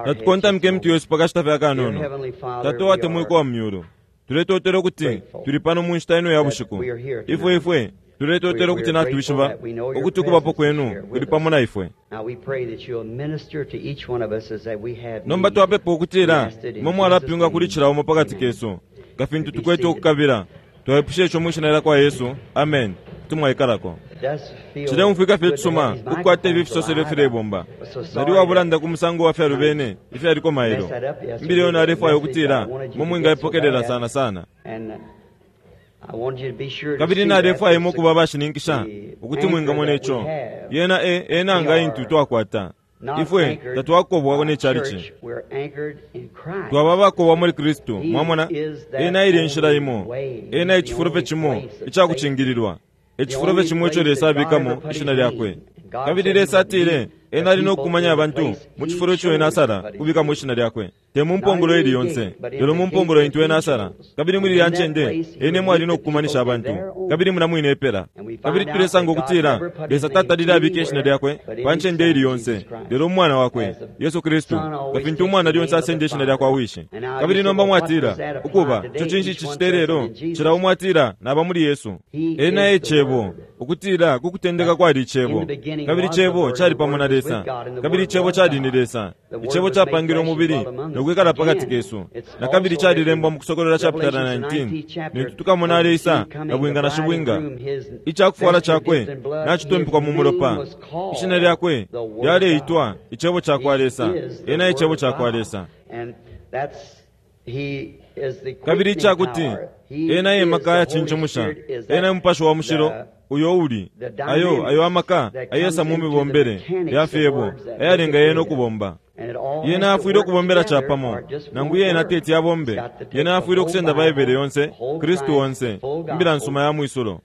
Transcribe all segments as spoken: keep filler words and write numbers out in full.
Natukontamike emitwe yesu pakashita fye akanono. Tata uwatemwikwa wa mu myulu, tuletotela ukuti tuli pano mu nshita ino ya bushiku. Ifwe ifwe tuletotela ukuti natwishiba ukuti ukubapo kwenu kuli pamo na ifwe. Nomba twapepa ukutila imwe mwalapyunga kuli cila umo pakati kesu nga fintu tukwete ukukabila. Twaipusha ico mwi shina lya kwa Yesu. Amen. Kuti mwaikalako. Cileumfwika fye icisuma ukukwata ifi fisoselo ifilebomba. Nali uwabulanda ku musango wa fyalubene ifyaliko mailo. Imbila iyo nalefwaya ukutila imwe mwingaipokelela sana sana. Kabili nalefwaya imwe ukuba abashininkisha ukuti mwingamona ico. Yena e, e nanga intu twakwata. Ifwe tatwakobwa ne chalichi. Twaba abakobwa muli Kristu. Mwamona? Ena ili enshila imo. Ena ecifulo fye cimo icakucingililwa. Ecifulo fye cimo ico Lesa abikamo ishina lyakwe. Kabili Lesa atile ena ali no kukumanya abantu mu cifulo ico ena asala kubikamo ishina lyakwe. Te mu mpongolo ili yonse, lelo mu mpongolo intu ena asala. Kabili muli ilya ncende ena emo ali no kukumanisha abantu, kabili mulya mwine epela. Kabili tulesanga ukutila Lesa tatalile abika ishina lyakwe pa ncende ili yonse, lelo mu Mwana wakwe, Yesu Kristu, nga fintu umwana lyonse asenda ishina lyakwa wishi. Kabili nomba mwatila, Ukuba, ico cinshi cicita ilelo? Cila umo atila, Naba muli Yesu. Ena e Cebo, ukutila ku kutendeka kwali Icebo, kabili Icebo cali pamo na Lesa, kabili Icebo cali ni Lesa. Icebo capangilwe umubili no kwikala pakati kesu. Na kabili calilembwa mu Kusokolola chapitala nineteen, lintu tukamona aleisa nabwinga na shibwinga, icakufwala cakwe nacitumpikwa mu mulopa, ishina lyakwe lyaleitwa Icebo cakwa Lesa. Ena e Cebo cakwa Lesa. Kabili icakuti ena e maka ayacincimusha, ena e Mupashi wa Mushilo uyo uli ayo ayo amaka ayesa mu mibombele ya fyebo ayalenga yena ukubomba. Yena afwile ukubombela capamo, nangu yena teti abombe. Yena afwile ukusenda Baibele yonse, Kristu onse, Imbila nsuma ya mwisulo.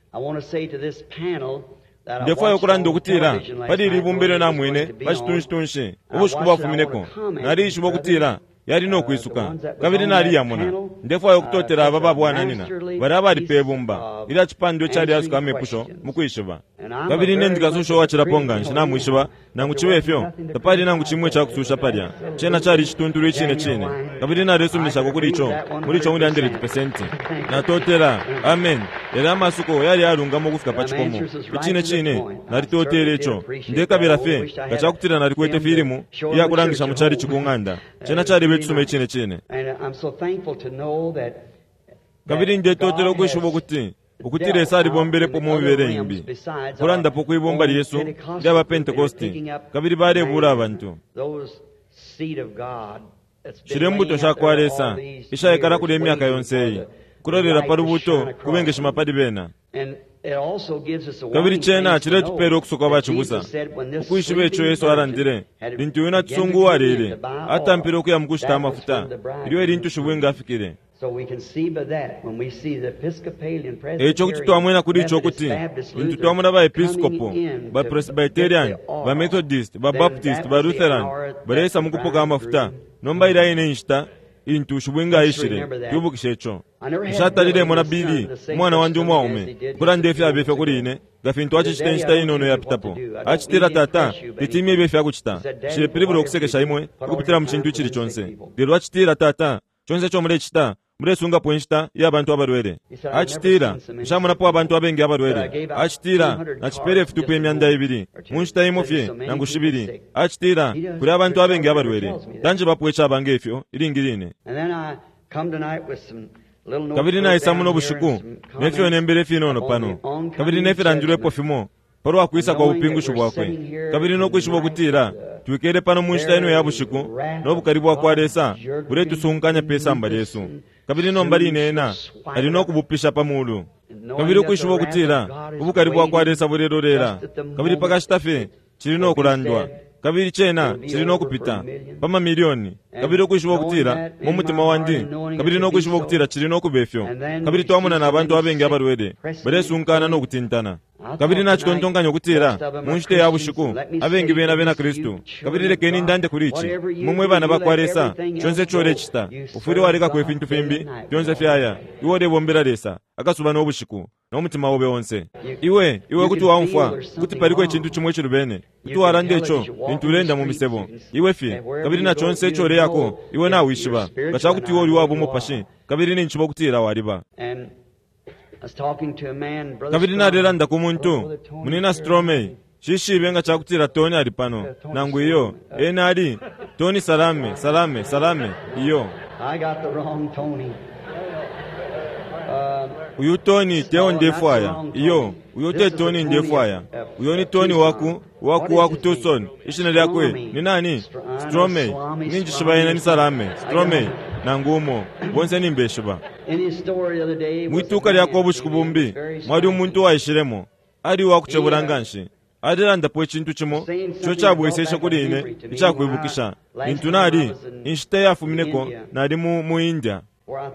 Ndefwaya ukulanda ukutila pali ili ibumba ilyo namwene pa citunshitunshi ubushiku bwafumineko, nalishiba ukutila yali no kwisuka, kabili naliyamona. Ndefwaya ukutotela aba babwananina balya abali pe bumba ilya cipandwa icalyasuka amepusho mu kwishiba. Kabili ine ndi kasusha uwacilapo nganshi, namwishiba, nangu cibe fyo, tapali nangu cimo icakususha palya. Cena cali icituntulu icine cine, kabili nalesuminishako kuli ico, muli ico one hundred percent. Natotela. Amen. Yalya amasuko yali ayalungama ukufika pa cikomo. Icine cine, nalitotele ico. Ndekabila fye nga cakutila nalikwete filimu iyakulangisha mu chalichi ku ng'anda. Cena caliba icisuma icine cine. Kabili ndetotela ukwishiba ukuti ukuti Lesa alibombelepo mu mibele imbi, ukulandapo kwi bumba lyesu ilya ba Pentekoste, kabili balebula abantu. Shilya imbuto shakwa Lesa ishaikala kulya imyaka yonse iyi, ukulolela pa lubuuto kubengeshima pali bena. Kabili cena ciletupela ukusoka bacibusa, ukwishiba ico Yesu alandile lintu uyu nacisungu uwalele atampile ukuya mukushita amafuta, ilyo ilintu shibwinga afikile. Eico kuti twamwena kuli ico ukuti lintu twamona ba Episcopo, ba Presbyterian, ba Methodist, ba Baptist, ba Lutheran baleisa mukupoka amafuta, nomba ilya ine inshita intu shibwinga aishile, twibukishe ico. Nshatalilemona Billy, umwana wandi umwaume, ukulanda ifyaba ifyo kuli ine, nga fintu acicita inshita inono iyapitapo. Acitila, Tata, teti imyebe ifya kucita. Nshilepilibula ukusekesha imwe ukupitila mu cintu icili conse. Lelo acitila, Tata, conse ico mulecita, mulesungapo inshita iya bantu abalwele. Acitila, Nshamonapo abantu abengi abalwele. Acitila, Nacipela ifitupa imyanda ibili mu nshita imo fye nangu shibili. Acitila, Kuli abantu abengi abalwele. Tanjebapo icaba nge fyo ilingi line. Kabili naisa muno bushiku ne fyo nembele ifinono pano, kabili ne filandilwepo fimo palwa kwisa kwa bupingushi bwakwe, kabili no kwishiba ukutila twikele pano mu nshita ino ya bushiku no bukali bwakwa Lesa buletusunkanya pe samba lyesu, kabili nomba line ena ali no kubupisha pa mulu, kabili ukwishiba ukutila ubukali bwakwa Lesa bulelolela, kabili pakashita fye cili no kulandwa, kabili cena cili no kupita pa mamilioni, kabili ukwishiba ukutila mu mutima wandi, kabili no kwishiba ukutila cili no kuba ifyo, kabili twamona na bantu abengi abalwele balesunkana no kutintana. Kabili nacitontonkanya ukutila mu nshita ya bushiku abengi bena bena Kristu, kabili lekeni ndande kuli ici, imwe mwe bana bakwa Lesa, conse ico ulecita ufwile walekako ifintu fimbi fyonse fyaya, iwe ulebombela Lesa akasuba no bushiku no mutima obe onse. Iwe, iwe kuti waumfwa ukuti paliko icintu cimo icilubene, kuti walanda ico lintu uleenda mu misebo, iwe fye, Kabili na chonse ico uleyako, iwe nawishiba. Nga cakuti iwe uli wa bumupashi, kabili ninjiba ukutila waliba. Kabili nalelanda ku muntu, Munina Stromei, shishibe nga cakutila Tony ali pano, nangu iyo, ena ali, Tony Salame, Salame, Salame, iyo. I got the wrong Tony. Uyu Tony teo ndefwaya, iyo, uyu te Tony ndefwaya. Uyu ni Tony waku, waku waku Tucson, ishina lyakwe, ni nani? Stromei, ninjishiba ena ni Salame, Stromei, nangu umo, bonse nimbeshiba. In his story the other day, was Mwituka a lyakwe man ubushiku came in, bumbi, very mwali umuntu waishilemo, ali wakucebula nganshi. Alilandapo icintu cimo, ico cabweseshe kuli ine, icakwibukisha. Lintu nali, inshita yafumineko, nali mu, mu India.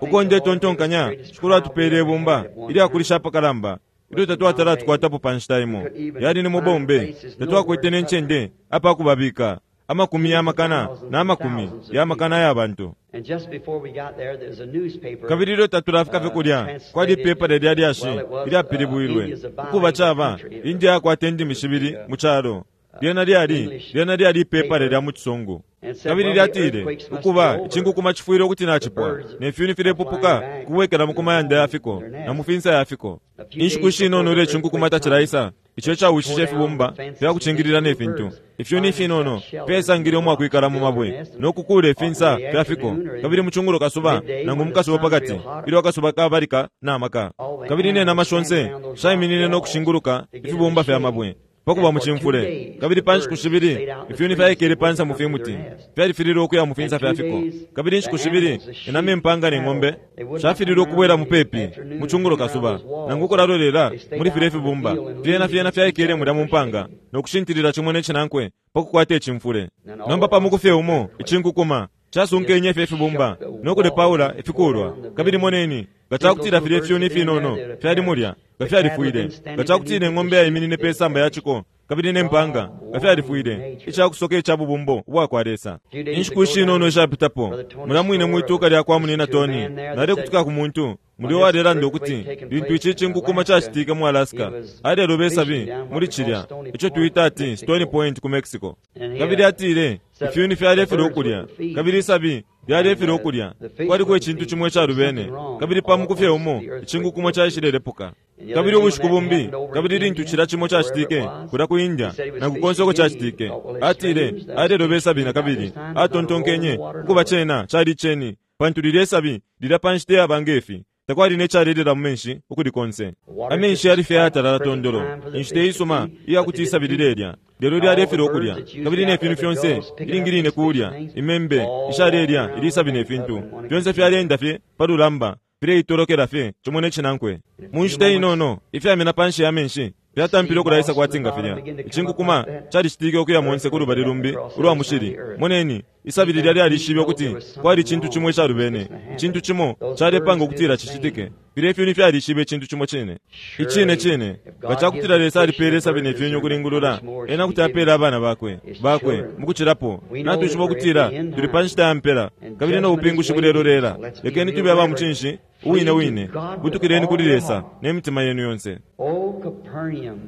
Uko ndetontonkanya, Shikulu atupele ibumba, ilyakulisha apakalamba, ilyo tatwatala tukwatapo pa nshita imo. Yali ni mu Bombay, tatwakwete ne ncende apakubabika, amakumi ya makana na makumi ya makana ya bantu. And just before we got there, there's a newspaper. Kabili ilyo tatulafika fye kulya, kwali ipepa lya lyashi ilyapilibwilwe ukuba caba India yakwata indimi shibili mu calo. Lyena lyali lyena lyali ipepa lya mu Chisungu. Kabili lyatile ukuba icinkukuma cifwile ukuti nacipwa, ne fyuni filepupuka kubwekela mu kumayanda ya fiko na mu finsa ya fiko. Inshiku ishinono ilyo icinkukuma tacilaisa, ico icawishishe ifibumba fyakucingilila ne fintu. Ifyuni ifinono fyasangile umwakwikala mu mabwe no kukuula ifinsa fya fiko. Kabili mu cungulo kasuba nangu mu kasuba pakati, ilyo akasuba kabalika na maka. Kabili ne nama shonse shaiminine no kushinguluka ifibumba fya mabwe pakuba mu cimfule. Kabili pa nshiku shibili ifyuni fyaikele pansa mu fimuti, fyalifililwe ukuya mu finsa fya fiko. Kabili inshiku shibili inama impanga ne ng'ombe shafililwe ukubwela mupepi mu cungulo kasuba, nangu ukulalolela muli filya ifibumba. Fyena fyena fyaikele mulya mu mpanga no kushintilila cimo ne cinankwe pakukwata icimfule. Nomba pamuku fye umo icinkukuma casunkenye fye ifibumba no kulepaula ifikulwa. Kabili moneni, nga cakutila filya ifyuni ifinono fyali mulya, nga fyalifwile. Nga cakutila ing'ombe yaiminine pe samba ya ciko kabili ne mpanga, nga fyalifwile. Icakusoka ica bubumbo ubwakwa Lesa. Inshiku ishinono ishapitapo, mulya mwine mwituka lya kwa Munina Tony, nalekutuka ku muntu mulyo walelanda ukuti lintu ici cinkukuma cacitike mu Alaska, aleloba isabi muli cilya ico twita ati Stony Point ku Mexico. Kabili atile ifyuni fyalefilwa ukulya, kabili isabi lyalefilwa ukulya. Kwaliko icintu cimo icalubene, kabili pamuku fye umo icinkukuma caishilelepuka. Kabili ubushiku bumbi, kabili lintu cilya cimo cacitike kulya ku India, nangu konse uko cacitike, atile aleloba isabi na kabili atontonkenye ukuba cena cali ceni, pantu lilya isabi lilya pa nshita iyaba ngefi takwali ne calelela mu menshi ukuli konse. Amenshi yali fye ayatalala tondolo, inshita isuma iyakuti isabi lilelya, lelo lyalefilwa ukulya. Kabili ne fintu fyonse ilingi line kulya, imembe ishalelya ilisabi ne fintu fyonse fyalenda fye pa lulamba, fileitolokela fye cimo ne cinankwe. Mu nshita inono ifyamena panshi ya menshi fyatampile ukulaisa kwati nga filya. Icinkukuma calicitike ukuya monse ku lubali lumbi ulwa mushili. Moneni, isabi lilya lyalishibe ukuti kwali icintu cimo icalubene, icintu cimo calepanga ukutila cicitike. Filya ifyuni fyalishibe icintu cimo cine. Icine cine, nga cakutila Lesa alipele isabi ne fyuni ukulingulula, ena kuti apela abana bakwe bakwe mukucilapo. Natwishiba ukutila tuli pa nshita ya mpela, kabili no bupingushi bulelolela. Lekeni tube aba mucinshi uwine wine, butukileni kuli Lesa ne mitima yenu yonse. O Capernaum,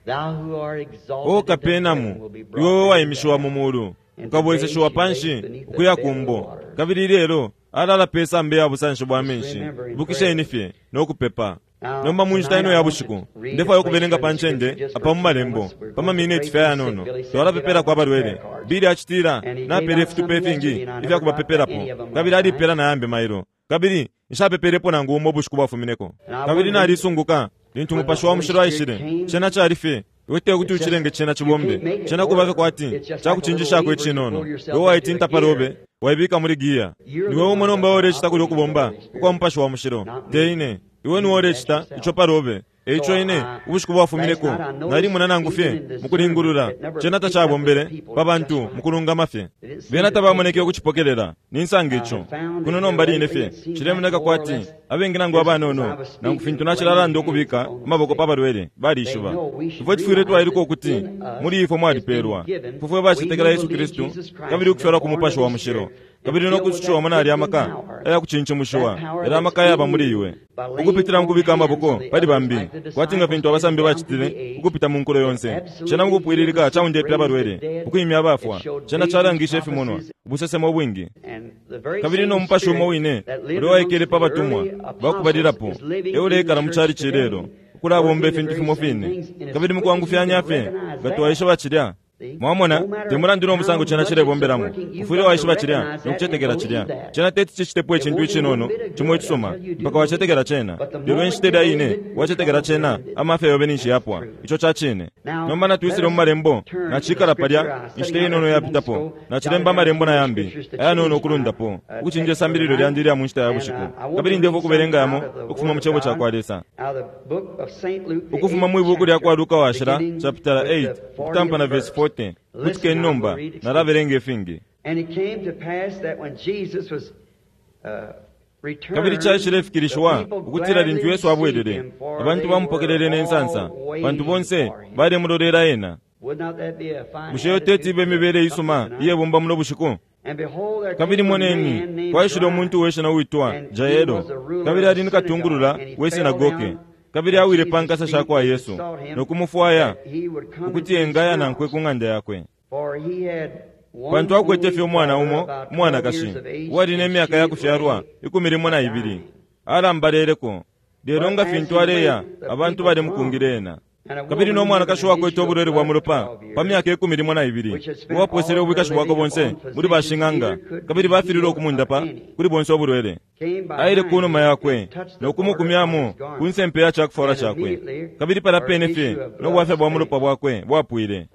thou who art exalted O into heaven Kapenamu, will be iwe brought down waimishiwa to mu mulu, And ukabweseshiwa today she panshi lays beneath the ukuya bed of kumbo. water. Kabili lelo alala pe samba ya busanshi bwa menshi. Remember in Ibukisheni prayer. fye no kupepa. Now, Nomba mu nshita tonight ino I ya want bushiku, to read ndefwaya a place ukubelenga here pa in the ncende scripture just apa for mu a few malembo, moments. We're pa going to mamineti pray for fye the ayanono. sick. Billy said, Twala "Get pepela out kwa the prayer balwele. cards." Billy acitila, And he gave napele out ifitupa some ifingi yesterday, and I ifya never got any kubapepelapo. of them Kabili last night. alipela na yambi mailo. Kabili nshapepelepo nangu umo ubushiku bwafumineko. And I Kabili wondered nalisunguka lintu when the Mupashi wa Holy Mushilo Spirit aishile, came, cena cali fye iwe te kuti it's just ucilenge cena you cibombe, can't make it cena kuba fye work. kwati It's just like a little cakucinjishako lever you icinono. pull yourself Iwe into a waitinta palobe, gear. waibika muli giya. You're the Niwe umo one nomba that ulecita kulya operates the ukubomba Holy Spirit, ukwa Mupashi wa Mushilo, not te me. ine. Iwe You niwe do that ulecita yourself. ico palobe. Eico So ine I, ubushiku last bwafumineko night I noticed nalimona nangu even fye in mu kulingulula discernment, it never cena picked up with tacabombele the people pa just bantu right. mu kulungama fye. They didn't seem Bena to take tabamoneke it. ukucipokelela, ninsanga I ico. have found Kuno that here nomba line lately fye it seems like cilemoneka more or kwati less abengi nangu just as I abanono was nangu speaking, fintu laying nacilalanda hands ukubika upon the amaboko sick. pa balwele They balishiba. know we should Ifwe tufwile realize twailuka that ukuti in us muli ifwe has been mwalipeelwa. given, Ifwe fwe we bacetekela who Yesu believe Kristu Jesus Christ kabili and been ukufyalwa ku born of Mupashi wa the Mushilo Spirit and kabili no filled with kusushiwamo that nali quickening amaka power, ayakucincishiwa that power yali that's amaka yaba in muli you iwe by laying ukupitila on mukubika hands amaboko on the pali others bambi like the kwati nga disciples fintu did abasambi down through bacitile the age. ukupita mu nkulo It yonse. Cena absolutely healed mukupwililika the sick, caundepele raised the abalwele dead. ukwimya It abafwa showed cena visions, calangishe ifimonwa prophecies, Ubusesemo ubwingi. Kabili no mupashi umo wine ulya waikele pa batumwa bakubalilapo e uleikala mu chalichi ilelo, ukulabomba ifintu fimo fine. Kabili mukwangufyanya fye nga twaishiba cilya. Mwamona, te mulandu no musango cena cilebombelamo, ufwile waishiba cilya no kucetekela cilya. Cena teti cicitepo icintu icinono cimo icisuma mpaka wacetekela cena. Lelo inshita ilya ine wacetekela cena, amafya yobe ninshi yapwa. Ico ca cine. Nomba natwisile mu malembo, nacikala palya inshita inono yapitapo, nacilemba amalembo na yambi ayanono ukulundapo ukucinja isambililo lyandi ilya mu nshita ya bushiku. Kabili ndefwa ukubelenga yamo ukufuma mu cebo ca kwa Lesa, ukufuma mwi buku lya kwa Luka washila chapter eight ukutampa na verse forty. Kutikeni nomba, nalabelenga ifingi. Kabili caishilefikilishiwa ukutila lintu Yesu abwelele, abantu bamupokelele ne nsansa, pantu bonse balemulolela ena. Bushe iyo teti ibe imibele isuma iyebomba muno bushiku? Kabili moneni, kwaishile umuntu we shina uitwa Jaelo, kabili ali ni katungulula we sinagoge. Kabili awile pa nkasa sha kwa Yesu no kumufwaya ukuti engaya nankwe ku ng'anda yakwe, pantu akwete fye umwana umo umwanakashi uwali ne myaka ya kufyalwa ikumi limo na ibili. Alambaleleko, lelo nga fintu aleya abantu balemukungile ena. Kabili no mwanakashi wakwete ubulwele bwa mulopa pa myaka ikumi limo na ibili, uwaposele ubwikashi bwakwe bonse muli bashing'anga, kabili bafilile ukumundapa kuli bonse ubulwele. Aile kunuma yakwe no kumukumyamo ku nsempe ya cakufwala cakwe, kabili pala pene fye no bwafya bwa mulopa bwakwe bwapwile.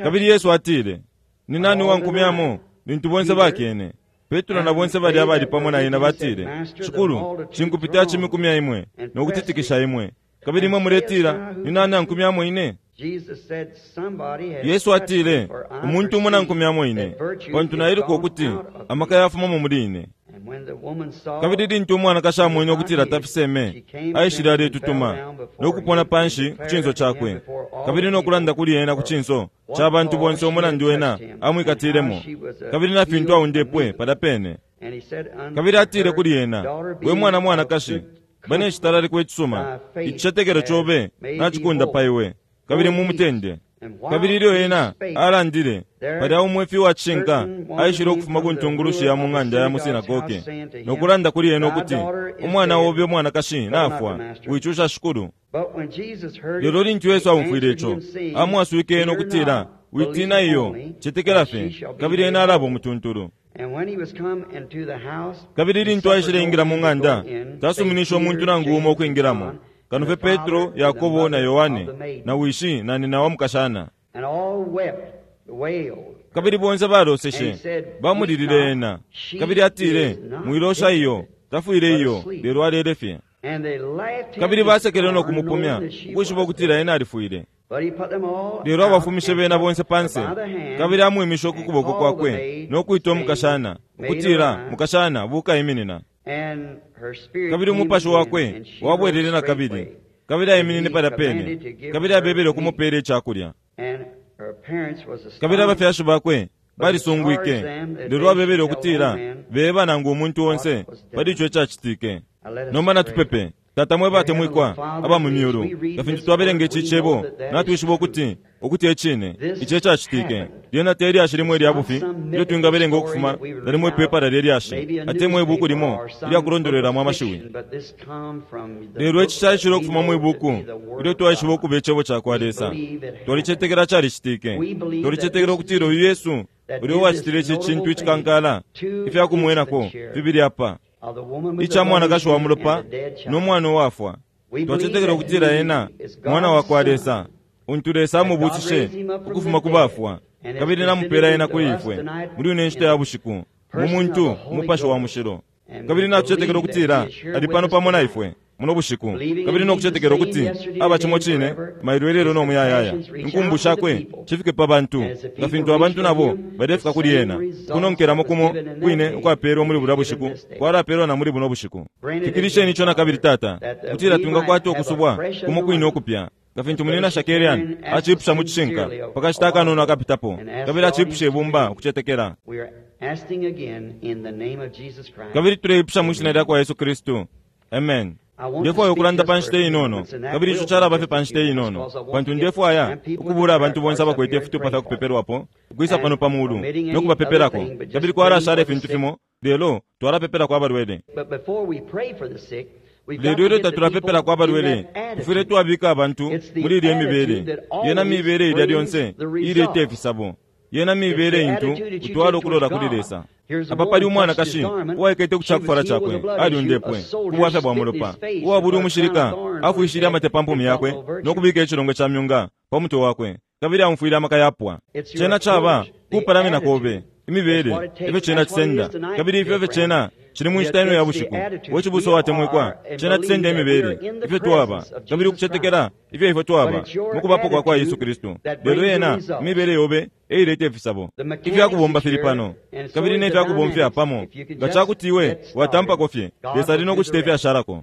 Kabili Yesu atile, ni nani uwankumyamo? Lintu bonse bakene, Petro na bonse bali abali pamo na ena batile, Shikulu, cinkupita cimikumya imwe no kutitikisha imwe, kabili imwe muletila, ni nani ankumyamo ine? Yesu atile, umuntu umo nankumyamo ine, pantu nailuka ukuti amaka yafumamo muli ine. Kabili lintu umwanakashi amwene ukutila tafiseme, aishile aletutuma no kupona panshi ku cinso cakwe, kabili no kulanda kuli ena ku cinso ca bantu bonse umulandu ena amwikatilemo, kabili na fintu aundepwe palya pene. Kabili atile kuli ena, we mwana mwanakashi, bane citalalikwe icisuma, icicetekelo cobe nacikunda pa iwe, kabili mumutende. Kabili ilyo ena alandile, palya umwefi wa cishinka aishile ukufuma ku ntungulushi ya mu ng'anda ya mu sinagoge no kulanda kuli ena ukuti, umwana obe umwanakashi nafwa, wicusha Shikulu. Lelo lintu Yesu aumfwile ico, amwaswike ena ukutila, witina iyo, cetekela fye, kabili ena alaba umutuntulu. Kabili lintu aishile ingila mu ng'anda, tasuminisha umuntu nangu umo ukwingilamo, kano fye Petro, Yakobo na Yohane, na wishi na nina wa mukashana. Kabili bonse baloseshe, bamulilile ena. Kabili atile, mwilosha iyo, tafwile iyo, lelo alele fye. Kabili basekele no kumupumya, ukwishiba ukutila ena alifwile. Lelo abafumishe bena bonse panse, kabili amwimishe ukuboko kwakwe no kwita umukashana, ukutila, mukashana, buka iminina. Kabili umupashi wakwe wabwelele na kabili, kabili aiminine palya pene, kabili abebele ukumupela icakulya. Kabili abafyashi bakwe balisungwike, lelo abebele ukutila beba nangu umuntu onse pali ico icacitike. Nomba natupepe. Tata mwe batemwikwa aba mu myulu, nga fintu twabelenga ici cebo, natwishiba ukuti ukuti ecine ici ecacitike. Lyena te lyashi limwe ilya bufi ilyo twingabelenga ukufuma nalimo ipepala lye lyashi atemwa ibuku limo ilya kulondolwelamo amashiwi. Lelo ici caishile ukufuma mu ibuku ilyo twaishiba ukuba icebo ca kwa Lesa. Twalicetekela calicitike. Twalicetekela ukutila uyu Yesu ulya uwacitile ici cintu icikankala, ifya kumwenako fibili apa, ica mwanakashi wa mulopa no mwana uwafwa. Twacetekela ukutila ena mwana wa kwa Lesa, untu Lesa amubusishe ukufuma ku bafwa, kabili namupela ena kuli ifwe muli ino nshita ya bushiku, mu muntu umupashi wa mushilo. Kabili natucetekela ukutila ali pano pamo na ifwe muno bushiku, kabili nokucetekela ukuti aba cimo cine mailo ilelo no muyayaya. Inkumbu shakwe cifike pa bantu, nga fintu abantu nabo balefika kuli ena. Kunonkelamo kumo kwine ukwapelwa muli bulya bushiku kwalapelwa na muli buno bushiku. Fikilisheni ico na kabili, Tata, kutila twingakwata ukusubwa kumo kwine ukupya, nga fintu munina Shakarian acipusha mu cishinka pakashita akanono akapitapo, kabili acipusha ibumba ukucetekela. Kabili tuleipusha mu shina lya kwa Yesu Kristu. Amen. Ndefwaya ukulanda pa nshita inono, kabili ico calaba fye pa nshita inono, pantu ndefwaya ukubula abantu bonse abakwete ifitupa fya kupepelwapo ukwisa pano pa mulu no kubapepelako, kabili kwalashala ifintu fimo, lelo twalapepelako abalwele. Lelo ilyo tatulapepelako abalwele, tufwile twabika abantu muli ilya mibele. Yena mibele ilya lyonse ileta ifisabo. Yena mibele intu utwala ukulola kuli Lesa. Apa pali umwanakashi uwaikete ku cakufwala cakwe, alyundepwe ku bwafya bwa mulopa. Uwabuli umushilika afwishile amate pa mpumi yakwe no kubika icilongwe ca myunga pa mutwe wakwe, kabili amufwile amaka yapwa. Cena caba kupalamina kobe, imibele ifyo cena cisenda, kabili ifyo ifyo cena cili mu nshita ino ya bushiku. We cibusa watemwikwa, cena cisenda imibele ifyo twaba, kabili ukucetekela ifyo ifyo twaba mukubapo kwa kwa Yesu Kristu. Lelo yena imibele yobe eileta ifisabo. Ifyakubomba fili pano, kabili ne fyakubomfya pamo. Nga cakuti iwe watampako fye, Lesa ali no kucita ifyashalako.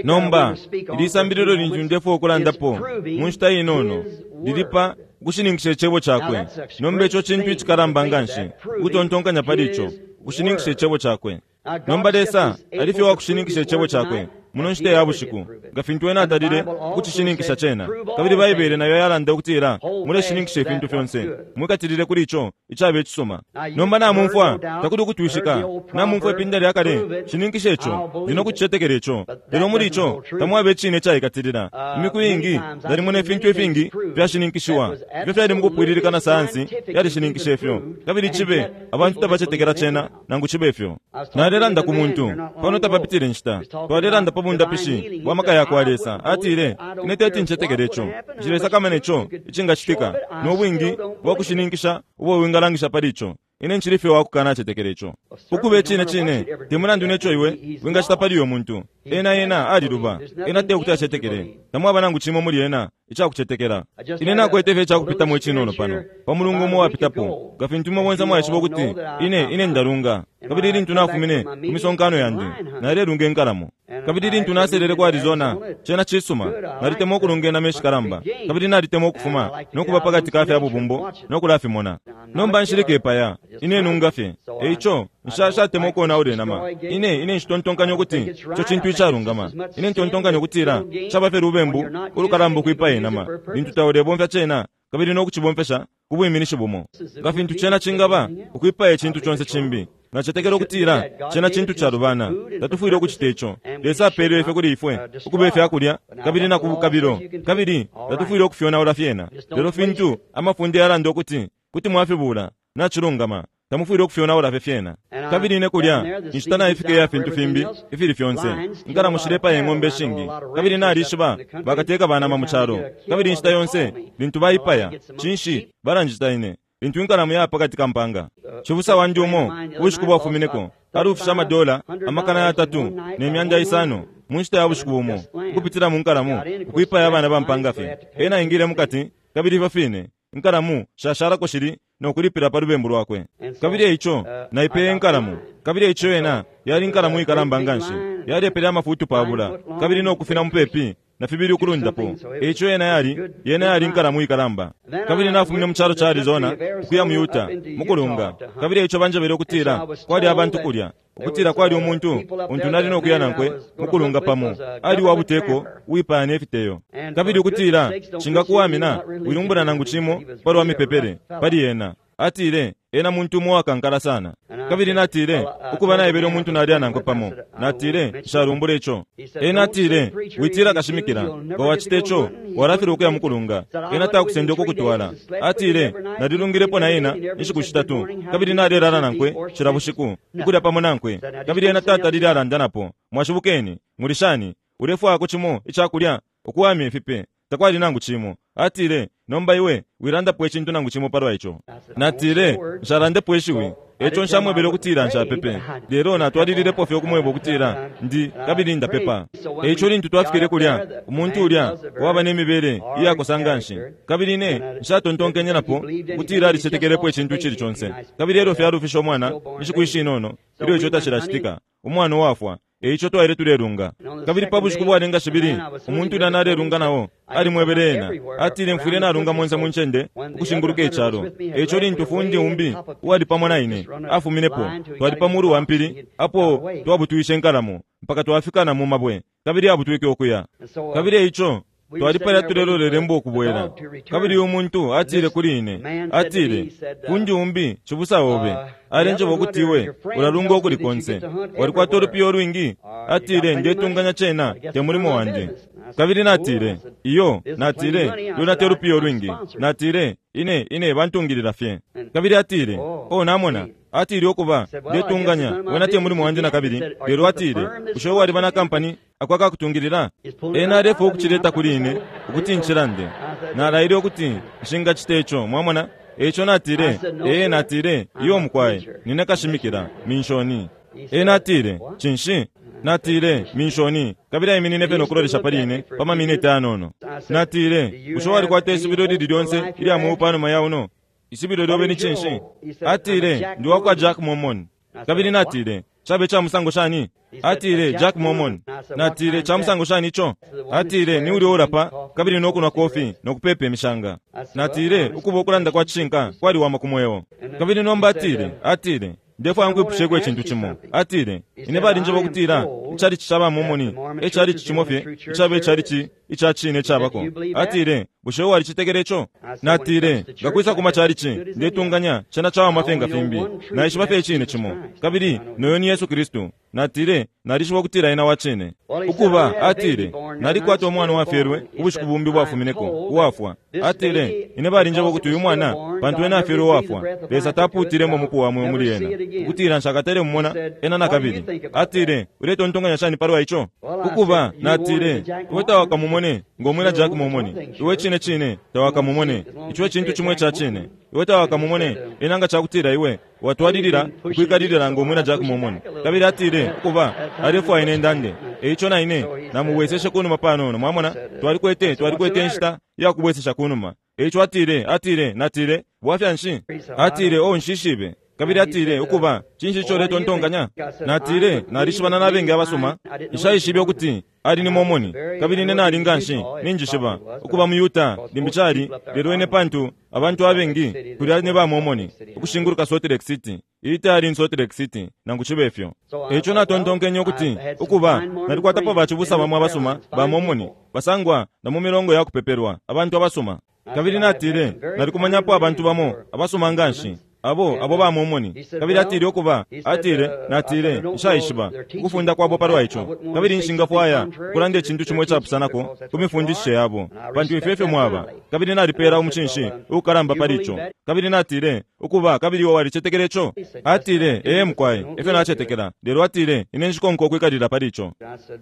Nomba ili sambililo lintu ndefwaya ukulandapo mu nshita inono lilipa ukushininkisha icebo cakwe. Nomba ico cintu icikalamba nganshi ukutontonkanya pali ico, ukushininkisha icebo cakwe. Nomba Lesa ali fye wakushininkisha icebo cakwe muno nshita ya bushiku, nga fintu ena atalile ukucishininkisha cena. Kabili Baibele nayo yalanda ukutila muleshininkisha ifintu fyonse, mwikatilile kuli ico icaba icisuma. Nomba namumfwa, takuli ukutwishika, namumfwa ipinda lya kale, shininkisha ico, ndi no kucicetekela ico. Lelo muli ico tamwaba icine icaikatilila. Imiku iingi nalimona ifintu ifingi fyashininkishiwa, ifyo fyali mukupwililika na sayansi yalishininkisha ifyo, kabili cibe abantu tabacetekela cena nangu cibe ifyo. Nalelanda ku muntu pano tapapitile nshita, twalelanda pa bundapishi bwa maka ya kwa Lesa. Atile, ine teti ncetekele ico, nshilesakamana ico icingacitika, no bwingi bwa kushininkisha ubo wingalangisha pali ico. Ine nshili fye wakukanacetekela ico. Ukuba icine cine, te mulandu neco iwe wingacita pali uyo muntu. Ena ena aliluba, ena te kuti acetekele, tamwaba nangu cimo muli ena icakucetekela. Ine nakwete fye icakupitamo icinono pano pa mulungu umo wapitapo, nga fintu imwe bonse mwaishiba ukuti ine ine ndalunga. Kabili lintu nafumine ku misonkano yandi, nalelunga inkalamo. Kabili lintu naselele ku Arizona, cena cisuma, nalitemwa ukulunga inama ishikalamba, kabili nalitemwa ukufuma no kuba pakati ka fya bubumbo no kulafimona. Nomba nshilike ipaya, ine nunga fye. Eico nshashatemwa ukonaula inama. Ine ine nshitontonkanya ukuti ico cintu icalungama. Ine ntontonkanya ukutila caba fye lubembu ulukalamba ukwipaya inama lintu taulebomfya cena kabili no kucibomfesha ku bwiminishi bumo, nga fintu cena cingaba ukwipaya icintu conse cimbi. Nacetekela ukutila cena cintu calubana, tatufwile ukucita ico. Lesa apelele ifwe kuli ifwe ukuba ifyakulya kabili na kubukabilo, kabili tatufwile ukufyonaula fyena. Lelo fintu amafunde yalanda ukuti kuti mwafibula, nacilungama, tamufwile ukufyonaula fye fyena. Kabili ine kulya inshita naifika iya fintu fimbi ifili fyonse, inkalamo shilepaya ing'ombe ishingi, kabili nalishiba bakateka banama mu calo. Kabili inshita yonse lintu baipaya, cinshi balanjita ine lintu inkalamo yaba pakati ka mpanga. Cibusa wandi umo ubushiku bwafumineko alufisha amadola amakana yatatu ne myanda isano mu nshita ya bushiku bumo ukupitila mu nkalamo ukwipaya abana ba mpanga fye. Ena aingile mukati, kabili ifyo fine inkalamo shashalako shili no kulipila pa lubembu lwakwe. Kabili eico naipeye inkalamo, kabili eico yena yali inkalamo ikalamba nganshi, yalepele amafutu pabula kabili no kufina mupepi na fibili ukulundapo. Eico yena yali yena yali inkalamo ikalamba. Kabili nafumine mu calo ca Arizona ukuya mu Utah mukulunga, kabili eico banjebele ukutila kwali abantu kulya, ukutila kwali umuntu untu nali no kuya nankwe mukulunga pamo, ali wa buteko uwipaya ne fiteyo, kabili ukutila cingakuwamina wilumbula nangu cimo palwa mipepele pali yena. Atile ena muntu umo wakankala sana. Kabili natile ukuba naebele umuntu nalya nankwe pamo, natile nshalumbula ico. Ena atile witila kashimikila, nga wacita ico walafilwa ukuya mukulunga, ena takusenda ukukutwala. Atile nalilungilepo na ena inshiku shitatu, kabili nalelala nankwe cila bushiku ukulya pamo nankwe, kabili ena tatalile alanda napo. Mwashibukeni, mulishani, ulefwayako cimo icakulya, ukuwamya ifipe, takwali nangu cimo. Atile nomba iwe wilandapo icintu nangu cimo palwa ico. Natile nshalandepo ishiwi, eco nshamwebele ukutila nshapepe, lelo natwalililepo fye ukumweba ukutila ndi kabili ndapepa. Eico lintu twafikile kulya, umuntu ulya waba ne mibele iyakosa nganshi, kabili ine nshatontonkenye napo ukutila alicetekelepo icintu icili conse. Kabili elyo fye alufisha umwana inshiku ishinono ilyo ico tacilacitika, umwana uwafwa Eico twaile tulelunga. Kabili pa bushiku bwalenga shibili, umuntu ulya nalelunga nao alimwebele ena, atile mfwile nalunga monse mu ncende ukushinguluka icalo. Eico lintu fundi umbi uwali pamo na ine afuminepo, twali pa mulu wa mpili apo twabutwishe inkalamo mpaka twafika na mu mabwe, kabili abutwike ukuya. Kabili eico twalipala tulelolele mbo ukubwela. Kabili umuntu atile kuli ine, atile, fundi umbi cibusa obe alenjeba ukuti iwe ulalunga ukuli konse, walikwata ulupiyo olwingi. Atile, ndetunganya cena te mulimo wandi. Kabili natile, iyo, natile, luna te lupiyo olwingi. Natile, ine ine bantungilila fye. Kabili atile, oh, namona. Atile ukuba ndetunganya wena te mulimo wandi na kabili. Lelo atile, bushe waliba na kampani akwaka kutungilila? Ena alefo ukuchileta kuli ine ukuti nchilande. Nalaile ukuti nshingachita ico, mwamona. Eico natile, ee, natile, iyo mukwaye, nine kashimikila minshoni. Ena atile, cinshi? Natile, minshoni. Kabili aiminine pe nokulolesha pali ine pa maminiti anono. Natile, bushe walikwata isubilo lili lyonse ilya mweo panuma ya uno? Isubilo lyobe ni cinshi? Atile, ndi wakwa Jack Mormon. Kabili natile, chabe cha musango shani? Atile, Jack Mormon. Natile, cha musango shani ico? Atile, ni uli ulapa kabili nokunwa kofi nokupepa imishanga. Natile, ukuba ukulanda kwa cishinka kwaliwama ku mweo. Kabili nomba atile, atile, ndefwaya nkwipushe icintu cimo. Atile, ine balinjeba ukutila icalici ca ba Mormon ecalici cimo fye icaba ecalici ica cine cabako. Atile, bushe walicetekela ico? Natile, ngakwisa ku macalici ndetunganya cena cawama fye nga fimbi. Naishiba fye icine cimo, kabili noyo ni Yesu Kristu. Natile, nalishiba ukutila ena wa cine. Ukuba, atile, nalikwata umwana wafyelwe ubushiku bumbi bwafumineko uwafwa. Atile, ine balinjeba ukuti uyu mwana pantu ena afyelwe uwafwa, Lesa tapuutilemo mupu wa mweo muli ena, ukutila nshakatale mumona ena na kabili. Atile, uletontonkanya shani palwa ico? Ukuba, natile, iwe tawakamumone ng'omwina Jack Mormon. Iwe cine cine tawakamumone. Ico ecintu cimwe ca cine. Iwe tawakamumone ena nga cakutila iwe watwalilila ukwikalilila ng'omwina Jack Mormon. Kabili atile, ukuba, alefwaya ine ndande. Eico na ine namubweseshe kunuma panono, mwamona. Twalikwete twalikwete inshita yakubwesesha kunuma. Eico atile, atile, natile, bwafya nshi? Atile, oh, nshishibe. Kabili atile, ukuba, cinshi ico uletontonkanya? Natile, nalishibana n'abengi abasoma, nshaishibe ukuti ali ni Mormon. Kabili ine nali nga nshi ninjishiba ukuba mu Utah limbi cali, lelo ine pantu abantu abengi kulya ne ba Mormon ukushinguluka Salt Lake City. Iyi tayali ni Salt Lake City nangu cibe fyo. Eico natontonkenye ukuti ukuba nalikwatapo bacibusa bamwe abasuma ba Mormon basangwa na mu milongo ya kupepelwa abantu abasuma. Kabili natile, nalikumanyapo abantu bamo abasuma nga nshi abo abo ba Mormon. Kabili atile ukuba, atile, natile, nshaishiba ukufunda kwabo palwa ico. Kabili nshingafwaya ukulanda icintu cimo icapusanako ku mifundishe yabo, pantu ifyo efyo mwaba. Kabili nalipela umucinshi ukalamba pali ico. Kabili natile, ukuba, kabili iwe walicetekela ico? Atile, ee mukwaye, efyo nacetekela. Lelo atile, ine nshikonka ukwikalila pali ico.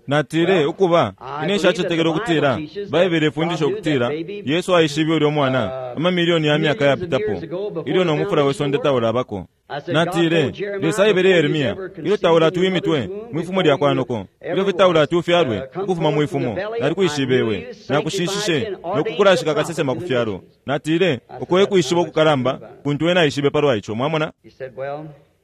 Natile, ukuba, ine nshacetekela ukutila Baibele ifundisha ukutila Yesu aishibe ulya mwana amamilioni ya myaka yapitapo ilyo no mufula we sonde taulabako. Natile, Lesa aebele Yeremia, ilyo taulati wimitwe mwifumo lya kwanoko, ilyo fye taulati ufyalwe ukufuma mwifumo, nalikwishibe iwe, nakushishishe nokukulashika kasesema ku fyalo. Natile, uko ekwishiba ukukalamba kuntu ena aishibe palwa ico, mwamona.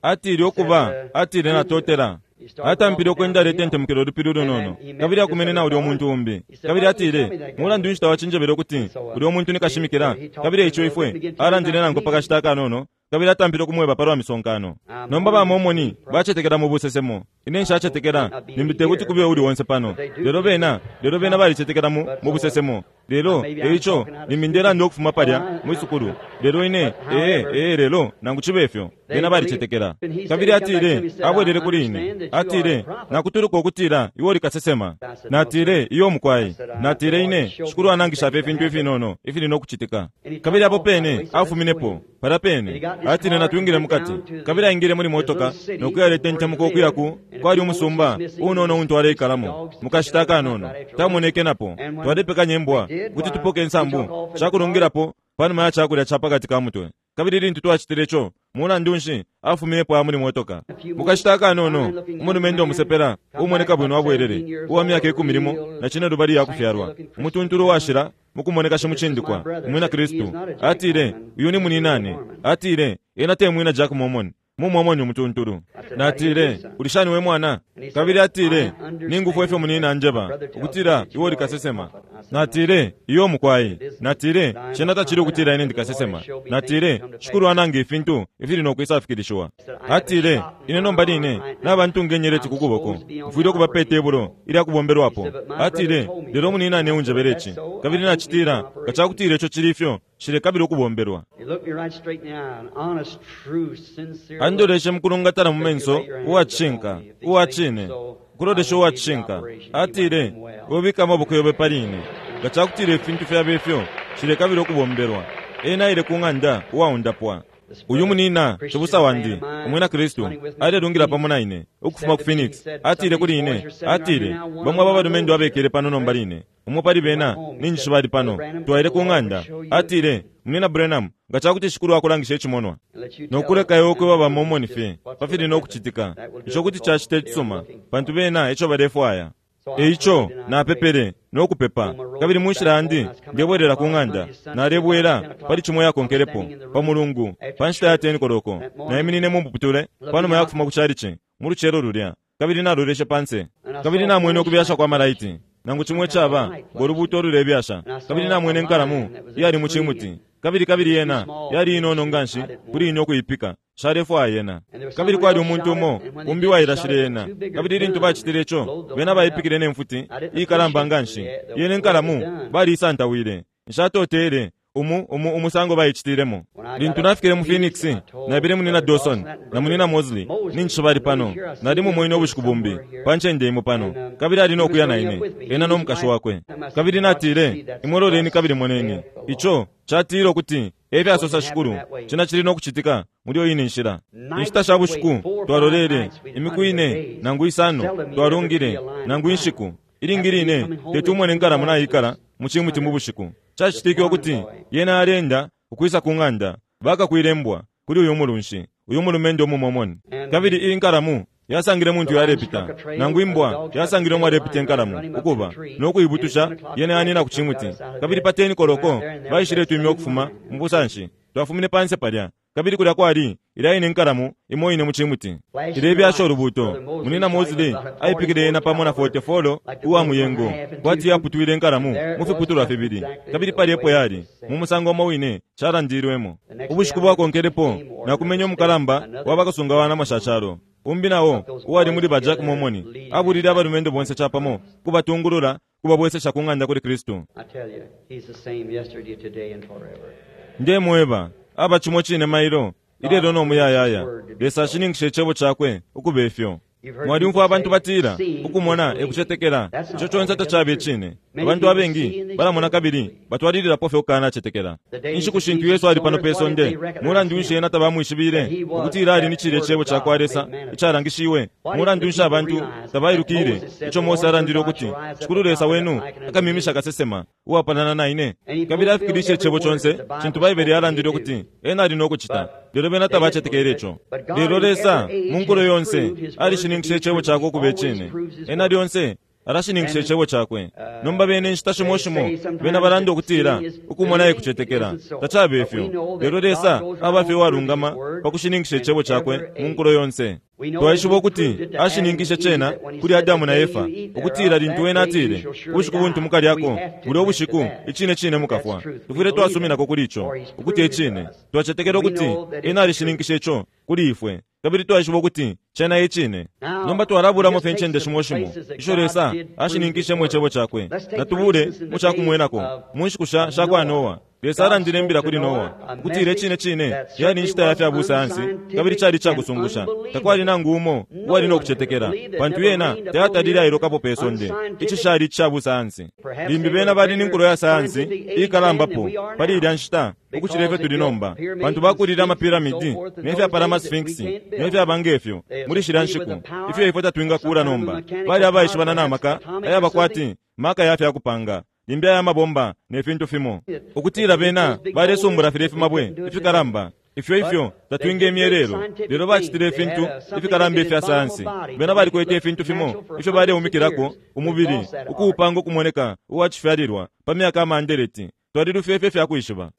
Atile ukuba, atile natotela. Atampile ukwenda aletentemukela ulupili ulunono, kabili akumene na ulya umuntu umbi. Kabili atile, mulandu nshi tawacinjebele ukuti ulya umuntu ni kashimikila? Kabili eico ifwe alandile nanko pa kashita akanono, kabili atampile ukumweba palwa misonkano. Nomba ba Mormon bacetekela mu busesemo. Ine nshacetekela limbi tekuti kube uli onse pano. Lelo bena, lelo bena balicetekela mu mu busesemo. Lelo eico limbi ndelanda ukufuma palya mwisukulu. Lelo ine, ee, ee, lelo nangu cibe ifyo, bena balicetekela. Kabili atile, abwelele kuli ine. Atile, nakutuluka ukutila iwe uli kasesema. Natile, iyo mukwaye. Natile ine, Shikulu anangisha fye ifintu ifinono ifili nokucitika. Kabili apo pene afuminepo palya pene. Atile natwingile mukati. Kabili aingile muli motoka nokuya aletentemuka ukuya ku kwali umusumba unono untu aleikalamo mukashita akanono. Tamoneke napo. Twalepekanya imbwa kuti tupoke insambu cakulungilapo panuma ya cakulya ca pakati ka mutwe. Kabili lintu twacitile ico, mulandu nshi afuminepo muli motoka. Mukashita akanono umulumendo umusepela umoneka bwino abwelele uwa myaka ikumi limo na cine lubali ya kufyalwa, umutuntulu uwashila mukumoneka shimucindikwa umwina Kristu. Atile, uyu ni muninane. Atile, ena te mwina Jack Mormon, Mu Mormon umutuntulu. Natile, "Uli shani we mwana?" Kabili atile, "Ningufwe ifyo munina anjeba ukutila iwe uli kasesema." Natile, "Iyo mukwai." Natile, "Cena tacili ukutila ine ndikasesema." Natile, "Shikulu ananga ifintu ifili no kwisafikilishiwa." Atile, "Ine nomba line nabantu ngenyeleti ku kuboko, mfwile ukuba pe tebulo ilya kubombelwapo." Atile, "Lelo munina ane unjebele ici." Kabili nacitila, nga cakutila ico cili ifyo, shilekabila ukubombelwa. He looked me right straight in the eye, an honest, true, sincere look. Andoleshe mukulungatana mu menso, uwacishinka, uwacine, kulolesha uwacishinka. Atile, "Wobika amaboko yobe pali ine. Nga cakutila ifintu fyaba ifyo, shilekabila ukubombelwa." Ena aile ku ng'anda uwaundapwa. Uyu munina cibusa wandi umwina Kristu alelungila pamo na ine ukufuma ku Phoenix. Atile kuli ine, atile, "Bamwe aba balumendo abekele pano nomba line, umo pali bena ninjishiba ali pano." Twaile ku ng'anda. Atile, "Munina Branham, nga cakuti Shikulu akulangisha icimonwa And let you no tell kuleka iwe ukweba ba them Mormon just fye what's pafili gonna no happen. kucitika, That will do ico it kuti because cacita they are icisuma, looking for pantu it. bena eco balefwaya." So I E ico prayed and I napepele no kupepa, kabili mu nshila yandi ndebwelela ku ng'anda. Nalebwela pali cimo yakonkelepo pa Mulungu pa nshita ya ten koloko. Naiminine mu muputule panuma ya kufuma ku chalichi mu lucelo lulya, kabili naloleshe panse, kabili namwene ukubyasha kwa malaiti, nangu cimwe caba ngo lubuto olulebyasha. Kabili namwene inkalamu iyali mu cimuti, kabili kabili yena yali inono nganshi kuli ine ukuipika, shalefwaya yena. Kabili kwali umuntu umo umbi wailashile yena, kabili lintu bacitile ico, bena baipikile ne mfuti ikalamba nganshi. Yena inkalamu baliisantawile. Nshatotele umu umu umusango baicitilemo. Lintu nafikile mu Phoenix, nabile munina Dawson na munina Mosley, ninjishiba bali pano. Nali mumwene ubushiku bumbi pa ncende imo pano, kabili ali no kuya na ine, ena no mukashi wakwe. Kabili natile, "Imwe loleni kabili moneni. Ico catile ukuti efyasosa Shikulu, cena cili no kucitika muli iyo ine nshila." Inshita sha bushiku twalolele imiku ine nangu isano, twalungile nangu inshiku ilingi line teti umwene inkalamu naikala mu cimuti mu bushiku. Cacitike ukuti yena alenda ukwisa ku ng'anda bakakwile mbwa kuli uyu mulunshi, uyu mulumendo umumomoni. Kabili iyi nkalamu yasangile muntu yalepita, nangu imbwa yasangile umwalepita inkalamu ukuba no kuibutusha, yena yanina ku cimuti. Kabili pa ten koloko baishile twimya ukufuma mu busanshi. Twafumine panse palya, kabili kulya kwali ilya ine inkalamu imo ine mu cimuti ilebyasha ulubuto. Munina Mosley aipikile yena pamo na forty-four uwa muyengo, kwati yaputwile inkalamu mu fiputulwa fibili, kabili pali epo yali mu musango umo wine calandilwemo. Ubushiku bwakonkelepo nakumenye umukalamba wa bakasunga wa nama sha calo, umbi nao uwali muli ba Jack Mormon, abulile abalumendo bonse capamo kubatungulula kubabwesesha ku ng'anda kuli Kristu. I tell you, he's the same yesterday, today, and forever. Ndemweba, aba cimo cine mailo, ilelo no muyayaya. Lesa ashininkishe icebo cakwe ukuba ifyo. Mwalyumfwa abantu batila, "Ukumona ekucetekela." Ico conse tacabe icine. Abantu abengi balamona kabili batwalililapo fye ukukanacetekela. Inshiku shintu Yesu ali pano pe sonde, mulandu nshi ena tabamwishibile ukutila ali ni cilya icebo ca kwa Lesa icalangishiwe? Mulandu nshi abantu tabailukile ico Mose alandile ukuti Shikulu Lesa wenu akamimisha kasesema uwapalana na ine? Kabili afikilishe icebo conse cintu Baibele yalandile ukuti ena ali no kucita, lelo bena tabacetekele ico. Lelo Lesa mu nkulo yonse alishininkishe icebo cakwe ukuba icine. Ena lyonse alashininkisha icebo cakwe. Nomba bene inshita shimo shimo bena balanda ukutila ukumona ekucetekela. Tacabe ifyo, lelo Lesa aba fye uwalungama pa kushininkisha icebo cakwe mu nkulo yonse. Twaishiba ukuti ashininkishe cena kuli Adamu na Efa, ukutila lintu ena atile, "Ubushiku buntu mukalyako, bulya ubushiku icine cine mukafwa." Tufwile twasuminako kuli ico ukuti icine. Twacetekela ukuti ena alishininkishe ico kuli ifwe, kabili twaishiba ukuti cena icine. Nomba twalabulamo fye incende shimo shimo isho Lesa ashininkishemo icebo cakwe. Natubule mu cakumwenako mu nshiku sha sha kwa Noa. Lesa alandile imbila kuli Noa ukutila icine cine yali inshita ya fya busayansi, kabili cali icakusungusha. Takwali nangu umo uwali no kucetekela, pantu yena tayatalile ailokapo pe sonde. Ici cali ica busayansi. Limbi bena bali ni nkulo ya sayansi ikalambapo pali ilya nshita ukucila ifyo tuli nomba, pantu bakulile amapiramidi ne fyapala ama sphinx ne fyaba ngefyo muli shilya nshiku, ifyo ifwe tatwingakula nomba. Bali abaishibana na maka ayaba kwati maka ya fyakupanga, limbi aya mabomba ne fintu fimo, ukutila bena balesumbula filya ifimabwe ifikalamba ifyo ifyo tatwingemye lelo. Lelo bacitile ifintu ifikalamba ifya sayansi. Bena balikwete ifintu fimo ifyo baleumikilako umubili ukuupanga ukumoneka uwacifyalilwa pa myaka amandeleti. Twalilufya ifyo ifyakwishiba.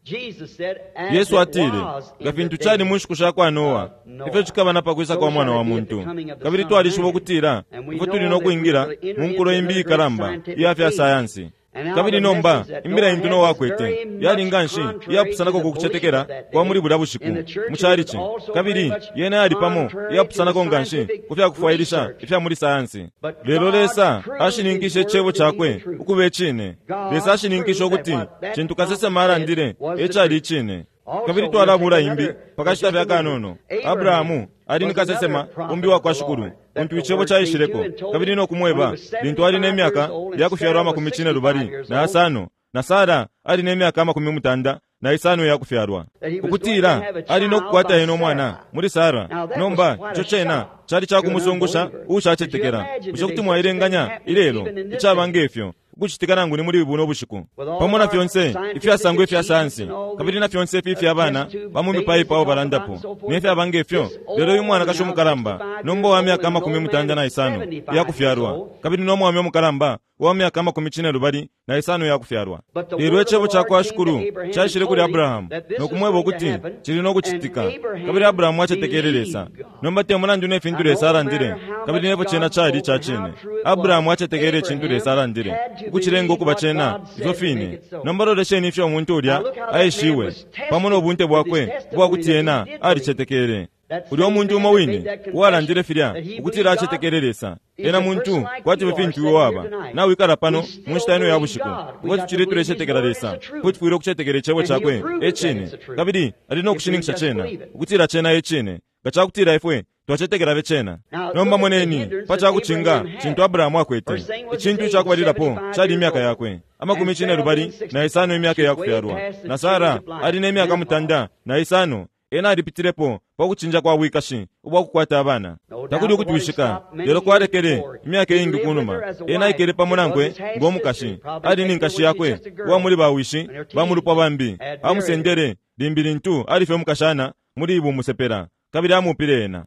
Yesu atile, nga fintu cali mu nshiku sha kwa Noa, ifyo cikaba na pakwisa kwa Mwana wa muntu. Kabili twalishiba ukutila ifwe tuli no kwingila mu nkulo imbi ikalamba iya fya sayansi. Kabili nomba imbila intu Noa akwete yali nganshi iyapusanako ku kucetekela kwa muli bulya bushiku mu chalichi, kabili yena yali pamo iyapusanako nganshi ku fyakufwailisha ifya muli sayansi. Lelo Lesa ashininkishe icebo cakwe ukuba icine. Lesa ashininkishe ukuti cintu kasesema alandile ecali icine. Kabili twalabula imbi pakashita fya kanono. Abrahamu ali ni kasesema umbi wa kwa Shikulu, untu icebo caishileko kabili no kumweba lintu ali ne myaka ya kufyalwa amakumi cine lubali na asano, na Sara ali ne myaka amakumi mutanda na isano ya kufyalwa, ukutila ali no kukwata ena umwana muli Sara. Nomba ico cena cali cakumusungusha uushacetekela. Bushe kuti mwailenganya ilelo icaba ngefyo ukucitika nangu ni muli buno bushiku, pamo na fyonse ifyasangwa ifya sayansi kabili na fyonse ifi ifya bana ba mu mipaipo abo balandapo ne fyaba ngefyo? Lelo uyu mwanakashi umukalamba nomba wa myaka amakumi mutanda na isano iya kufyalwa, kabili no mwami umukalamba wa myaka amakumi cine lubali na isano iya kufyalwa. Lelo icebo ca kwa Shikulu caishile kuli Abrahamu no kumweba ukuti cili no kucitika, kabili Abrahamu acetekele Lesa. Nomba te mulandu ne fintu Lesa alandile kabili nepo cena cali ica cine, Abrahamu acetekele icintu Lesa alandile ukucilenga ukuba cena ifyo fine. Nomba lolesheni ifyo umuntu ulya aishiwe pamo no bunte bwakwe ubwakuti ena alicetekele. Ulya umuntu umo wine uwalandile filya ukutila acetekele Lesa, ena muntu kwati fintu iwe waba nawikala pano mu nshita ino ya bushiku. Ifwe tucili tulecetekela Lesa, ifwe tufwile ukucetekela icebo cakwe ecine, kabili ali no kushininkisha cena ukutila cena ecine, nga cakutila ifwe twacetekela be cena. Nomba moneni pa cakucinga cintu Abrahamu akwete. Icintu icakubalilapo cali imyaka yakwe amakumi cine lubali na isano imyaka yakufyalwa, na Sara ali ne myaka mutanda na isano. Ena alipitilepo pa kucinja kwa bwikashi ubwa kukwata abana. Takuli ukutwishika, lelo kwalekele imyaka iingi kunuma. Ena aikele pamo nankwe ngomukashi, ali ni nkashi yakwe uwa muli bawishi bamulupwa bambi. Amusendele limbi lintu alife umukashana muli bumusepela, kabili amupile ena.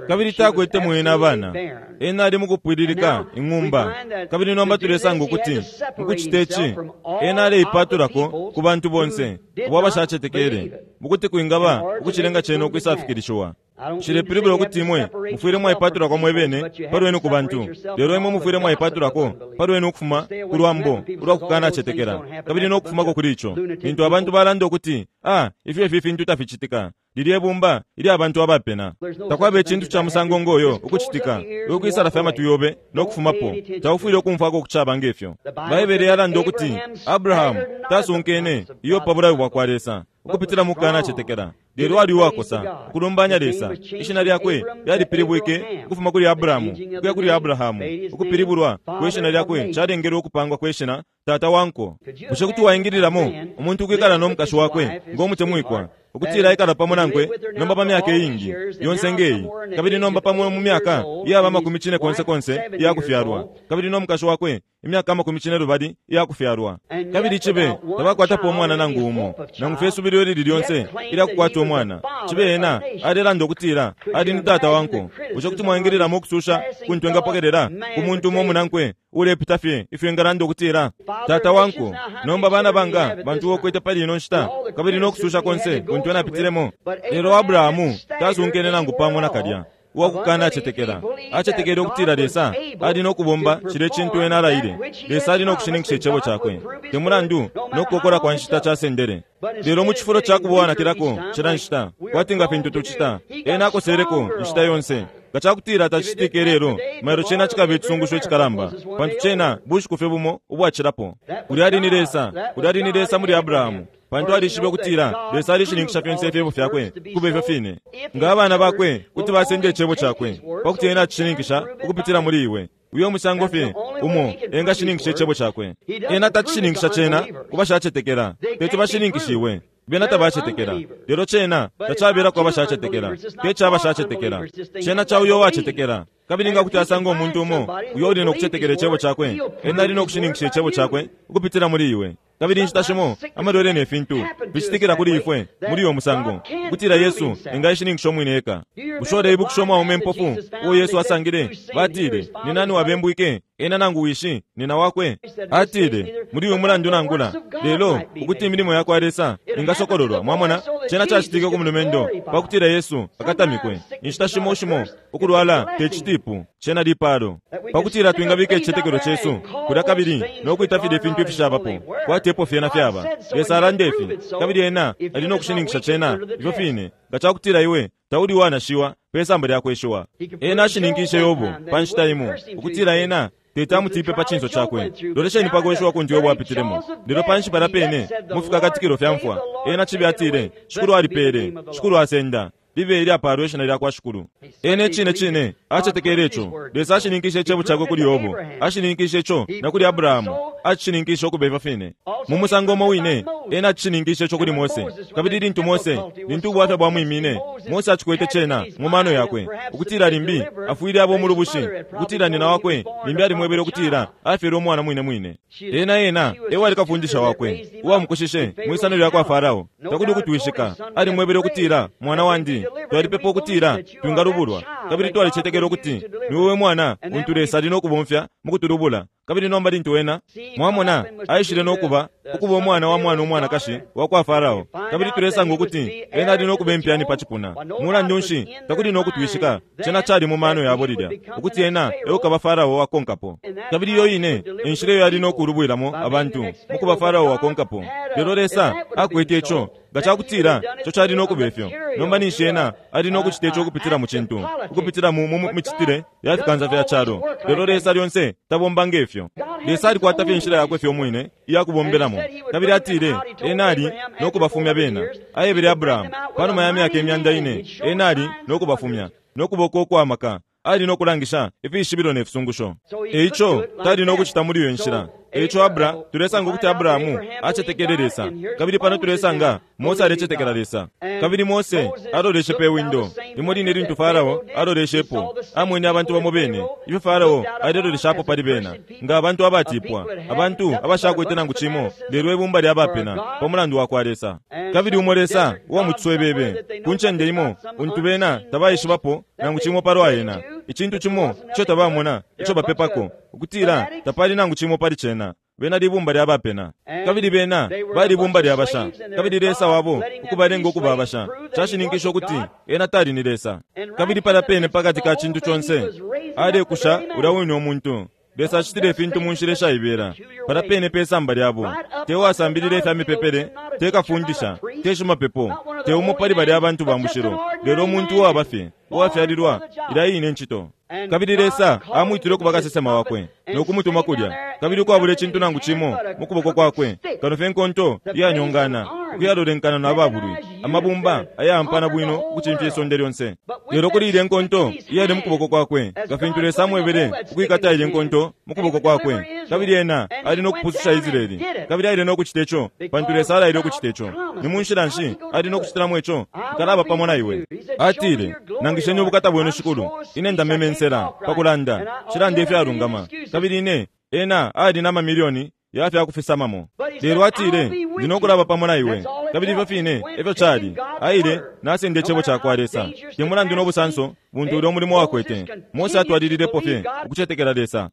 Kabili takwete mwena abana. Ena ali mukupwililika ing'umba. Kabili nomba tulesanga ukuti mukucita ici ena aleipatulako ku bantu bonse abo abashacetekele, mukuti kwingaba ukucilenga cena ukwisafikilishiwa. Nshilepilibula ukuti imwe mufwile mwaipatulako mwebene palwenu ku bantu, lelo imwe mufwile mwaipatulako palwenu ukufuma ku lwambo ulwa kukanacetekela kabili no kufumako kuli ico. Lintu abantu balanda ukuti, ah, ifyo ifi fintu taficitika, lilye bumba ilya abantu abapena. Takwaba icintu ca musango ngoyo ukucitika. Ukwisala fya matwi yobe no kufumapo, taufwile ukumfwako kucaba ngefyo. Baibele yalanda ukuti Abrahamu tasunkene iyo pa bulayo bwa kwa Lesa ukupitila mu kukanacetekela, lelo ali uwakosa ukulumbanya Lesa. Ishina lyakwe lyalipilibwike ukufuma kuli Abrahamu ukuya kuli Abrahamu. Ukupilibulwa kwe shina lyakwe calengelwe ukupangwa kwe shina tata wanko. Bushe kuti waingililamo umuntu ukwikala no mukashi wakwe ngomutemwikwa, ukutila aikala pamo nankwe nomba pa myaka iingi yonse ngeyi, kabili nomba pamo mu myaka iyaba amakumi cine konse konse iyakufyalwa, kabili no mukashi wakwe imyaka amakumi cine lubali iyakufyalwa, kabili cibe tabakwatapo umwana nangu umo, nangu fye subilo lili lyonse ilyakukwata umwana, cibe ena alelanda ukutila ali ni tata wanko? Bushe kuti mwaingililamo ukususha kuntu engapokelela ku muntu umo munankwe ulepita fye ifyo engalanda ukutila tata wanko? Nomba bana banga bantu wokwete pali ino nshita, kabili no kususha konse kuntu enapitilemo. Lelo Abrahamu tasunkene nangu pamo nakalya uwakukana acetekela. Acetekele ukutila Lesa ali no kubomba cile cintu ena alaile. Lesa ali no kushininkisha icebo cakwe, te mulandu no kukokola kwa nshita casendele. Lelo mu cifulo ca kubowanakilako cila nshita kwati nga fintu tucita, ena akoseleko inshita yonse. Nga cakutila tacitike lelo, mailo cena cikaba icisungusho icikalamba, pantu cena bushiku fye bumo ubwacilapo. Ulya ali ni Lesa, ulya ali ni Lesa muli Abrahamu, pantu alishibe ukutila Lesa alishininkisha fyonse ifyebo fyakwe kuba ifyo fine. Nga abana bakwe kuti basenda icebo cakwe pakuti ena acishininkisha ukupitila muli iwe, uyo musango fye umo engashininkisha icebo cakwe. Ena tacishininkisha cena ku bashacetekela, teti bashininkishiwe. Bena tabacetekela, lelo cena tacabelako abashacetekela, te ca bashacetekela, cena ca uyo uwacetekela. Kabili nga kuti asanga umuntu umo uyo uli no kucetekela icebo cakwe, ena ali no kushininkisha icebo cakwe ukupitila muli iwe. Kabili inshita shimo amalwele ne fintu bicitikila kuli ifwe muli uyo musango, ukutila Yesu engaishininkisha umwine eka. Bushe uleibukisha umwaume impofu uo Yesu asangile? Batile, ni nani wabembwike, ena nangu wishi nina wakwe? Atile, muli uyu mulandu nangula lelo ukuti imilimo ya kwa Lesa ingasokololwa. Mwamona, cena cacitike ku mulumendo pakutila Yesu akatamikwe. Inshita shimo shimo ukulwala te citipu, cena lipalo, pakutila twingabika icicetekelo cesu kulya kabili no kwita filya ifintu ifishabapo kwati epo fyena fyaba. Lesa alanda ifi, kabili ena ali no kushininkisha cena ifyo fine nga cakutila iwe tauli wanashiwa pe samba lya kweshiwa. Ena ashininkishe Yobo pa nshita imo ukutila ena teti amutipe pa cinso cakwe. Lolesheni pa kweshiwa kuntu Yobo apitilemo. Lelo panshi palya pene mu fikakatikilo fya mfwa, ena cibi atile, Shikulu alipele, Shikulu asenda, libe ilyapalwa ishina lya kwa Shikulu. Ena icine cine acetekele ico. Lesa ashininkishe icebo cakwe kuli Yobo, ashininkishe ico na kuli Abrahamu, acishininkishe ukuba ifyo fine. Mu musango umo wine ena acishininkishe ico kuli Mose. Kabili lintu Mose, lintu ubwafya bwamwimine, Mose acikwete cena mu mano yakwe ukutila limbi afwile abo umulubushi, ukutila nina wakwe limbi alimwebele ukutila afyele umwana mwine mwine. Ena ena ewali kafundisha wakwe uwamukushishe mwisano lya kwa Farao. Takuli ukutwishika alimwebele ukutila, mwana wandi, twalipepa ukutila twingalubulwa, kabili twalicetekela ukuti niwewe mwana untu Lesa ali no kubomfya mu kutulubula. Kabili nomba lintu wena mwamona aishile no kuba ukuba umwana wa mwana umwanakashi wa kwa Farao, kabili tulesanga ukuti ena ali no kuba impyani pa cipuna. Mulandu nshi, takuli no kutwishika cena cali mu mano yabo lilya ukuti ena eukaba Farao wakonkapo. Kabili iyo ine enshila iyo ali no kulubwilamo abantu mu kuba Farao wakonkapo. Lelo Lesa akwete ico nga cakutila ico cali no kuba ifyo. Nomba ninshi ena ali no kucita ico ukupitila mu cintu, ukupitila mu micitile ya fikansa fya calo. Lelo Lesa lyonse tabomba ngefyo. Lesa alikwata fye inshila yakwe fye umwine iya kubombelamo. Kabili atile ena ali no kubafumya bena. Aebele Abrahamu panuma ya myaka imyanda ine, ena ali no kubafumya no kuboko ukwamaka, ali no kulangisha ifishibilo ne fisungusho. Eico tali no kucita muli iyo nshila. Eico Abra, tulesanga ukuti Abrahamu acetekele Lesa. Kabili pano tulesanga Mose alecetekela Lesa. Kabili Mose aloleshe pe windo limo line lintu Farao aloleshepo, amwene abantu bamo bene ifyo Farao aleloleshapo pali bena, nga abantu abatipwa, abantu abashakwete nangu cimo, lelo ibumba lya bapena pa mulandu wa kwa Lesa. Kabili umo Lesa uwa mutswebebe ku ncende imo untu bena tabaishibapo nangu cimo palwa ena, icintu cimo ico tabamona ico bapepako, ukutila tapali nangu cimo pali cena. Bena libumba lya bapena, kabili bena bali bumba lya basha, kabili Lesa wabo ukubalenga ukuba abasha cashininkisha ukuti ena tali ni Lesa. Kabili pala pene pakati ka cintu conse alekusha ulya wine umuntu. Lesa acitile ifintu mu nshila ishaibela pala pene pe samba lyabo. Te wasambilile ifya mipepele, te kafundisha, te shimapepo, te umo pali balya abantu ba mushilo, lelo umuntu uwaba fye uwafyalilwa ilya ine ncito. Kabili Lesa amwitile ukuba kasesema wakwe no kumutuma kulya, kabili ukwabula icintu nangu cimo mu kuboko kwakwe kano fye nkonto iyanyongana ukuyalolenkana na babulwi, amabumba ayampana bwino ukucimfya isonde lyonse. Lelo kuli ilya nkonto iyali mu kuboko kwakwe, nga fintu Lesa amwebele ukwikata ilya nkonto mu kuboko kwakwe, kabili ena ali no kupususha Israeli. Kabili aile no kucita ico pantu Lesa alaile ukucita ico. Ni mu nshila nshi ali no kucitilamo ico? Nkalaba pamo na iwe. Atile, nangisheni ubukata bwenu Shikulu, ine ndamemensela pakulanda cilanda ifyalungama. Kabili ine ena ali na mamilioni ya fya kufisamamo. Lelo atile, ndi no kulaba pamo na iwe. Kabili ifyo fine efyo cali. Aile nasenda icebo ca kwa Lesa. Te mulandu no busanso buntu ulya umulimo wakwete, Mose atwalililepo fye ukucetekela Lesa.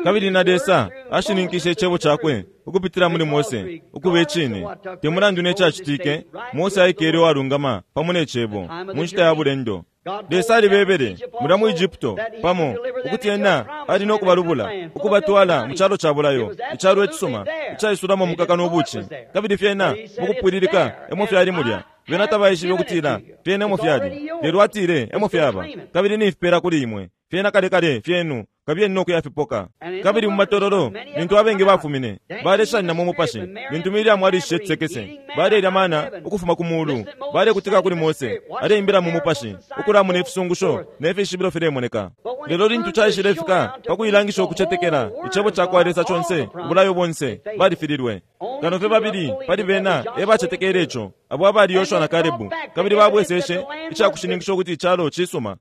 Kabili na Lesa ashininkishe icebo cakwe ukupitila muli Mose ukuba icine. Te mulandu ne cacitike, Mose aikele uwalungama pamo ne cebo mu nshita ya bulendo. Lesa alibebele mulya mu Egypto pamo ukuti ena ali no kubalubula ukubatwala mu calo ca bulayo, icalo icisuma icaisulamo mukaka no buci. Kabili fyena mukupwililika emo fyali mulya. Bena tabaishibe ukutila fyena emo fyali, lelo atile emo fyaba, kabili nifipela kuli imwe fyena kale kale fyenu, kabili no kuyafipoka. Kabili mu matololo lintu abengi bafumine baleshanina mu mupashi, lintu Miriamu alishishe cisekese, balelya mana ukufuma ku mulu, balekutika kuli Mose aleimbila mu mupashi, ukulamuna ifisungusho ne fishibilo filemoneka. Lelo lintu caishile fika pakuilangisha ukucetekela icebo ca kwa Lesa conse, ubulayo bonse balifililwe. Kano fye babili pali bena ebacetekele ico, abo abali Yoshua na Kalebu, kabili babweseshe icakushininkisha ukuti icalo cisuma.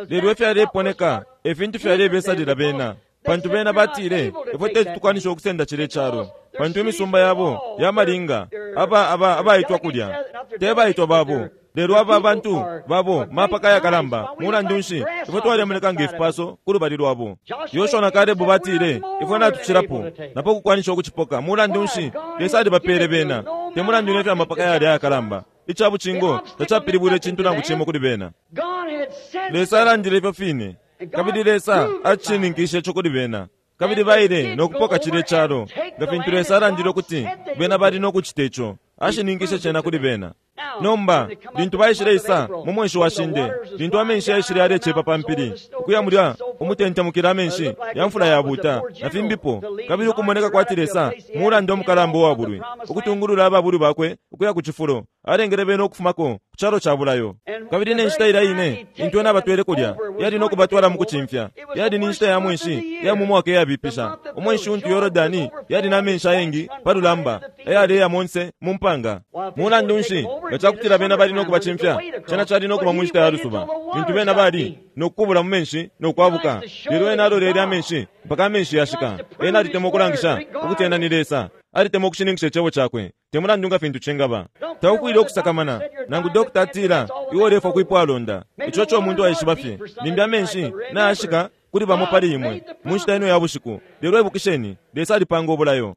Lelo ifyaleponeka efintu fyalebesalila bena, pantu bena batile ifwe teti tukwanisha ukusenda cile calo, pantu imisumba yabo yamalinga aba aba abaitwa kulya te baitwa babo, lelo aba abantu babo mapaka yakalamba. Mulandu nshi ifwe twalemoneka ngefipaso ku lubali lwabo? Yoshua na Kalebu batile ifwe natucilapo napo kukwanisha ukucipoka. Mulandu nshi Lesa alibapele bena? Te mulandu nefyo amapaka yali ayakalamba, icabucingo tacapilibwile icintu nangu cimo kuli bena. Lesa alandile ifyo fine, kabili Lesa acininkishe ico kuli bena, kabili baile nokupoka cile calo nga fintu Lesa alandile ukuti bena bali nokucita ico. Ashininkishe cena kuli bena. Nomba lintu baishile isa mu mwenshi wa shinde, lintu amenshi yaishile yalecepa pa mpili ukuya mulya umutentemukila amenshi ya mfula yabuta na fimbipo, kabili ukumoneka kwati Lesa mulanda umukalamba uwabulwi ukutungulula ababulwi bakwe ukuya ku cifulo, alengele bena ukufumako ku calo ca bulayo. Kabili ne nshita ilya ine intu ena abatwele kulya yali nokubatwala mu kucimfya, yali ni nshita ya mwenshi ya mu mwaka iyabipisha, umwenshi untu Yorodani yali na menshi ayengi pa lulamba ayaleya monse mu mpanga. Mulandu nshi nga cakutila bena bali nokubacimfya? Cena cali nokuba mu nshita ya lusuba, lintu bena bali nokukubula mu menshi nokwabuka. Lelo ena alolele amenshi mpaka amenshi yashika. Ena alitemwa ukulangisha ukuti ena ni Lesa, alitemwa ukushininkisha icebo cakwe, te mulandu nga fintu cingaba. Taufwile ukusakamana nangu dokta atila iwe ulefwa kwipwalonda, ico co umuntu aishiba fye. Limbi amenshi nayashika kuli bamo pali imwe mu nshita ino ya bushiku, lelo ibukisheni, Lesa alipanga ubulayo.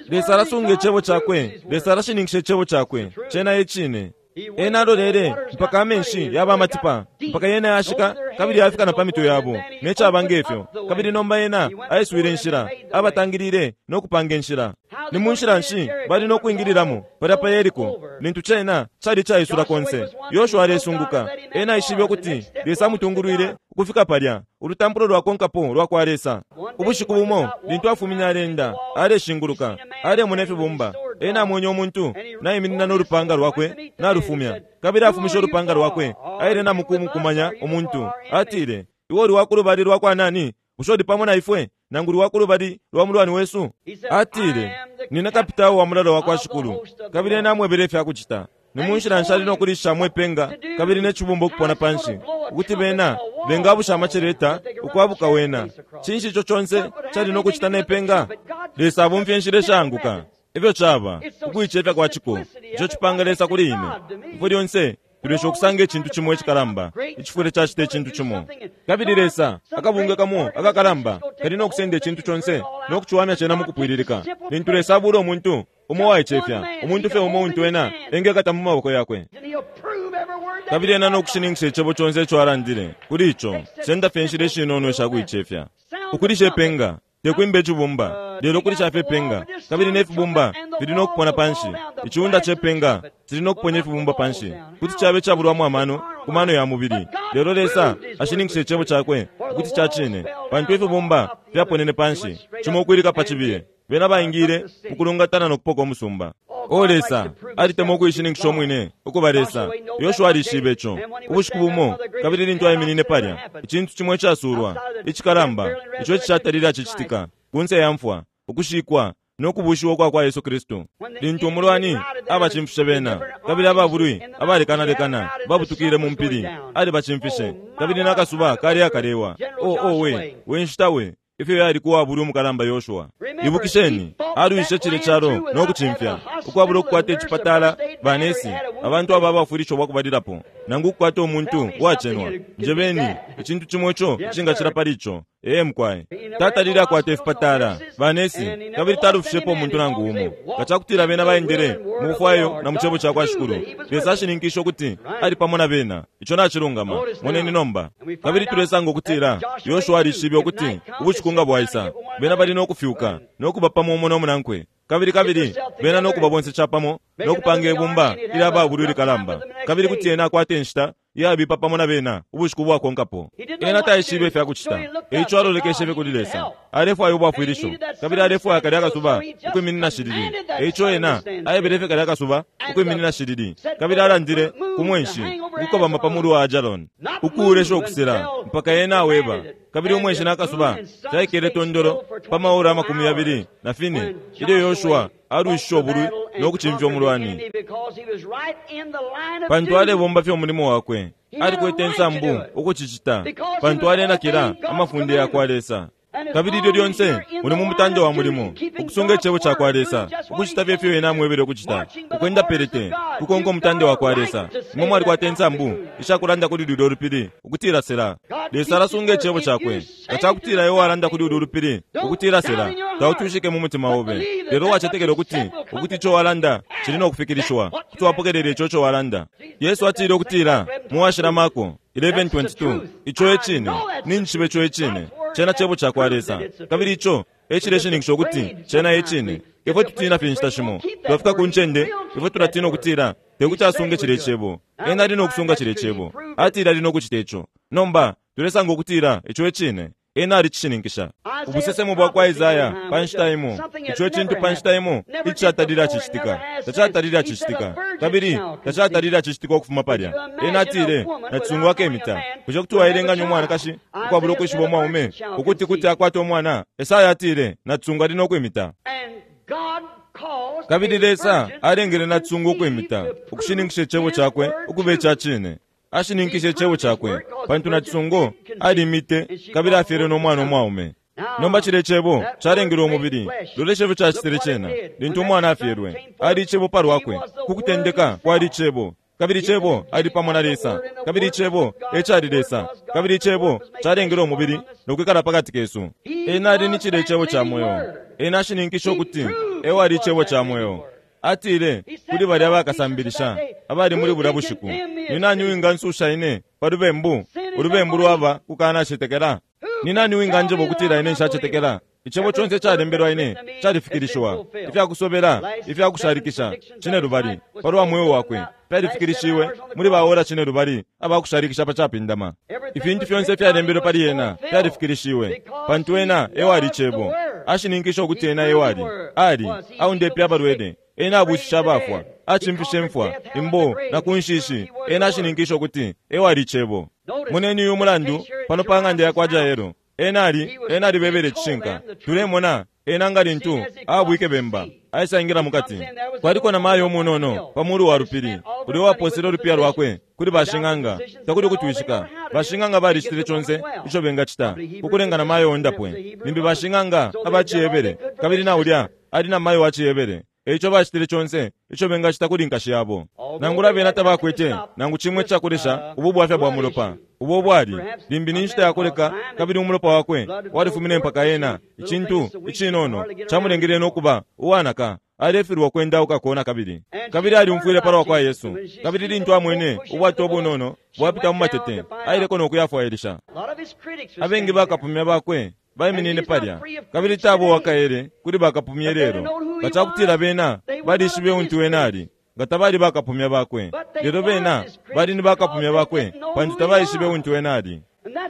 Lesa alasunga icebo cakwe, Lesa alashininkisha icebo cakwe, cena e cine. Ena alolele mpaka amenshi yaba amatipa, mpaka yena yashika kabili yafika na pa mitwe yabo ne caba ngefyo. Kabili nomba ena aiswile inshila, abatangilile no kupanga inshila. Ni mu nshila nshi bali no kwingililamo palya pa Yeriko lintu cena cali caisula konse? Yoshua alesunguka. Ena aishibe ukuti Lesa amutungulwile ukufika palya, ulutampulo lwakonkapo lwa kwa Lesa. Ubushiku bumo lintu afumine alenda aleshinguluka, alemona ifibumba. Ena amwenye umuntu naiminina n'olupanga lwakwe nalufumya, kabili afumishe olupanga lwakwe aile namukumukumanya umuntu. Atile, iwe uli wa kulubali lwa kwa nani? Bushe uli pamo na ifwe nangu uli wa kulubali lwa mulwani wesu? Atile, nina kapitao wa mulalo wa kwa Shikulu. Kabili ena amwebele ifyakucita. Ni mu nshila nshi ali nokulishamo ipenga kabili n'ecibumba ukupona panshi, ukuti bena bengabusha amaceleta ukwabuka wena. Cinshi ico conse cali nokucita nepenga? Lesa abomfya inshila ishaanguka. Ifyo caba ukuicefya kwa ciko, ico cipanga Lesa kuli ine. Ifwe lyonse tulesha ukusanga icintu cimo icikalamba icifwile cacita icintu cimo, kabili Lesa akabunga kamo akakalamba kali nokusenda icintu conse nokuciwamya cena mukupwililika. Lintu Lesa abula umuntu umo waicefya, umuntu fye umo untu ena engekata mu maboko yakwe, kabili ena nokushininkisha icebo conse ico alandile kuli ico. Senda fye inshila ishinono ishakuicefya. Ukulisha ipenga tekwimba icibumba, lelo kulisha fye ipenga, kabili n'efibumba fili nokupona panshi. Iciunda cepenga cili nokuponya ifibumba panshi, kuti cabe cabulwamo amano ku mano ya mubili, lelo Lesa ashininkisha icebo cakwe ukuti ca cine, pantu ifibumba fyaponene panshi cimo ukwilika pa cibiye. Bena baingile mukulungatana nokupoka umusumba. O Lesa alitemwa ukuishininkisha umwine ukuba Lesa. Yoshua alishibe ico ubushiku bumo, kabili lintu aiminine palya, icintu cimo icasulwa icikalamba ico icishatalile acicitika kunse ya mfwa, ukushikwa nokubushiwa kwa kwa Yesu Kristu. Lintu umulwani abacimfishe bena, kabili ababulwi abalekanalekana babutukile mu mpili, alibacimfishe, kabili n'akasuba kali akalewa. O o we we nshita we ifyo yali kuwabulwi umukalamba Yoshua. Ibukisheni, alwishe cile calo nokucimfya ukwabula ukukwata icipatala, banesi, abantu aba abafwilisho bwakubalilapo, nangu ukukwata umuntu uwacenwa. Njebeni icintu cimo ico icingacila pali ico. Ee mukwaye, tatalile akwata ifipatala, banesi, kabili talufishepo umuntu nangu umo. Nga cakutila bena baendele mu bufwayo na mu cebo ca kwa Shikulu, Lesa ashininkishe ukuti ali pamo na bena. Ico nacilungama. Moneni nomba. Kabili tulesanga ukutila Yoshua alishibe ukuti ubushiku nga bwaisa, bena bali nokufyuka nokuba pamo umo nomunankwe, kabili kabili bena nokuba bonse capamo nokupanga ibumba ilya babulwi likalamba, kabili kuti ena akwata inshita yabipa pamo na bena ubushiku bwakonkapo. Ena taishibe ifyakucita, eico alolekeshe fye kuli Lesa. Alefwaya ubwafwilisho, kabili alefwaya kalya akasuba ukwiminina shilili. Eico ena aebele fye kalya akasuba ukwiminina shilili, kabili alandile ku mwenshi ukukobama pa mulu wa Ajalon, ukuulesha ukusela mpaka ena aweba. Kabili umwenshi n'akasuba fyaikele tondolo pa maora amakumi yabili na fine ilyo Yoshua alwishishe ubulwi no kucimfya umulwani, pantu alebomba fye umulimo wakwe. Alikwete insambu ukucicita, pantu alenakila amafunde ya kwa Lesa. Kabili ilyo lyonse uli mu mutande wa mulimo, ukusunga icebo ca kwa Lesa, ukucita fye ifyo ena amwebele ukucita, ukwenda pelete, kukonka umutande wa kwa Lesa. Imwe mwalikwata insambu ishakulanda kuli lulyo lupili ukutila sela. Lesa alasunga icebo cakwe. Nga cakutila iwe walanda kuli ulu lupili ukutila sela, tautushike mu mutima obe, lelo wacetekela ukuti ukuti ico walanda cili no kufikilishiwa, kuti wapokelela ico ico walanda. Yesu atile ukutila mu washila Marko eleven twenty-two, ico e cine, ninjishiba ico e cine, cena cebo ca kwa Lesa, kabili ico e cileshininkisha ukuti cena e cine. Ifwe tutina fye inshita shimo, twafika ku ncende ifwe tulatina ukutila tekuti asunge cilya icebo. Ena ali no kusunga cilya icebo, atile ali no kucita ico. Nomba tulesanga ukutila ico e cine, ena alicishininkisha. Ubusesemo bwa kwa Isaya pa nshita imo, ico cintu pa nshita imo icatalile acicitika, tacatalile acicitika, kabili tacatalile acicitika ukufuma palya. Ena atile nacisungu akemita. Bushe kuti waelenganya umwanakashi ukwabula ukwishiba umwaume ukuti kuti akwata umwana? Esaya atile nacisungu ali no kwimita. Kabili Lesa alengele nacisungu ukwimita, ukushininkisha icebo cakwe ukuba ica cine. Ashininkishe icebo cakwe, pantu nacisungu alimite kabili afyele no mwana umwaume. Nomba cile icebo calengele umubili. Lolesha ifyo cacitile cena lintu umwana afyelwe. Ali icebo palwakwe, ku kutendeka kwali icebo, kabili icebo ali pamo na Lesa, kabili icebo ecali Lesa, kabili icebo calengele umubili no kwikala pakati kesu. Ena ali ni cile icebo ca mweo. Ena ashininkishe ukuti ewali icebo ca mweo. Atile kuli balya bakasambilisha abali muli bulya bushiku, ni nani uwingansusha ine pa lubembu? Ulubembu lwaba kukanacetekela. Ni nani uwinganjeba ukutila ine nshacetekela? Icebo conse calembelwa ine califikilishiwa. Ifyakusobela, ifyakushalikisha cine lubali palwa mweo wakwe fyalifikilishiwe muli baora cine lubali abakushalikisha pa capindama. Ifintu fyonse fyalembelwe pali ena fyalifikilishiwe, pantu ena ewali icebo. Ashininkisha ukuti ena ewali ali aundepe abalwele, ena abushisha abafwa, acimfishe mfwa imbo na kunshishi. Ena ashininkisha ukuti ewali icebo. Moneni uyu mulandu pano pa ng'anda ya kwa Jairo. Ena ali ena alibebele icishinka. Tulemona ena nga lintu abwike bemba aisaingira mukati. Kwaliko na mayo umunono pa mulu wa lupili uli waposele ulupiya lwakwe kuli bashing'anga. Takuli kutwishika bashing'anga balicitile conse ico bengacita kukulenga na mayo ondapwe. Limbi bashing'anga abaciyebele, kabili na ulya ali na mayo waciyebele. Eico bacitile conse ico bengacita kuli nkashi yabo. Nangula bena tabakwete nangu chimwe cakulesha ubu bwafya bwa mulopa ubo bwali limbi ni nshita yakuleka, kabili umulopa wakwe walifumine mpaka ena icintu icinono camulengele nokuba uwanaka. Alefilwa kwendauka kona kabili kabili aliumfwile palwa kwa Yesu. Kabili lintu amwene ubwato obunono bwapita mu matete, aileko nokuyafwailisha. Abengi bakapumya bakwe baiminine palya, kabili tabo wakaele kuli bakapumye lelo. Nga cakutila bena balishibe untu wena ali, nga tabali bakapumya bakwe. Lelo bena bali ni bakapumya bakwe, pantu tabaishibe untu wena ali.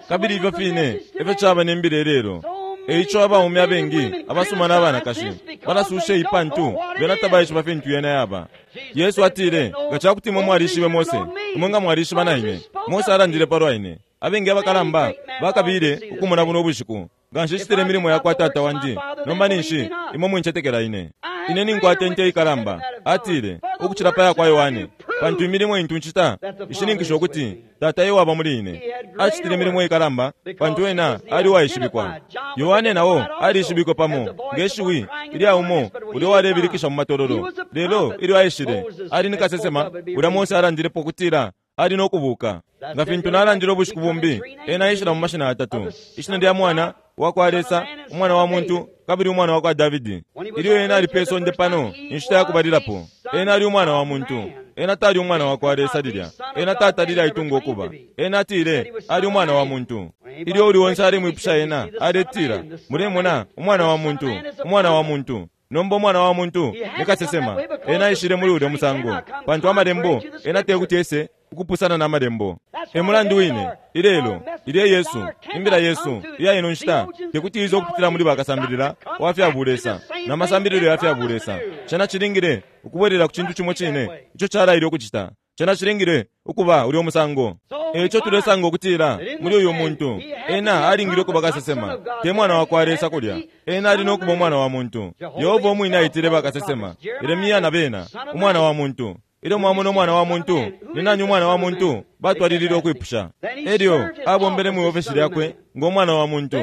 Kabili ifyo fine efyo caba nembile lelo. Eico abaume abengi abasuma n'abanakashi balasusha ipantu bena tabaishiba fintu yena yaba. Yesu atile nga cakuti imwe mwalishibe Mose, imwe nga mwalishiba na ine. Mose alandile palwa ine. Abengi abakalamba bakabile ukumona buno ubushiku. Nga nshicitile imilimo ya kwa tata wandi, nomba ninshi imwe mwincetekela ine. Ine ninkwata inte ikalamba, atile, ukucila pa ya kwa Yohane, pantu imilimo intu ncita ishininkisha ukuti tata ewaba muli ine. Acitile imilimo ikalamba pantu ena ali uwaishibikwa. Yohane nao alishibikwe pamo nge shiwi ilya umo ulya walebilikisha mu matololo. Lelo ilyo aishile ali ni kasesema ulya Mose alandilepo ukutila ali no kubuka. Nga fintu nalandile ubushiku bumbi, ena aishila mu mashina atatu: ishina lya mwana wa kwa Lesa, umwana wa muntu, kabili umwana wa kwa Davidi. Ilyo ena ali pe sonde pano inshita ya kubalilapo, ena ali umwana wa muntu. Ena tali umwana wa kwa Lesa lilya. Ena tatalile aitunga ukuba. Ena atile ali umwana wa muntu. Ilyo uli onse alemwipusha ena, aletila, mulemona umwana wa muntu, umwana wa muntu. Nomba umwana wa muntu ni kasesema. Ena aishile muli ulya musango, pantu amalembo ena tekuti ese ukupusana na malembo. E mulandu wine ilelo ilye Yesu, imbila Yesu iya ino nshita tekuti izo kupitila muli bakasambilila wa fya bulesa na masambililo ya fya bulesa. Cena cilingile ukubwelela ku cintu cimo cine ico calaile ukucita. Cena cilingile ukuba ulyo musango. Eico tulesanga ukutila muli uyu muntu ena alingile ukuba kasesema, te mwana wa kwa Lesa kulya. Ena ali nokuba umwana wa muntu. Yehova umwine aitile bakasesema, Yeremia na bena, umwana wa muntu. Ilyo mwamona umwana wa muntu, ni nani umwana wa muntu? Batwalilile ukwipusha. Elyo abombele mu ofesi lyakwe ngo mwana wa muntu.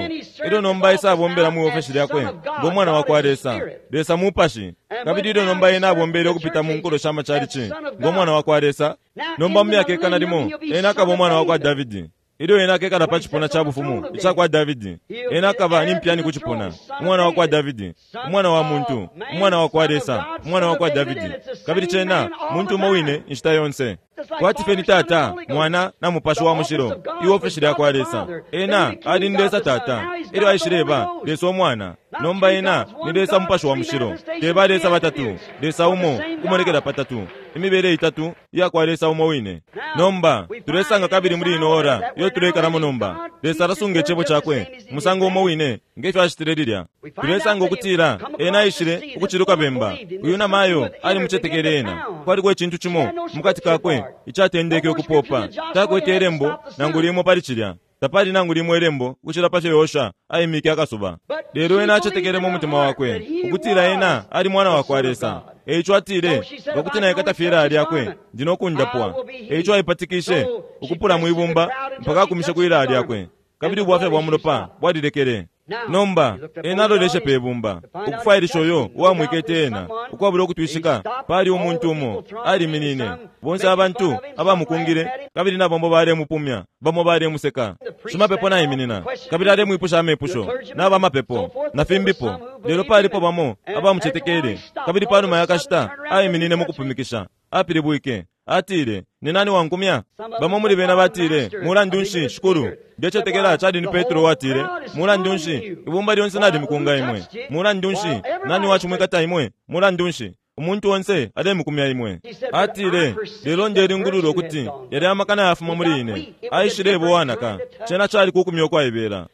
Ilyo nomba Isa abombela mu ofesi lyakwe ngo mwana wa kwa Lesa. Lesa mupashi. Kabili ilyo nomba ena abombele ukupita mu nkulo sha machalichi ngo mwana wa kwa Lesa. Nomba mu myaka ikana limo ena akaba umwana wa kwa Davidi. Ilyo ena akekala pa cipuna ca bufumu ica kwa Davidi, ena akaba ni mpyani ku cipuna, umwana wa kwa Davidi, umwana wa muntu, umwana wa kwa Lesa, umwana wa kwa Davidi. Kabili cena muntu umo wine inshita yonse. Kwati fye ni Tata, Mwana na Mupashi wa Mushilo, iofesi lya kwa Lesa. Ena ali ni Lesa Tata, ilyo aishileba Lesa Umwana. Nomba ena ni Lesa Mupashi wa Mushilo. Teba Lesa batatu, Lesa umo kumonekela patatu, imibele itatu iya kwa Lesa umo wine. Nomba tulesanga kabili muri ino ora iyo tulekalamo nomba. Lesa alasunga icebo cakwe musango umo wine ngefyo acitile lilya. Tulesanga ukutila ena aishile ukuciluka bemba. Uyu namayo ali mucetekele ena. Kwaliko icintu cimo mukati kakwe icatendeke ukupopa. Takwete elembo nangu limo pali cilya. Tapali nangu limo elembo ukucila pa fyo Yosha aimike akasuba. Lelo ena acetekele mu mutima wakwe ukutila ena ali mwana wa kwa Lesa. Eico atile ngakuti naikata fye ilaya lyakwe ndi nokundapwa. Eico aipatikishe ukupula mwibumba mpaka akumishe ku ilaya lyakwe. Kabili ubwafya bwa mulopa bwalilekele. Nomba ena aloleshe pe bumba ukufwailisha uyo uwamwikete ena ukwabula ukutwishika. Pali umuntu umo aliminine, bonse abantu abamukungile kabili nabombo balemupumya, bamo balemuseka. Shimapepo naiminina kabili alemwipusha amepusho n'abamapepo na fimbipo. Lelo palipo bamo abamucetekele. Kabili panuma yakashita aiminine mu kupumikisha, apilibwike atile, ni nani wankumya? Bamo muli bena batile, mulandu nshi shikulu? Ndecetekela cali ni Petro watile, mulandu nshi ibumba lyonse nalimukunga imwe? Mulandu nshi nani wacimwikata imwe? Mulandu nshi umuntu onse alemukumya imwe? Atile, lelo ndelingulula ukuti yali amakana yafuma muli ine. Aishile wanaka. Cena cali kukumya okwaibela.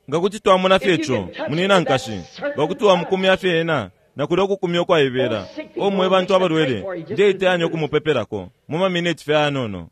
Nga kuti twamona fye ico munina nkashi, nga kuti wamukumya fye ena nakuli okukumya okwaibela. Omwe bantu abalwele ndeiteyanya okumupepelako mu mamineti fye anono.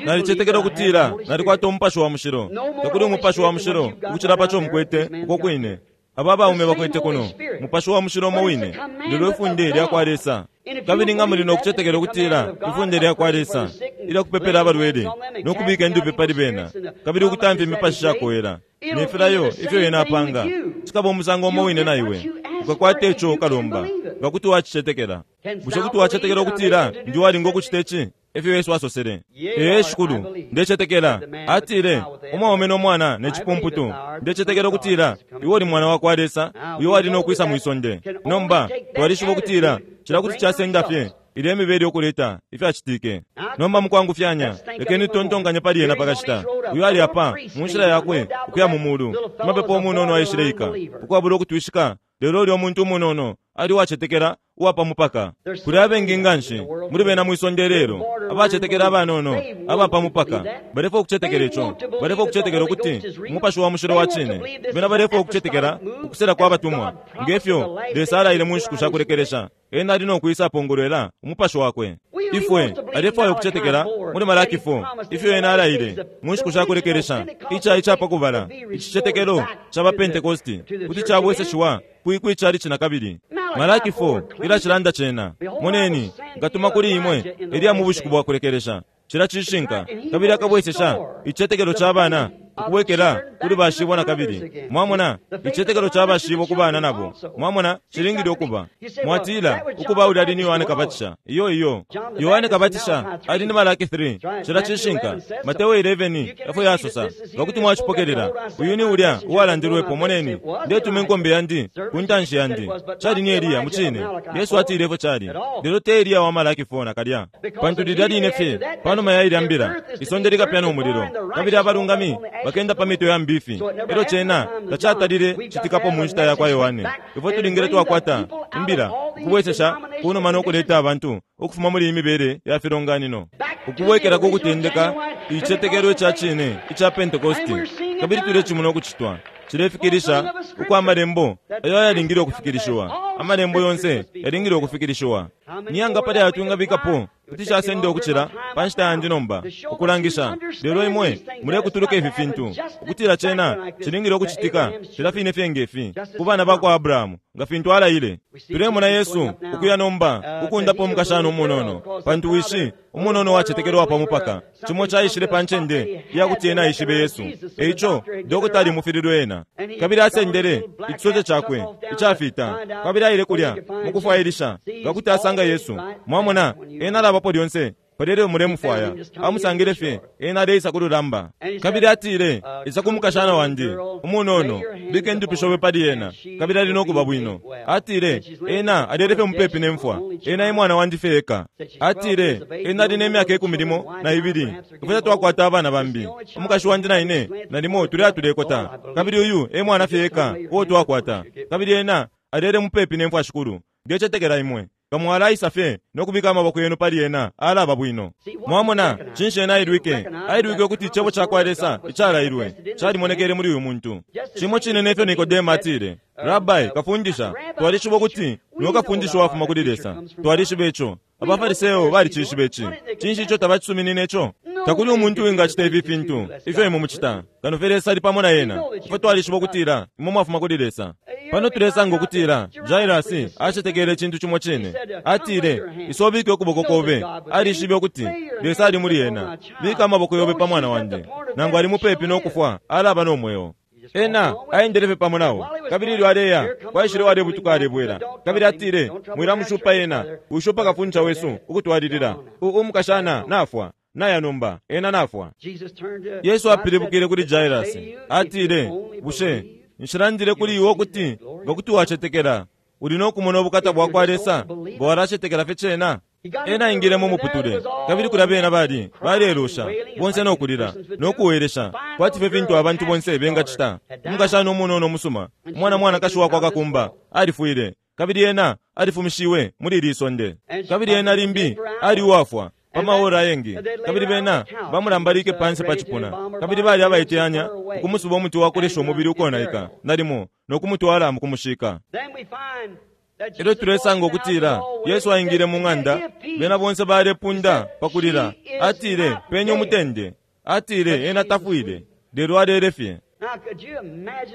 Nalicetekela ukutila nalikwata umupashi wa mushilo. Takuli umupashi wa mushilo ukucila paco mukwete uko kwine. Aba baume bakwete kuno mupashi wa mushilo umo wine, lelo ifunde lya kwa Lesa. Kabili nga muli nokucetekela ukutila ifunde lya kwa Lesa ilya kupepela abalwele nokubika indupi pali bena kabili ukutamfya imipashi shakowela nefilayo ifyo ena apanga, cikaba umusango umo wine na iwe. Ukakwata ico ukalomba nga kuti wacicetekela. Bushe kuti wacetekela ukutila ndi walinga ukucita ici? Efyo Yesu asosele. Ee shikulu, ndecetekela. Atile, umwaume nomwana necipumputu. Ndecetekela ukutila iwe uli mwana wa kwa Lesa, uyo wali nokwisa mwisonde. Nomba twalishiba ukutila cila kuti casenda fye ilya imibele yokuleta ifyacitike. Nomba mukwangufyanya lekeni tontonkanye pali ena pakashita. Uyo ali apa mu nshila yakwe ukuya mu mulu. Mapepo umunono aishileika ukwabula ukutwishika. Lelo ulya umuntu umunono ali wacetekela uwapa mupaka. Kuli abengi nganshi muli bena mwisonde lelo abacetekela abanono abapa mupaka. Balefwa ukucetekela ico, balefwa ukucetekela ukuti umupashi wa mushilo wa cine. Bena balefwa ukucetekela ukusela kwa batumwa ngefyo Lesa alaile mu nshiku sha kulekelesha. Ena ali nokwisa apongolwela umupashi wakwe. Ifwe alefwaya ukucetekela muli Malaki four ifyo ena alaile mu nshiku sha kulekelesha. Ica icapa kubala icicetekelo ca ba Pentekosti kuti cabweseshiwa kwikwi chalichi na kabili. Malaki four ila cilanda cena, moneni nkatuma kuli imwe Eliya mu bushiku bwa kulekelesha. Cila cishinka kabili akabwesesha icicetekelo ca bana ukubwekela kuli bashibo na kabili. Mwamona icicetekelo ca bashibo ku bana nabo. Mwamona cilingile ukuba. Mwatila ukuba uli ali ni Yohane Kabatisha. Iyo iyo Yohane Kabatisha ali ni Malaki three. Cila cishinka. Mateo eleven efo yasosa ngakuti mwacipokelela. Uyu ni ulya uwalandilwepo. Moneni ndetuma inkombe yandi ku ntanshi yandi. Cali ni Eliya mucine. Yesu atile efo cali. Lelo te Eliya wa Malaki four nakalya, pantu lilya line fye panuma ya ilya mbila isonde likapya umulilo kabili abalungami bakenda pa mito ya mbifi. Elo cena tacatalile citikapo mu nshita ya kwa Yohane. Ifwe tulingile twakwata imbila ukubwesesha kunuma nokuleta abantu ukufuma muli imibele ya filonganino ukubwekela kukutendeka icicetekelo ica cine ica Pentekosti. Kabili tulecimona ukucitwa. Cilefikilisha ukwa Amalembo ayo ayalingile ukufikilishiwa. Amalembo yonse yalingile ukufikilishiwa. Niyanga pali ayo twingabikapo kuti casenda ukucila pa nshita yandi nomba ukulangisha. Lelo imwe mulekutuluka ifi fintu ukutila cena cilingile ukucitika filya fine fye ngefi ku bana bakwa Abrahamu nga fintu alaile. Tulemona Yesu ukuya nomba ukundapa umukashana umunono, pantu wishi umunono wacetekelwa pa mupaka cimo caishile pa ncende iyakuti ena aishibe Yesu. Eico dokota alimufililwe ena, kabili asendele icisote cakwe icafita, kabili aile kulya mukufwailisha nga kuti asanga Yesu. Mwamona, ena alabapo lyonse paleleo mulemufwaya. Amusangile fye ena aleisa ku lulamba, kabili atile, isa ku mukashana wandi umunono, bika indupi shobe pali ena, kabili ali nokuba bwino. Atile, ena alele fye mupepi ne mfwa, ena e mwana wandi fye eka. Atile, ena ali ne myaka ikumi limo na ibili, ifwe tatwakwata abana bambi, umukashi wandi na ine nalimo tuli atulekota, kabili uyu e mwana fye eka uo twakwata, kabili ena alele mupepi ne mfwa. Shikulu, ndecetekela imwe kamwalaisa fye nokubika amaboko yenu pali ena, alaba bwino. Mwamona, cinshi ena ailwike? Ailwike ukuti icebo cakwa Lesa icalailwe calimonekele muli uyu muntu. Cimo cine nefyo Nikodemo atile, Rabbi, kafundisha, twalishiba ukuti niwe kafundisha wafuma kuli Lesa. Twalishiba ico. Abafariseo balicishiba ici. Cinshi ico tabacisuminine ico? Takuli umuntu wingacita ifi fintu ifyo imwe mucita kano fye Lesa ali pamo na ena. Ifwe twalishiba ukutila imwe mwafuma kuli Lesa. Pano tulesanga ukutila Jairasi acetekele icintu cimo cine. Atile, isobike ukuboko kobe. Alishibe ukuti Lesa ali muli ena. Bika amaboko yobe pa mwana wandi, nangu ali mupepi nokufwa, alaba no mweo. Ena aendele fye pamo nao, kabili ilyo aleya kwaishile walebutuka alebwela, kabili atile, mwilamushupa ena, ushupa kafundisha wesu ukutwalilila. Umukashana nafwa naya nomba, ena nafwa. Yesu apilibukile kuli Jairasi atile, bushe nshilandile kuli iwe ukuti nga kuti wacetekela uli nokumona ubukata bwakwa Lesa, nga walacetekela fye cena? Ena aingile mu muputule, kabili kulya bena bali balelusha bonse nokulila nokuwelesha kwati fye fintu abantu bonse bengacita. Umukashana umunono umusuma, umwana mwanakashi wakwa kakumba, alifwile, kabili ena alifumishiwe muli ili sonde, kabili ena limbi ali uwafwa pa maora ayengi, kabili bena bamulambalike pansi pa cipuna, kabili bali abaiteyanya ukumusuba umuti wakulesha umubili ukonaika nalimo nokumutwala mukumushika. Elyo tulesanga ukutila Yesu aingile mu ng'anda, bena bonse balepunda pakulila. Atile, penye umutende. Atile, ena tafwile, lelo alele fye.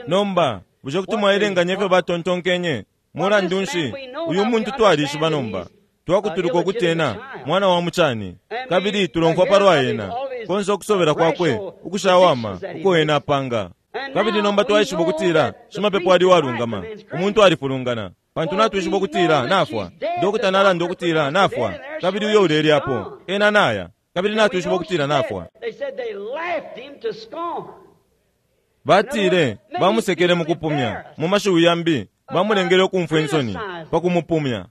Nomba bushe kuti mwaelenganya ifyo batontonkenye? Mulandu nshi uyu muntu twalishiba nomba twakutuluka ukuti ena mwana wa mucani, kabili tulomfwa palwa ena konse ukusobela kwakwe ukushawama uko ena apanga. Kabili nomba twaishiba ukutila shimapepo ali walungama, umuntu alifulungana, pantu natwishiba ukutila nafwa. Dokota nalanda ukutila nafwa, kabili uyo ulelyapo ena naya, kabili natwishiba ukutila nafwa. Batile bamusekele mukupumya, mu mashiwi yambi bamulengele ukumfwa insoni pakumupumya.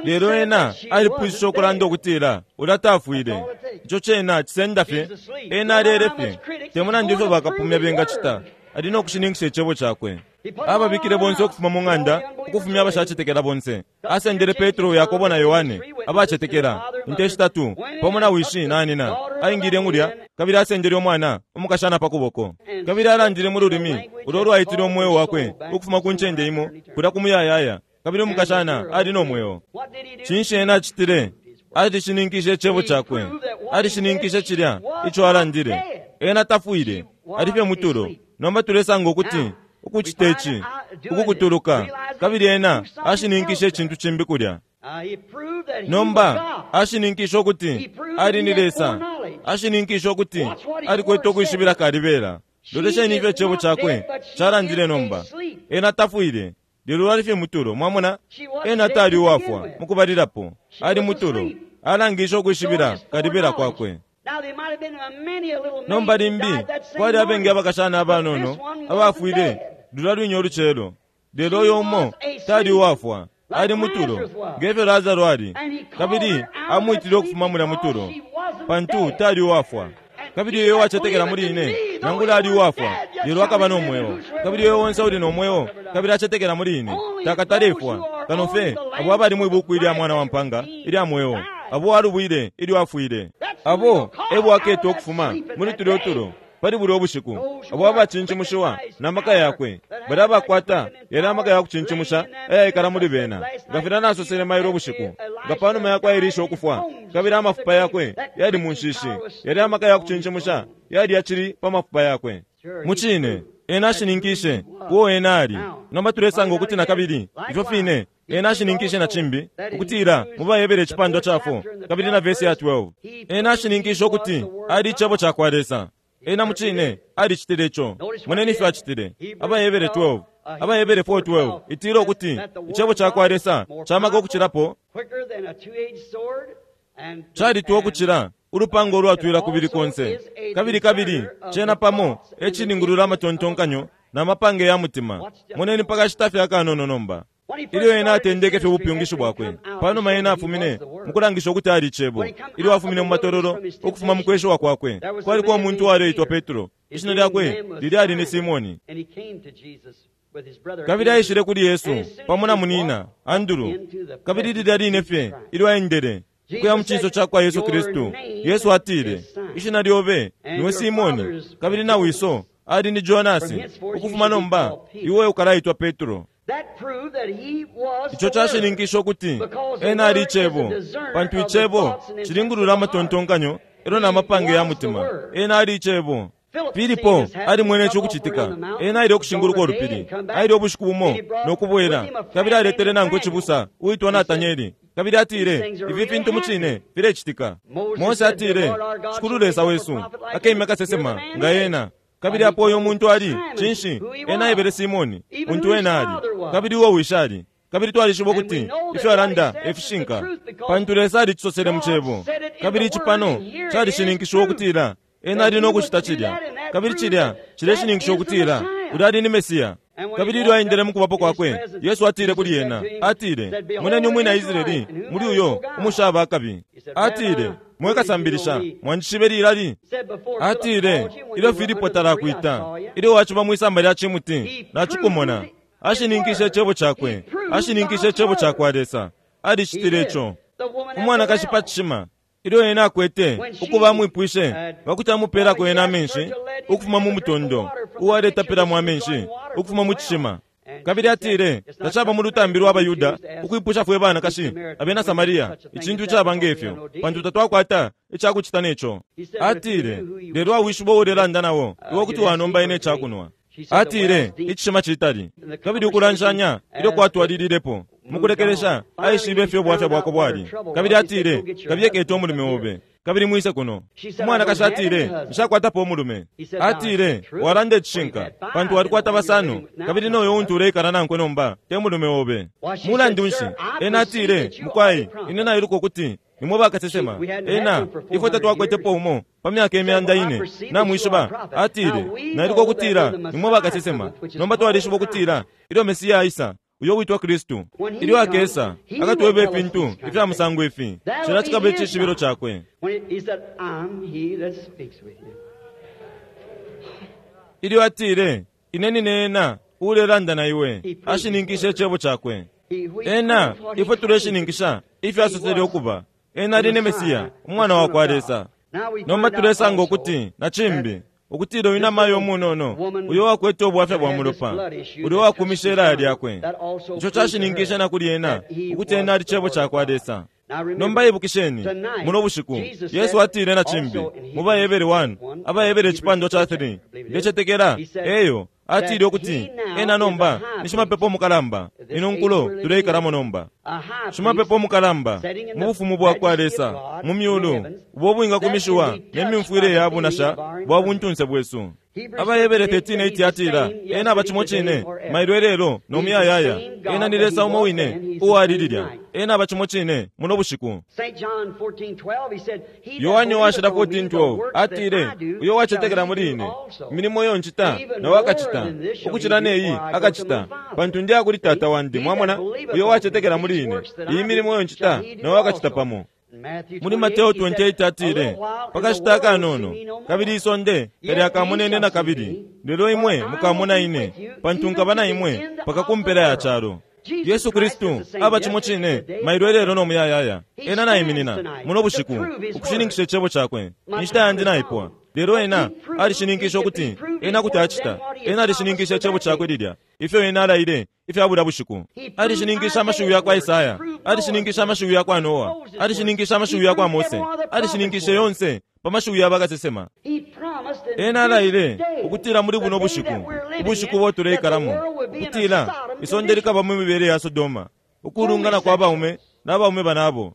Lelo ena alipwishishe ukulanda ukutila ulya tafwile. Ico cena cisenda fye, ena alele fye. Temulandu ifyo bakapumya bengacita, ali nokushininkisha icebo cakwe. Ababikile bonse ukufuma mu ng'anda, ukufumya abashacetekela bonse. Asendele Petro, Yakobo na Yohane abacetekela inte shitatu pamo na wishi na nina. Aingile mulya, kabili asendele umwana umukashana pa kuboko, kabili alandile mu lulimi ulo lwaitile umweo wakwe ukufuma ku ncende imo kulya ku muyayaya, kabili umukashana ali no mweo. Cinshi ena acitile? Alishininkishe icebo cakwe, alishininkishe cilya ico alandile. Ena tafwile, ali fye mutulo. Nomba tulesanga ukuti ukucita ici ukukutuluka, kabili ena ashininkishe icintu cimbi kulya. Nomba ashininkishe ukuti ali ni Lesa, ashininkishe ukuti alikwete ukwishibila kalibela. Lolesheni ifyo icebo cakwe calandile nomba. Ena tafwile, lelo ali fye mutulo. Mwamona, ena tali uwafwa mukubalilapo, ali mutulo, alangishe ukwishibila kalibela kwakwe. Nomba limbi kwali abengi abakashana abanono abafwile lulya lwinyo olucelo, lelo uyo umo tali uwafwa, ali mutulo ngefyo Lazaro ali, kabili amwitile ukufuma mulya mutulo pantu tali uwafwa. Kabili uyo wacetekela muli ine, nangula ali uwafwa, lelo akaba no mweo. Kabili uyo onse uli no mweo kabili acetekela muli ine takatalefwa, kano fye abo abali mwibuku ilya mwana wa mpanga ilya mweo, abo alubwile ilyo afwile, abo ebo aketwa ukufuma muli tulya utulo. Pali bulya ubushiku, abo abacincimushiwa na maka yakwe, balya abakwata yalya amaka ya kucincimusha ayaikala muli bena. Nga filya nasosele mailo ubushiku, nga panuma yakwa Elisha ukufwa, kabili amafupa yakwe yali mu nshishi, yalya amaka ya kucincimusha yali yacili pa mafupa yakwe. Mucine, ena ashininkishe uo ena ali. Nomba tulesanga ukuti nakabili, ifyo fine, ena ashininkishe na cimbi, ukutila mu Bahebere icipandwa ca four kabili na vesi ya twelve. Ena ashininkishe ukuti ali icebo ca kwa Lesa. Ena mucine alicitile ico. Moneni ifyo acitile. Abahebere twelve, Abahebere four twelve itila ukuti icebo ca kwa Lesa camaka ukucilapo, calitwa ukucila ulupanga ulwatwila kubili konse, kabili kabili cena pamo ecilingulula amatontonkanyo na mapange ya mutima. Moneni pakashita fye akanono nomba. Ilyo ena atendeke fye ubupyungishi bwakwe, panuma ena afumine mukulangisha ukuti ali icebo. Ilyo afumine mu matololo ukufuma mu kweshiwa kwakwe, kwaliko umuntu uwaleitwa Petro, ishina lyakwe lili ali ni Simoni. Kabili aishile kuli Yesu pamo na munina Andrew, kabili lilya line fye ilyo aendele ukuya mu cinso ca kwa Yesu Kristu, Yesu atile, ishina lyobe niwe Simoni, kabili na wiso ali ni Jonasi, ukufuma nomba iwe ukalaitwa Petro. Ico cashininkisha ukuti ena ali icebo, pantu icebo cilingulula amatontonkanyo elo na mapange ya mutima. Ena ali icebo. Filipo alimwene ico ukucitika. Ena aile ukushinguluka ulupili, aile ubushiku bumo no kubwela, kabili aletele nankwe cibusa uitwa Natanieli, kabili atile, ifi fintu mucine filecitika. Mose atile, Shikulu Lesa wesu akemya kasesema nga ena. Kabili apo uyo muntu ali, cinshi, ena aebele Simoni, untu ena ali, kabili uo wishi ali. Kabili twalishiba ukuti ifyo alanda efishinka, pantu Lesa alicisosele mu cebo. Kabili ici pano calishininkishiwa ukutila ena ali no kucita cilya, kabili cilya cileshininkisha ukutila ulya ali ni Mesiya. Kabili ilyo aendele mu kubapo kwakwe, Yesu atile kuli ena, atile, moneni umwina Israeli muli uyo umushaba akabi. Atile, mwe kasambilisha, mwanjishibe lilali? Atile, ilyo Filipo talakwita, ilyo waciba mwisamba lya cimuti, nacikumona. Ashininkishe icebo cakwe, ashininkishe icebo ca kwa Lesa. Alicitile ico. Umwanakashi pa cishima, ilyo ena akwete ukuba amwipwishe pakuti amupelako ena amenshi ukufuma mu mutondo uwaletapilamo amenshi ukufuma mu cishima. Kabili atile, tacaba mu lutambi lwa Bayuda ukwipusha fwe banakashi abena Samaria icintu icaba ngefyo, pantu tatwakwata icakucita neco. Atile, lelo awishiba uulelanda nawo, iwe kuti wanomba ine icakunwa. Atile, icishima citali. Kabili ukulanshanya ilyo kwatwalililepo, mukulekelesha aishibe ifyo ubwafya bwako bwali. Kabili atile, kabiye kete umulume obe, kabili mwise kuno. Umwanakashi atile, nshakwatapo umulume. Atile, walanda icishinka, pantu walikwata basano, kabili noyo untu uleikala nankwe nomba te mulume obe. Mulandu nshi? Ena atile, mukwai, ine nailuka ukuti nimwe bakasesema. Ena, ifwe tatwakwetepo umo pa myaka imyanda ine, namwishiba. Atile, nailuka ukutila nimwe bakasesema. Nomba twalishiba ukutila ilyo Mesiya aisa, uyo witwa Kristu, ilyo akesa akatweba ifintu ifya musango ifi, cila cikaba icishibilo cakwe. Ilyo atile, ine nine ena uulelanda na iwe, ashininkishe icebo cakwe. Ena, ifwe tuleshininkisha ifyo asosele ukuba. Ena ali ni Mesiya, umwana wa kwa Lesa. Nomba tulesanga ukuti na cimbi, ukutila uyu namayo umunono, uyo wakwete ubwafya bwa mulopa, uyo wakumishe ilaya lyakwe, ico cashininkishe na kuli ena ukuti ena ali cebo ca kwa Lesa. Nomba ibukisheni, muno bushiku Yesu atile na cimbi mu Bahebere one, Abahebere icipandwa ca three, ndecetekela eyo atile ukuti ena nomba ni shimapepo mukalamba. Ino nkulo tuleikalamo nomba, shimapepo mukalamba mu bufumu bwa kwa Lesa mu myulu, ubo bwingakumishiwa ne myumfwile ya bunasha bwa buntunse bwesu. Abahebere thirteen eight atila, ena aba cimo cine mailo elelo no muyayaya. Ena ni Lesa umo wine uwali lilya. Ena aba cimo cine muno bushiku. Yohane washila fourteen twelve atile, uyo wacetekela muli ine, imilimo iyo ncita nawe akacita, ukucila neyi akacita, pantu ndi akuli Tata wandi. Mwamona, uyo wacetekela muli ine, iyi milimo iyo ncita nawe akacita pamo. Muli Mateo twenty-eight atile, pakashita akanono, kabili isonde talyakamonene na kabili, lelo imwe mukamona ine, pantu nkaba na imwe paka kumpela ya calo. Yesu Kristu aba cimo cine mailo ilelo no muyayaya. Ena naiminina muno bushiku ukushininkisha icebo cakwe. Inshita yandi naipwa, lelo ena alishininkisha ukuti ena kuti acita. Ena alishininkisha icebo cakwe lilya ifyo ena alaile ifya bulya bushiku. Alishininkisha amashiwi ya kwa Isaya, alishininkisha amashiwi ya kwa Noa, alishininkisha amashiwi ya kwa Mose, alishininkisha yonse pa mashiwi ya bakasesema. Ena alaile ukutila muli buno bushiku, ubushiku bo tuleikalamo, ukutila isonde likaba mu mibele ya Sodoma, ukulungana kwa baume n'abaume banabo.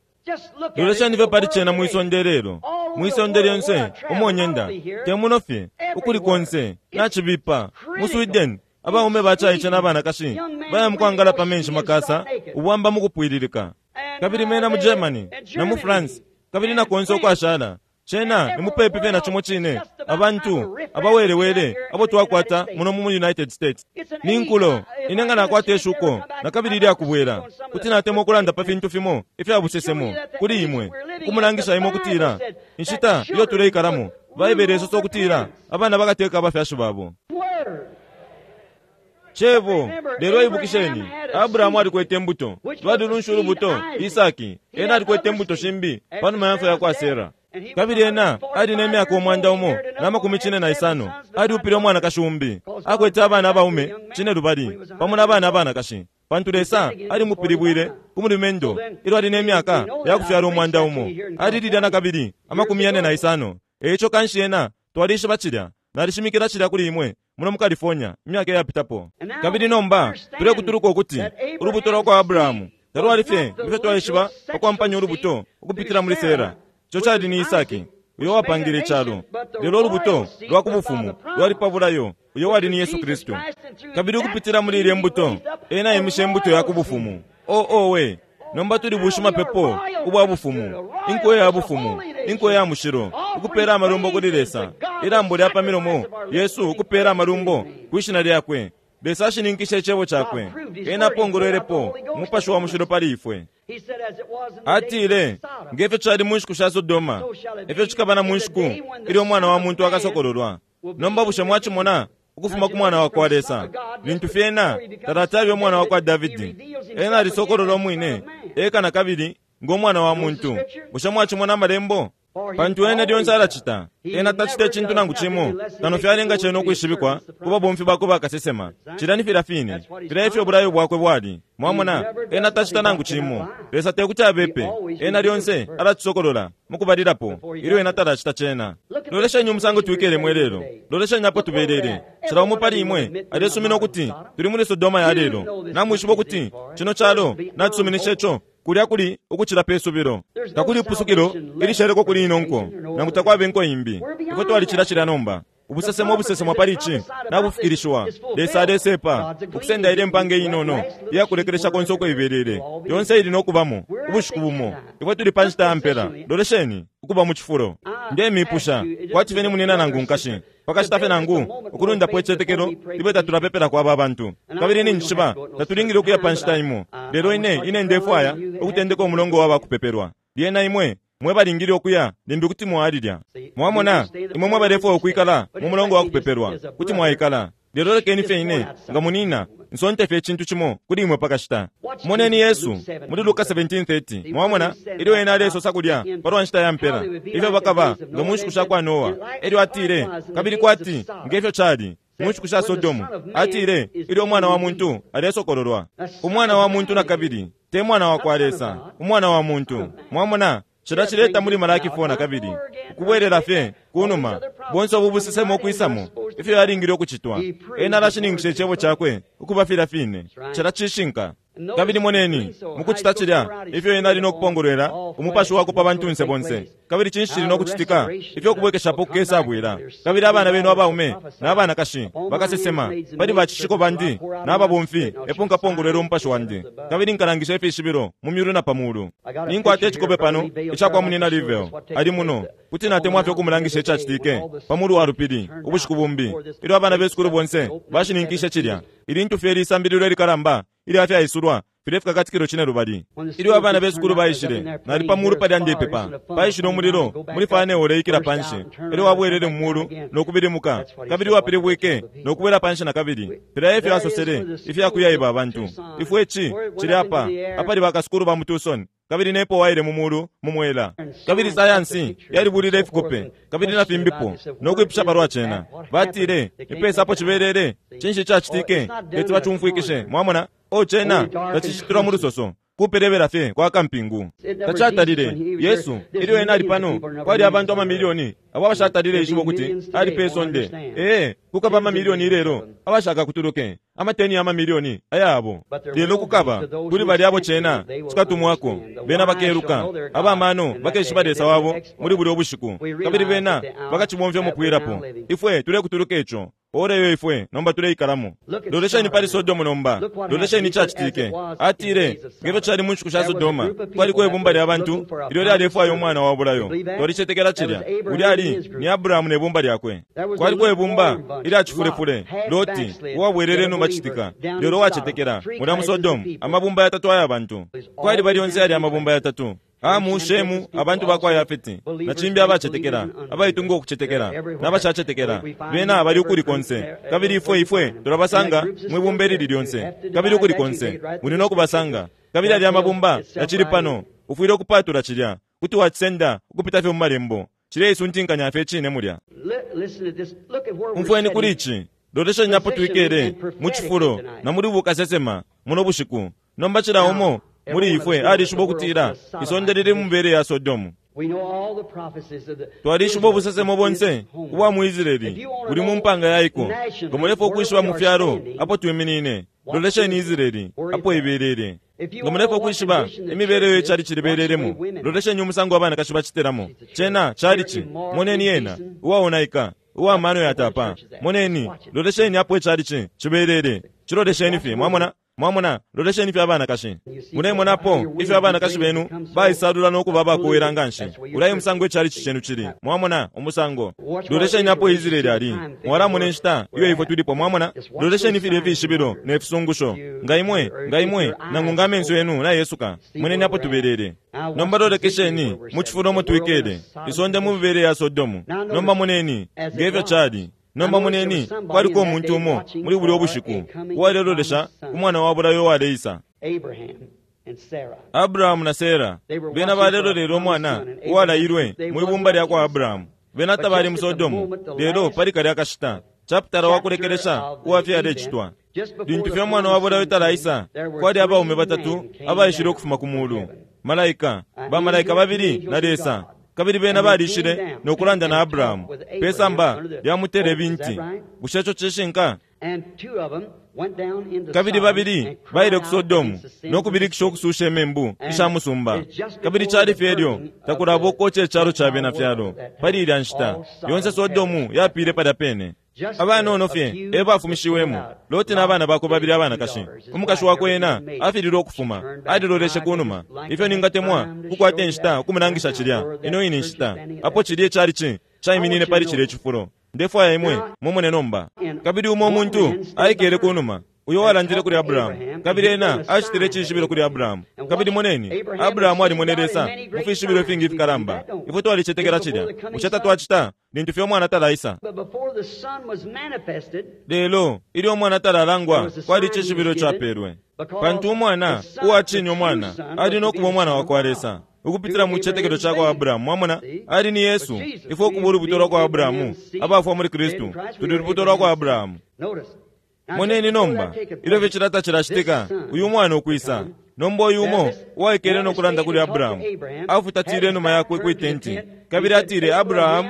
Loleshani fye pali cena mwisonde lelo, mwisonde lyonse umonyenda te muno fye, ukuli konse nacibipa. Mu Sweden abaume bacaice n'abanakashi baya mukwangala pa menshi makasa ubwamba mukupwililika. Kabili mena mu Germany na mu France kabili na konse ukwashala cena ni mupepi fye na cimo cine abantu abawelewele abo twakwata muno mu United States. Ni nkulo ine nga nakwata ishuko na kabili ilyakubwela kuti natemwa ukulanda pa fintu fimo ifya busesemo kuli imwe, ukumulangisha imwe ukutila inshita iyo tuleikalamo Baibele isosa ukutila abana bakateka abafyashi babo. Cebo, lelo ibukisheni, Abrahamu alikwete imbuto, lwali lunshu ulubuto, Isaki ena alikwete imbuto shimbi panuma ya mfwa ya kwa Sera. Kabili ena ali ne myaka umwanda umo na makumi cine na isano, aliupile umwanakashi umbi, akwete abana abaume cine lubali pamo n'abana abanakashi, pantu Lesa alimupilibwile ku mulumendo ilyo ali ne myaka ya kufyala umwanda umo. Alililya na kabili amakumi yane na isano. Eico kanshi ena twalishiba cilya, nalishimikila cilya kuli imwe muno mu California imyaka iyapitapo. Kabili nomba tulekutuluka ukuti ulubuto lwa kwa Abrahamu talwali fye ifyo twaishiba pakwampanya ulubuto ukupitila muli Sera, ico cali ni Isaki uyo wapangile icalo. Lelo ulubuto lwa ku bufumu lwali pa bulayo, uyo wali ni Yesu Kristu. Kabili ukupitila muli ilya mbuto ena aimishe imbuto ya ku bufumu. O owe, nomba tuli bushimapepo ubwa bufumu, inko ya bufumu, inko ya mushilo, ukupela amalumbo kuli Lesa, ilambo lya pa milomo Yesu ukupela amalumbo kwishina lyakwe. Lesa ashininkishe icebo cakwe, ena apongolwelepo umupashi wa mushilo pali ifwe. Atile, ngefyo cali mu nshiku sha Sodoma, efyo cikaba na mu nshiku ilyo umwana wa muntu akasokololwa. Nomba bushe mwacimona ukufuma ku mwana wa kwa Lesa, lintu fyena talatabe umwana wa kwa Davidi, ena alisokololwa umwine eka na kabili ngo mwana wa muntu. Bushe mwacimona amalembo? Pantu ena lyonse alacita, ena tacita icintu nangu cimo kano fyalenga cena ukwishibikwa ku babomfi bakwe bakasesema. Cilya ni filya fine filya ifyo ubulayo bwakwe bwali. Mwamona, ena tacita nangu cimo. Lesa tekuti abepe, ena lyonse alacisokolola mukubalilapo ilyo ena talacita cena. Lolesheni umusango twikelemo ilelo, lolesheni apo tubelele. Cila umo pali imwe alesumina ukuti tuli muli Sodoma ya lelo. Namwishiba ukuti cino calo nacisuminisha ico kulya kuli ukucila pe subilo. Takuli ipusukilo ilisheleko kuli ino nko, nangu takwaba inko imbi. Ifwe twalicila cilya nomba. Ubusesemo obusesemwa pali ici nabufikilishiwa. Lesa alesepa ukusenda ile mpanga inono iyakulekelesha konse uko ibelele, yonse ili nokubamo ubushiku bumo. Ifwe tuli pa nshita ya mpela. Lolesheni ukuba mu cifulo. Ndemipusha kwati fye ni munina nangu nkashi, pakashita fye nangu ukulundapo icitetekelo ibe tatulapepela kwa aba bantu. Kabili ninjishiba tatulingile ukuya pa nshita imo, lelo ine ine ndefwaya ukutendeka umulongo wa bakupepelwa. Lyena imwe mwe balingile ukuya limbi kuti mwalilya. Mwamona, imwe mwe balefwaya ukwikala mu mulongo wa kupepelwa kuti mwaikala. Lelo lekeni fye ine nga munina nsonte fye icintu cimo kuli imwe pakashita. Moneni Yesu muli Luka seventeen thirty. Mwamona ilyo ena alesosa kulya palwa nshita ya mpela, ifyo bakaba nga mu nshiku sha kwa Noa. Elyo atile, kabili kwati ngefyo cali mu nshiku sha Sodomu, atile ilyo umwana wa muntu alesokololwa. Umwana wa muntu na kabili te mwana wa kwa Lesa, umwana wa muntu. Mwamona, cila cileta muli Malaki four na kabili ukubwelela fye kunuma bonse ubu busesemo okwisamo ifyo yalingile ukucitwa. Ena alashininkisha icebo cakwe ukuba filya fine. Cila cishinka. Kabili moneni mukucita cilya ifyo ena ali nokupongolwela umupashi wakwe pa bantunse bonse. Kabili cinshi cili nokucitika ifyo kubwekeshapo kukesabwila. Kabili abana benu abaume n'abanakashi bakasesema pali bacishiko bandi n'ababomfi epo nkapongolwela umupashi wandi, kabili nkalangisha ifishibilo mu myulu na pa mulu. Ninkwata icikope pano ica kwa munina Livel ali muno, kuti natemwa fye ukumulangisha icacitike pa mulu wa lupili ubushiku bumbi ilyo abana besukulu bonse bashininkishe cilya. Ilintu fye lisambililo ilikalamba ilya fyaisulwa Filye fikakatikilo cine lubali. Ilyo abana besukulu baishile, nali pa mulu palya ndepepa. Paishile umulilo muli fane uleikila panshi. Elyo wabwelele mu mulu no kubilimuka, kabili wapilibwike no kubwela panshi na kabili. Filya efyo asosele ifyakuyaiba abantu. Ifwe ici cili apa apali bakasukulu ba mu Tucson, kabili nepo waile mu mulu mu mwela. Kabili sayansi yalibulile ifikope kabili na fimbipo no kwipusha palwa cena. Batile ipesa apo cibelele, cinshi cacitike? Leti bacumfwikishe. Mwamona? O cena tacishitilwa mu lusoso, kupelebela fye kwa kampingu. Tacatalile Yesu ilyo ena ali pano, kwali abantu amamilioni abo abashatalile ishibo kuti ali pe sonde. Ee, kukaba amamilioni ilelo abashaka kutuluke, amateni ya mamilioni ayabo. Lelo kukaba kuli bali abo cena cikatumwako, bena bakeluka abamano bakeshiba Lesa wabo muli bulyo bushiku, kabili bena bakacibomfya umupwilapo. Ifwe tulekutuluka ico ora iyo ifwe nomba tuleikalamo. Lolesheni pali Sodomu nomba, lolesheni cacitike. Atile ngefyo cali mu nshiku sha Sodoma, kwaliko ibumba lya bantu ilyo lyalefwaya umwana wa bulayo. Twalicetekela cilya. Ulya ali ni Abrahamu ne bumba lyakwe. Kwaliko ibumba ilya cifulefule, Loti uwabwelele numa citika, lelo wacetekela mulya mu Sodomu, amabumba yatatu aya bantu. Kwali bali yonse yali amabumba yatatu. Amu, Shemu, abantu bakwa Yafeti, na cimbi abacetekela, abaitunga ukucetekela, n'abashacetekela, bena bali ukuli konse. Kabili ifwe ifwe tulabasanga mwibumba ilili lyonse, kabili ukuli konse muli no kubasanga. Kabili ali amabumba yacili pano, ufwile ukupatula cilya, kuti wacisenda ukupita fye mu malembo. Cileisuntinkanya fye cine mulya. Umfweni kuli ici, lolesheni apo twikele mu cifulo na muli bukasesema muno bushiku. Nomba cila umo muli ifwe alishiba ukutila isonde lili mu mibele ya Sodomu. Twalishiba ubusesemo bonse ubwa mu Israeli buli mu mpanga yaiko. Nga mulefwaya ukwishiba mu fyalo apo twiminine, lolesheni Israeli apo ibelele. Nga mulefwaya ukwishiba imibele iyo icali cilibelelemo, lolesheni umusango abanakashi bacitelamo. Cena calici, moneni yena uwaonaika, uwa mano yatapa. Moneni, lolesheni apo icalici cibelele. Cilolesheni fye, mwamona? Mwamona, lolesheni fye abanakashi. Mulemonapo ifyo abanakashi benu baisalula no kuba abakuwela nganshi. Ulaye umusango icalici cenu cili. Mwamona umusango. Lolesheni apo Israeli ali. Mwalamona inshita iyo ifwe tulipo, mwamona? Lolesheni filye fishibilo ne fisungusho. Nga imwe, nga imwe, nangu nga amenso yenu nayesuka. Moneni apo tubelele. Nomba lolekesheni mu cifulo umo twikele, isonde mu mibele ya Sodomu. Nomba moneni ngefyo cali. Nomba moneni kwaliko umuntu umo muli bulyo bushiku uwalelolesha umwana wa bulayo uwaleisa. Abrahamu na Sera bena balelolele umwana uwalailwe mwibumba lya kwa Abrahamu. Bena tabali mu Sodomu, lelo pali kalya kashita chapitala wakulekelesha uwafyalecitwa. Lintu fye umwana wa bulayo talaisa, kwali abaume batatu abaishile ukufuma ku mulu, malaika, bamalaika babili na Lesa. Kabili bena balishile no kulanda na Abrahamu pesamba lya muterebinti. Bushe ico cishinka? Kabili babili baile ku Sodomu no kubilikisha ukususha imembu isha musumba. Kabili cali fye elyo takulaba ukoca icalo ca bena fyalo pali ilya nshita. Yonse Sodomu yapile palya pene. Abanono fye e bafumishiwemo, Loti n'abana bakwe babili abanakashi. Umukashi wakwe ena afililwe ukufuma, aliloleshe kunuma. Ifyo ningatemwa kukwata inshita ukumulangisha cilya ino ine nshita apo cilya icalici caiminine pali cilya icifulo. Ndefwaya imwe mumone nomba. Kabili umo umuntu aikele kunuma, uyo walandile kuli Abrahamu, kabili ena acitile icishibilo kuli Abrahamu. Kabili moneni, Abrahamu alimone Lesa mu fishibilo ifingi ifikalamba. Ifwe twalicetekela cilya. Bushe tatwacita lintu fye umwana talaisa? Lelo ilyo umwana talalangwa, kwali icishibilo capelwe, pantu umwana uwacine umwana ali no kuba umwana wa kwa Lesa ukupitila mu cicetekelo ca kwa Abrahamu. Mwamona, ali ni Yesu. Ifwe ukuba ulubuto lwa kwa Abrahamu, abafwa muli Kristu, tuli lubuto lwa kwa Abrahamu. Moneni nomba ilyo fye cilata cilacitika, uyu mwana ukwisa. Nomba uyu umo uwaikele no kulanda kuli Abrahamu afutatile inuma yakwe kwi tenti, kabili atile, Abrahamu.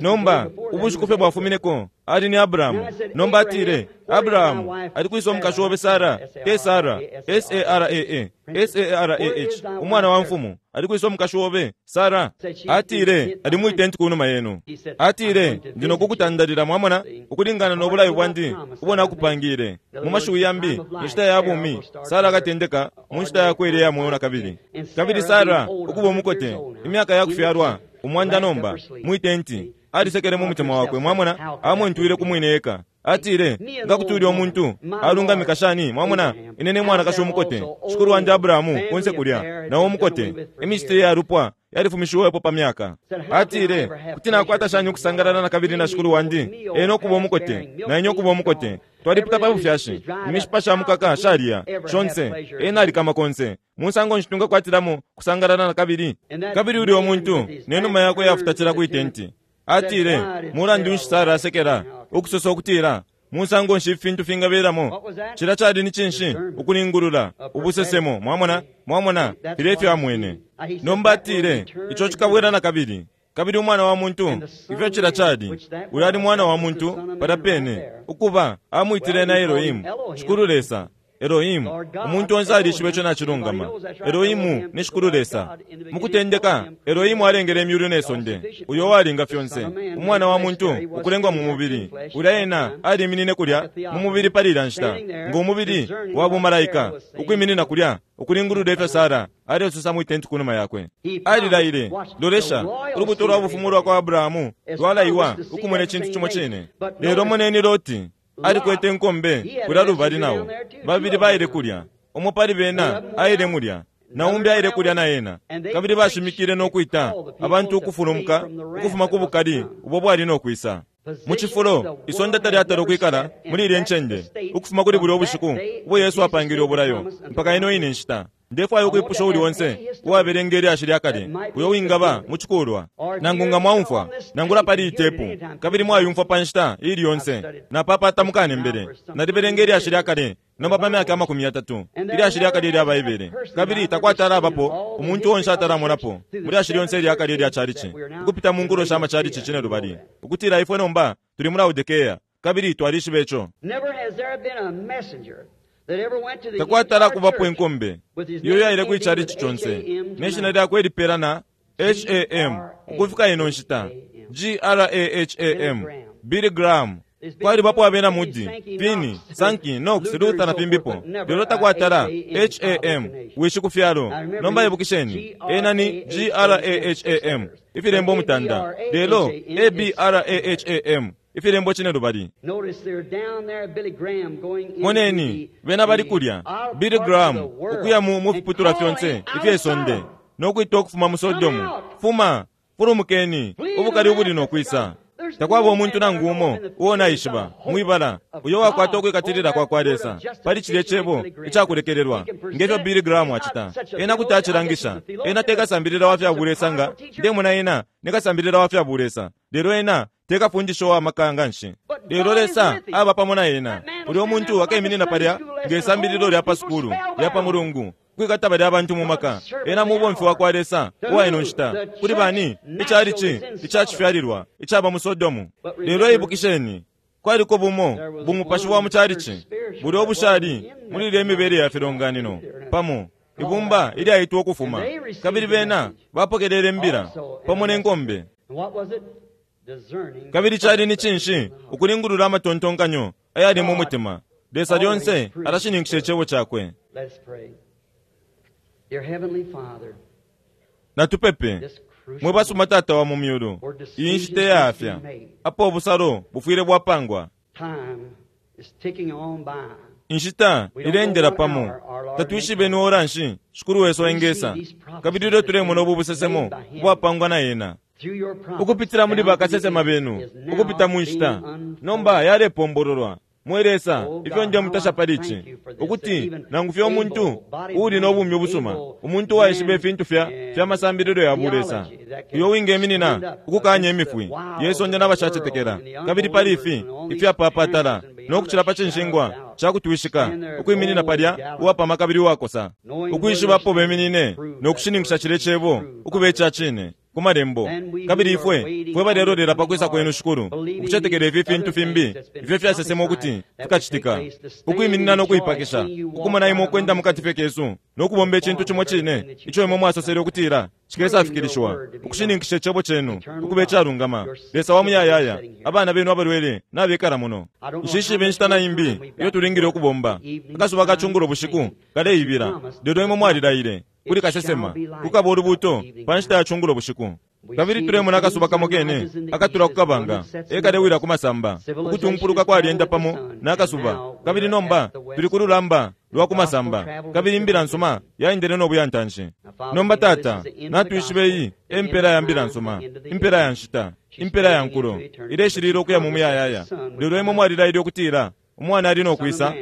Nomba ubushiku fye bwafumineko ali ni Abrahamu. Nomba atile, Abrahamu, ali kwisa umukashi obe Sara, te Sara, S A R A A, S A R A H, umwana wa mfumu, ali kwisa umukashi obe Sara. Atile, ali mwi tenti kunuma yenu. Atile, ndi nokukutandalila, mwamona, ukulingana no bulayo bwandi ubo nakupangile. Mu mashiwi yambi, inshita ya bumi Sara akatendeka mu nshita yakwe ile ya mweo na kabili. Kabili Sara ukuba umukote, imyaka ya kufyalwa umwanda nomba, mwi tenti. Alisekele mu mutima wakwe, mwamona, amwentwile ku mwine eka. Atile, nga kuti ulya umuntu alungamika shani, mwamona, ine ne mwanakashi umukote, shikulu wandi Abrahamu kunse kulya, nawo umukote, imicitile ya lupwa yalifumishiwepo pa myaka. Atile, kuti nakwata shani ukusangalala na kabili na shikulu wandi, ena ukuba umukote, na ine ukuba umukote. Twalipita pa bufyashi, imishipa sha mukaka shaliya, shonse, ena alikama konse. Musango nshi tungakwatilamo kusangalala na kabili? Kabili ulya umuntu, ne numa yakwe yafutatila kwi tenti. Atile, mulandu nshi Sara asekela, ukusosa ukutila, musango nshi ifintu fingabelamo? Cila cali ni cinshi? Ukulingulula, ubusesemo, mwamona, mwamona, filya ifyo amwene. Nomba atile, ico cikabwela na kabili. Kabili umwana wa muntu, ifyo cila cali, ulya ali mwana wa muntu, palya pene, ukuba, amwitile na Elohimu, Shikulu Lesa. Elohimu, umuntu onse alishiba ico nacilungama. Elohimu ni Shikulu Lesa. Mukutendeka, Elohimu alengele imyulu ne sonde, uyo walinga fyonse. Umwana wa muntu, ukulengwa mu mubili. Ulya ena aliminine kulya mu mubili pali ilya nshita, ngo mubili wa bumalaika, ukwiminina kulya, ukulingulula ifyo Sara alesosa mwi tenti kunuma yakwe. Alilaile, lolesha, ulubuto lwa bufumu lwa kwa Abrahamu lwalaiwa ukumona icintu cimo cine. Lelo moneni Loti, alikwete nkombe kulya lubali nawo. Babili baile kulya, umo pali bena aile mulya, na umbi aile kulya na ena. Kabili bashimikile no kwita abantu ukufulumuka ukufuma ku bukali ubo bwali no kwisa. Mu cifulo, isonde talyatala ukwikala muli ilye ncende ukufuma kuli bulya ubushiku ubo Yesu apangile ubulayo mpaka ino ine nshita. Ndefwaya ukwipusha uli onse uwabelenga ilyashi lya kale uyo wingaba mu cikulwa, nangu nga mwaumfwa nangula pali itepu, kabili mwayumfwa pa nshita ili yonse, napapata mukanembele. Nalibelenga ilyashi lya kale nomba pa myaka amakumi yatatu, ilyashi lya kale ilya Baibele, kabili takwatala abapo umuntu onse atalamonapo mu lyashi lyonse ilya kale ilya chalichi, ukupita mu nkulo sha machalichi cine lubali, ukutila ifwe nomba tuli mu Laodikea, kabili twalishiba ico. Takwatala kubapo inkombe iyo yaile kwi chalichi chonse ne shina lyakwe lipela na H A M ukufika ino nshita, G R A H A M, Billy Graham. Kwalibapo abena Moody, Finney, Sankey, Knox, Luther na fimbipo, lelo takwatala H A M, wishi ku fyalo. Nomba ibukisheni, ena ni G R A H A M, ifilembo mutanda, lelo A B R A H A M, ifilembo cine lubali. Moneni, bena bali kulya, Billy Graham, ukuya mu mufiputula fyonse ifye sonde, no kwita ukufuma mu Sodomu. Fuma, fulumukeni, ubukali ubuli no kwisa. Takwaba umuntu nangu umo uo naishiba mwibala uyo wakwata ukwikatilila kwa kwa Lesa pali cilye cebo icakulekelelwa ngefyo Billy Graham acita. Ena kuti acilangisha, ena tekasambilila wa fya bulesa nga ndemona ena nekasambilila wa fya bulesa, lelo ena tekafundisha wa maka nganshi. Lelo Lesa aba pamo na ena. Ulyo muntu akeminina palya ngesambililo lya pa sukulu lya pa mulungu, kwikata balya abantu mu maka. Ena mubomfi wa kwa Lesa uwa ino nshita kuli bani ichalichi icacifyalilwa icaba mu Sodomu. Lelo ibukisheni, kwaliko bumo bumupashi wa mu chalichi bulya obushali muli ilya imibele ya filonganino pamo ibumba ilyaitwa ukufuma, kabili bena bapokelele mbila pamo ne nkombe. Kabili cali ni cinshi? Ukulingulula amatontonkanyo ayali mu mutima. Lesa lyonse alashininkisha icebo cakwe. Natupepe. Mwe basuma Tata wa mu myulu, iyi nshita iyafya apo ubusalo bufwile bwapangwa. Inshita ilendela pamo, tatwishibe ni ora nshi Shikulu wesu engesa, kabili ilyo tulemona ubu busesemo ubwapangwa na ena ukupitila muli bakasesema benu, ukupita mu nshita nomba yalepombololwa. Mwe Lesa, ifyo nje mutasha pali ici, ukuti nangu fye umuntu uuli no bumi ubusuma, umuntu uwaishiba ifintu fya fya masambililo ya bulesa, uyo wingeminina ukukanya imifwi yesonde n'abashacetekela, kabili pali ifi ifyapapatala no kucila pa cinshingwa cakutwishika, ukwiminina palya uwapama kabili uwakosa, ukwishibapo beminine no kushininkisha cile cebo ukuba ica cine ku malembo. Kabili ifwe fwe balelolela pa kwisa kwenu Shikulu, ukucetekela ifi fintu fimbi ifyo fyasesema ukuti fikacitika, ukwiminina no kuipakisha, ukumona imwe ukwenda mukati fye kesu no kubomba icintu cimo cine ico imwe mwasosele ukutila cikesafikilishiwa, ukushininkisha icebo cenu ukuba icalungama. Lesa wa muyayaya, abana benu abalwele nabekala muno. Nshishibe inshita na imbi iyo tulingile ukubomba. Akasuba kacungulo bushiku kaleibila, lelo imwe mwalilaile kuli kasesema kukaba ulubuto pa nshita ya cungulo bushiku. Kabili tulemona akasuba kamo kene akatula ku kabanga ekalewila ku masamba, ukutumpuluka kwalyenda pamo n'akasuba. Kabili nomba tuli ku lulamba lwa ku masamba, kabili imbila nsuma yaendele n'obuyantanshi. Nomba Tata, natwishibe iyi empela ya mbila nsuma, impela ya nshita, impela ya nkulo ileshilila ukuya mu muyayaya. Lelo imwe mwalilaile ukutila umwana ali nokwisa,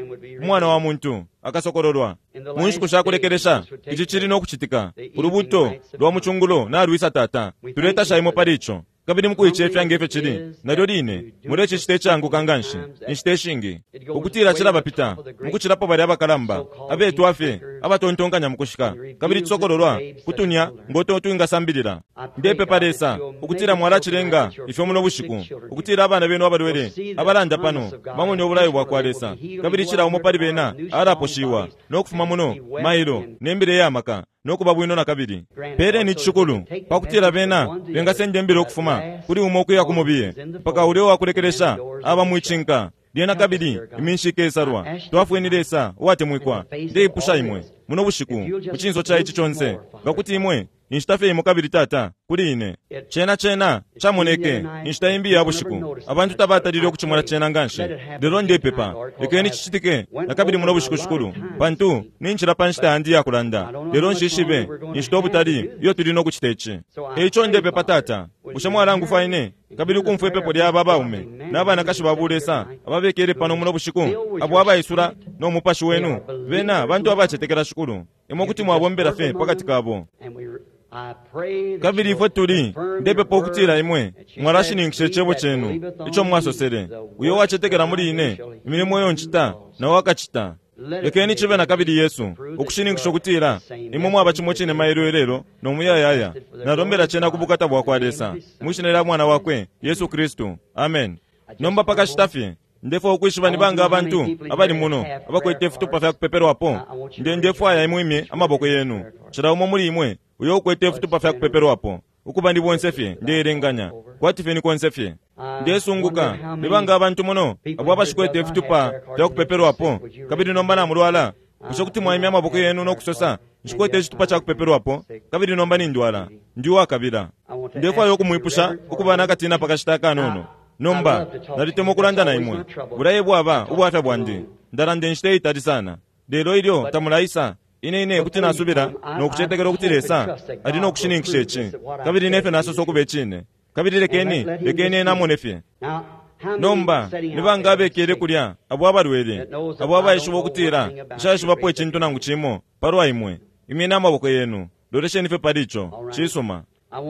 umwana wa muntu akasokololwa mu nshiku shakulekelesha. Ici cili nokucitika. Ulubuto lwa mucungulo nalwisa Tata, tuletasha imwe pali ico. Kabili mukuicefya ngefyo cili nalyo line mulecicita icanguka nganshi inshita ishingi ukutila cilabapita mukucilapo balya abakalamba abetwa fye abatontonkanya mukushika, kabili cisokololwa kutunya ngoto twingasambilila. Ndepepa Lesa ukutila mwalacilenga ifyo muno bushiku, ukutila abana benu abalwele abalanda pano bamone ubulayo bwa kwa Lesa, kabili cila umo pali bena alaposhiwa nokufuma muno mailo nembile yamaka nokuba bwino na kabili. Peleni icishukulu pakutila bena bengasenda imbila ukufuma kuli umo ukuya ku mubiye mpaka ulya uwakulekelesha aba mwicinka. Lyena kabili iminshi ikesalwa. Twafweni Lesa uwatemwikwa, ndeipusha imwe muno bushiku mu cinso ca ici conse, ngakuti imwe inshita fye imo kabili Tata kuli ine. Cena cena camoneke inshita imbi ya bushiku, abantu tabatalile ukucimona cena nganshi. Lelo ndepepa lekeni cicitike na kabili muno bushiku shikulu, pantu ninjila pa nshita yandi yakulanda, lelo nshishibe inshita ubutali iyo tuli nokucita ici. Eico ndepepa Tata, bushe mwalangufwa ine kabili ukumfwa ipepo lya aba baume n'abanakashi ba bulesa ababekele pano muno bushiku, abo abaisula no mupashi wenu, bena bantu abacetekela shikulu, imwe kuti mwabombela fye pakati kabo. Kabili ifwe tuli ndepepa ukutila imwe mwalashininkisha icebo cenu ico mwasosele, uyo wacetekela muli ine, imilimo iyo ncita nawo akacita. Lekeni cibe na kabili Yesu ukushininkisha ukutila imwe mwaba cimo cine mailo ilelo no muyayaya. Nalombela cena ku bukata bwa kwa Lesa mwishina lya mwana wakwe Yesu Kristu, amen. Nomba pakashita fye ndefwa ukwishiba ni banga abantu abali muno abakwete ifitupa fya kupepelwapo. Nde ndefwaya imwe amaboko yenu, cila umo muli imwe uyo ukwete ifitupa fya kupepelwapo, ukuba ndi bonse fye ndeelenganya kwati fye ni konse fye. Ndesunguka ni banga abantu muno abo abashikwete ifitupa fya kupepelwapo, kabili nomba namulwala. Bushe kuti mwaimya amaboko yenu nokusosa, nshikwete icitupa ca kupepelwapo kabili nomba nindwala, ndi uwakabila. Ndefwaya ukumwipusha ukuba nakatina pakashita akanono. Nomba nalitemwa ukulanda na imwe, bulaye bwaba ubwafya bwandi, ndalanda inshita itali sana. Lelo ilyo tamulaisa, ine ine kuti nasubila nokucetekela ukuti Lesa ali nokushininkisha ici, kabili nefyo nasosa ukuba icine. Kabili lekeni lekeni ena amone fye. Nomba ni banga abekele kulya abo abalwele, abo abaishiba ukutila nshaishibapo icintu nangu cimo palwa imwe, imyeni amaboko yenu, lolesheni fye pali ico. Cisuma.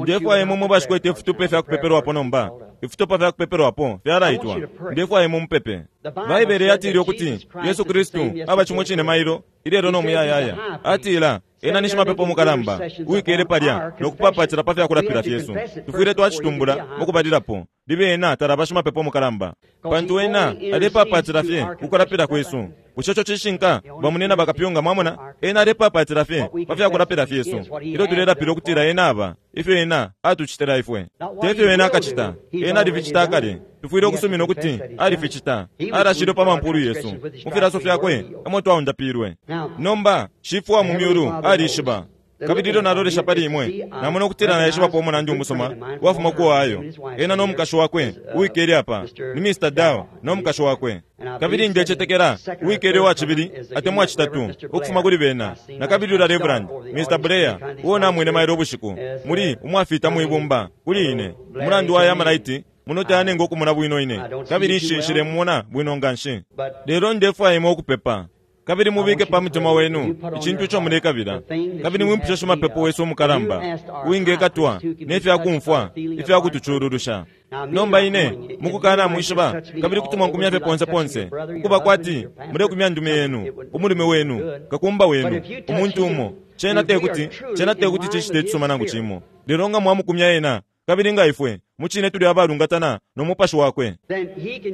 Ndefwaya imwe mwe bashikwete ifitupa ifya kupepelwapo nomba, ifitupa fya kupepelwapo fyalaitwa. Ndefwaya imwe mupepe. Baibele yatile ukuti Yesu Kristu aba cimo cine mailo ilelo no muyayaya. Atila ena ni shimapepo mukalamba uwikele palya nokupapatila pa fyakulapila fyesu. Tufwile twacitumbula mukubalilapo libe ena talaba shimapepo mukalamba, pantu ena alepapatila fye kukulapila kwesu. Bushe ico cishinka bamunena bakapyunga? Mwamona, ena alepapatila fye pa fyakulapila fyesu ilyo tulelapila ukutila ena aba ifyo ena atucitila ifwe, tefyo ena akacita. Ena alificita akale. Tufwile ukusumina ukuti alificita, alashilwe pa mampulu yesu, mu filaso fyakwe emo twaundapilwe. Nomba shifwe wa mu myulu alishiba, kabili ilyo nalolesha pali imwe namona ukutila naishibapo umunandi umusoma wafuma ku Ohio, ena n'omukashi wakwe uwikele apa ni Mister Dow n'omukashi wakwe. Kabili ndecetekela uwikele uwacibili atemwa citatu ukufuma kuli bena, na kabili ula Reverend Mister Blair uwo namwene mailo ubushiku muli umwafita mwibumba kuli ine umulandu wa yamalaiti muno tayanenga okumona bwino ine, kabili nshilemumona bwino nganshi. Lelo ndefwaya imwe ukupepa, kabili mubike pa mutima wenu icintu ico mulekabila, kabili mwimpushe shimapepo wesu umukalamba uwingekatwa nefyakumfwa ifyakutucululusha. Nomba ine mukukana mwishiba, kabili kuti mwankumya fye ponse ponse ukuba kwati mulekumya ndume yenu, umulume wenu, kakumba wenu, umuntu umo. Cena tekuti cena tekuti cicite icisuma nangu cimo. Lelo nga mwamukumya ena, kabili nga ifwe mucine tuli abalungatana no mupashi wakwe,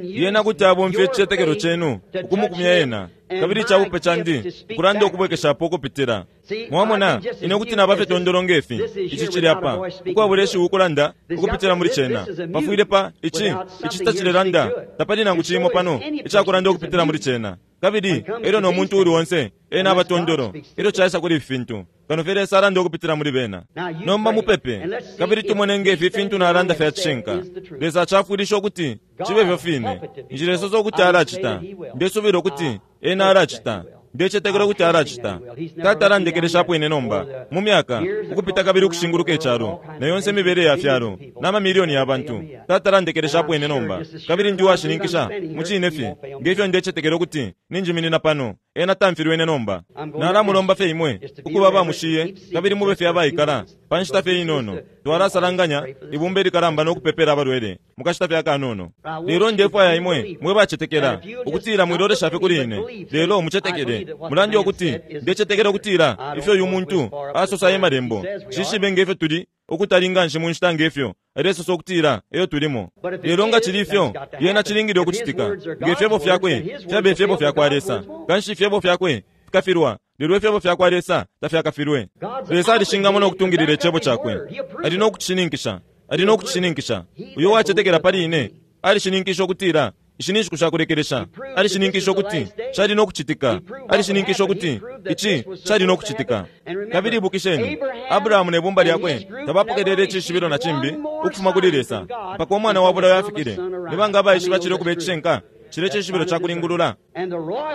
yena kuti abomfya icicetekelo cenu ukumukumya ena, Kabili icabupe candi ukulanda ukubwekeshapo ukupitila. Mwamona, ine kuti naba fye tondolo ngefi. Ici cili apa, ukwabula ishiwi ukulanda ukupitila muli cena. Pafwile pa ici, ici tacilelanda, tapali nangu cimo pano icakulanda ukupitila muli cena. Kabili elyo no muntu uli onse ena aba tondolo ilyo caisa kuli ifi fintu, kano fye Lesa alanda ukupitila muli bena. Nomba mupepe, kabili tumone ngefi ifintu nalanda fya cishinka. Lesa acafwilisha ukuti cibe fyo fine. Njilesosa ukuti alacita. Ndesubila ukuti ena alacita. Ndecetekela ukuti alacita. Tata alandekeleshapo ine nomba mu myaka ukupita kabili ukushinguluka icalo na yonse imibele ya fyalo na mamilioni ya bantu. Tata alandekeleshapo ine nomba, kabili ndi uwashininkisha mu cine fye ngefyo ndecetekela ukuti ninjiminina pano. Ena tamfilwe ine nomba. Nalamulomba fye imwe ukuba bamushiye kabili mube fye abaikala pa nshita fye inono. Twalasalanganya ibumba ilikalamba no kupepela abalwele mukashita fye akanono. Lelo ndefwaya imwe mwe bacetekela ukutila mwilolesha fye kuli ine, lelo mucetekele. Mulande ukuti ndecetekela ukutila ifyo uyu muntu asosa emalembo. Shishibe ngefyo tuli ukutali nganshi mu nshita ngefyo alesosa ukutila eyo tulimo. Lelo nga cili ifyo, yena cilingile ukucitika. Ngefyebo fyakwe fyabe ifyebo fyakwa Lesa, kanshi ifyebo fyakwe fikafilwa, lelo ifyebo fyakwa Lesa tafyakafilwe. Lesa alishingamo no kutungilila icebo cakwe. Ali no kucishininkisha, ali no kucishininkisha. Uyo wacetekela pali ine alishininkisha ukutila ishi ni nshiku shakulekelesha. Alishininkisha ukuti cali no kucitika. Alishininkisha ukuti ici cali no kucitika. Kabili ibukisheni, Abrahamu ne bumba lyakwe tabapokelele icishibilo na cimbi ukufuma kuli Lesa mpaka umwana wa bulayo afikile. Ni banga abaishiba cile ukuba icishinka? Cile cishibilo ca kulingulula.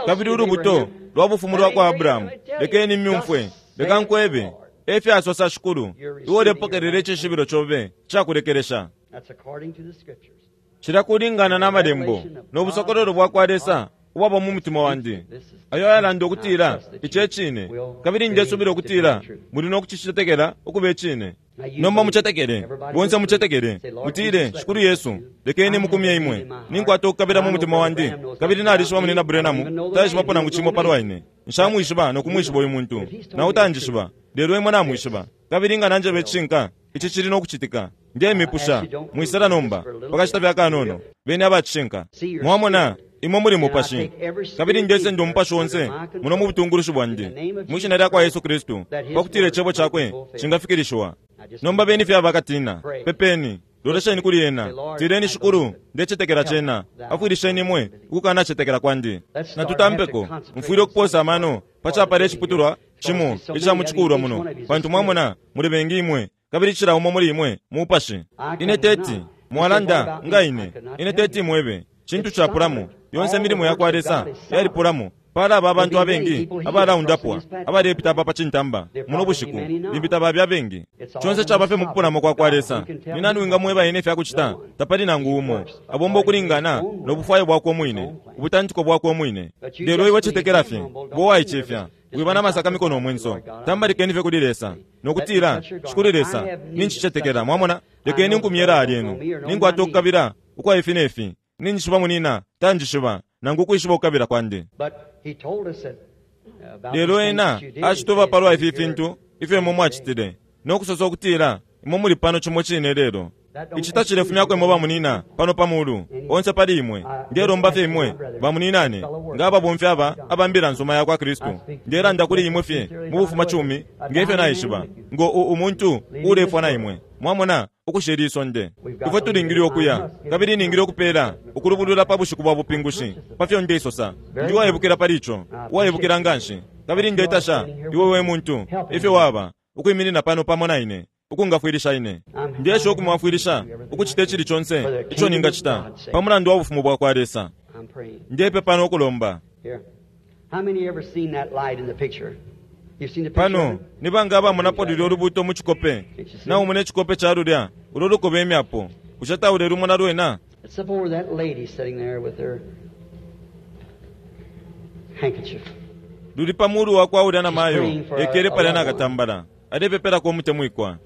Kabili ulubuto lwa bufumu lwa kwa Abrahamu, lekeni myumfwe, leka nkwebe, efyasosa Shikulu, iwe ulepokelela icishibilo cobe cakulekelesha. Cila kulingana na malembo no busokololo bwa kwa Lesa ubwaba mu mutima wandi, ayo ayalanda ukutila ici ecine, kabili ndesubila ukutila muli no kucicetekela ukuba icine. Nomba mucetekele, bonse mucetekele, mutile, Shikulu Yesu, lekeni mukumye imwe. Ninkwata ukukabila mu mutima wandi, kabili nalishiba munina Branham taishibapo nangu cimo palwa ine. Nshamwishiba no kumwishiba uyu muntu, na utanjishiba, lelo imwe namwishiba. Kabili nga nanjeba icishinka, ici cili no kucitika. Ndemipusha, mwisala nomba pakashita fye akanono, beni abacishinka. Mwamona, imwe muli mupashi, kabili ndesenda umupashi onse muno mu butungulushi bwandi mwishina lya kwa Yesu Kristu, pakutila icebo cakwe cingafikilishiwa. Nomba beni fye abakatina, pepeni, lolesheni kuli ena, tileni, Shikulu, ndecetekela cena, afwilisheni imwe ukukanacetekela kwandi. Natutampeko, mfwile ukuposa amano pacapala iciputulwa cimo ica mucikulwa muno, pantu mwamona muli bengi imwe, kabili cila umo muli imwe mupashi. Ine teti mwalanda nga ine, ine teti mwebe cintu capulamo. Yonse milimo ya kwa Lesa yalipulamo. Pala aba abantu abengi abalaundapwa abalepita apa pa cintamba muno bushiku, limbi tababya abengi. Conse caba fye mukupulamo kwa kwa Lesa. Ni nani wingamweba ine ifyakucita? Tapali nangu umo. Abomba ukulingana no bufwayo bwakwe umwine, ubutantiko bwakwe umwine. Lelo iwe cetekela fye, bo waicefya, wiba n'amasakamiko n'omwenso. Tambalikeni fye kuli Lesa nokutila, Shikulu Lesa, ninchicetekela. Mwamona, lekeni nkumyela alyenu. Ninkwata ukukabila ukwa ifi nefi. Ninjishiba munina, tanjishiba, nangu ukwishiba ukukabila kwandi. Lelo ena acitoba palwa ifi fintu ifyo imwe mwacitile, nokusosa ukutila imwe muli pano cimo cine lelo. Ici tacilefumyako imwe bamunina pano pa mulu onse pali imwe. Ndelomba fye imwe bamuninane nga ababomfi aba abambila nsoma ya kwa Kristu. Ndelanda kuli imwe fye mu bufuma cumi ngefyo naishiba ngo umuntu ulefwa na imwe. Mwamona ukushela isonde. Ifwe tulingile ukuya, kabili ningile ukupela ukulubulula pa bushiku bwa bupingushi pafyo ndeisosa. Ndi uwaibukila pali ico, uwaibukila nganshi, kabili ndetasha iwe we muntu ifyo waba ukwiminina pano pamo na ine ukungafwilisha ine. Ndesha ukumwafwilisha ukucita icili conse ico ningacita pa mulandu wa bufumu bwa kwa Lesa. Ndepepa no kulomba. Pano ni banga abamonapo lulya ulubuto mu cikope? Naumona icikope ca lulya ulo lukoba imyapo. Bushe taulelumona lwena? Luli pa mulu wa kwa ulya na mayo ekele palya nakatambala alepepelako umutemwikwa.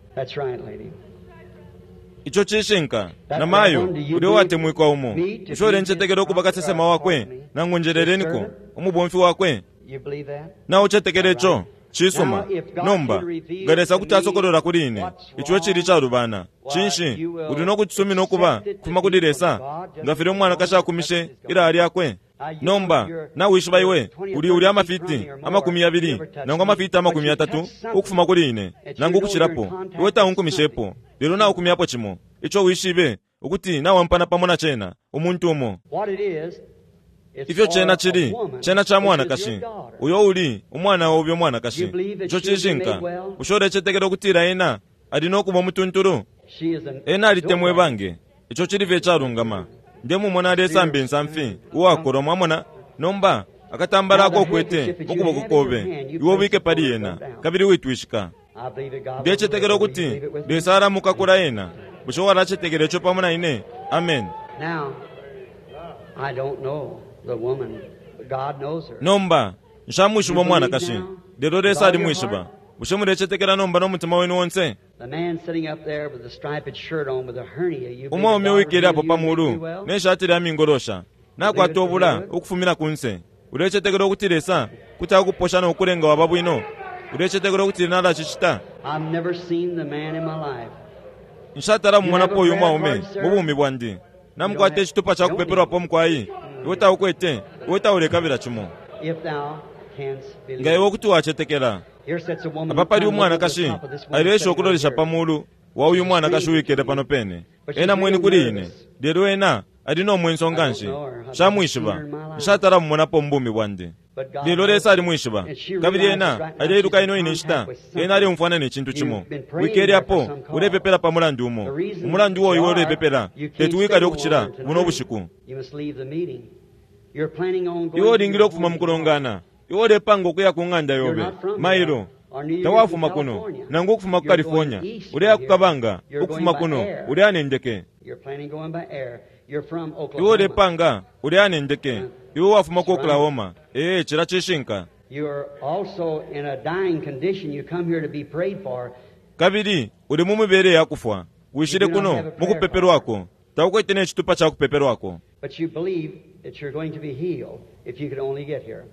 Ico cishinka, na mayo ulya uwatemwikwa umo. Bushe ulencetekela ukuba kasesema wakwe nangu njeleleniko umubomfi wakwe? Naucetekela ico? Cisuma. Nomba nga Lesa kuti asokolola kuli ine ico cili calubana, cinshi uli no kucisumina ukuba kufuma kuli Lesa, nga filya umwanakashi akumishe ilaya lyakwe? Nomba nawishiba iwe uli uli amafiti amakumi yabili nangu amafiti amakumi yatatu ukufuma kuli ine, nangu ukucilapo. Iwe taunkumishepo, lelo naukumyapo cimo ico wishibe ukuti nawampana pamo na cena umuntu umo. Ifyo cena cili, cena ca mwanakashi uyo uli umwana obe umwanakashi. Ico cishinka. Bushe ulecetekela ukutila ena ali no kuba umutuntulu? Ena alitemwe bange. Ico cili fye calungama. Ndemumona alesamba insamfi uwakolwa, mwamona. Nomba akatambala ako ukwete mu kuboko kobe, iwe ubike pali ena, kabili witwishika. Ndecetekela ukuti Lesa alamukakula ena. Bushe walacetekela ico pamo na ine? Amen. I don't know the woman, but God knows her. Nomba nshamwishiba umwanakashi, lelo Lesa alimwishiba. Bushe mulecetekela nomba n'omutima wenu wonse? The man sitting up there with the striped shirt on with a hernia, you believe Umwaume God will uwikele apo heal you pa and make mulu you well? ne shati lya mingolosha nakwata obula ukufumina kunse, ulecetekela ukuti Lesa kuti akuposha n'okulenga waba bwino? Ulecetekela ukuti nalacicita? I've never seen the man in my life. Nshatala mumonapo uyu mwaume mu bumi bwandi. Namukwata icitupa ca kupepelwapo mukwai. Iwe taukwete, iwe taulekabila cimo. If thou canst believe. Nga iwe kuti wacetekela. Here sits a woman Apa pali who climbed over the umwanakashi top of this woman alesha sitting right ukulolesha here. pa mulu wa uyu mwanakashi uwikele pano pene. Ena mweni kuli ine, lelo ena ali n'omwenso nganshi. Nshamwishiba, nshatala mumonapo mu bumi bwandi, lelo Lesa alimwishiba. Kabili ena aleiluka ino ine nshita, ena aleumfwana ne cintu cimo. Wikele apo ulepepela pa mulandu umo, umulandu uo iwe ulepepela teti wikale ukucila buno bushiku. You must leave the meeting. You're planning on going Iwe to ulingile your ukufuma home mu kulongana. Iwe ulepanga ukuya ku ng'anda yobe mailo. Tawafuma kuno nangu ukufuma ku California, uleya ku kabanga ukufuma kuno, uleya nendeke. You're planning going by air. You're from Iwe Oklahoma. ulepanga uleya nendeke. Iwe wafuma ku Oklahoma. Ee, cila cishinka. You're also in a dying condition. You come here to be prayed for. Kabili uli mu mibele ya kufwa, wishile kuno mu kupepelwako. Taukwete ne citupa ca kupepelwako, But you believe that you're going to be healed if you could only get here.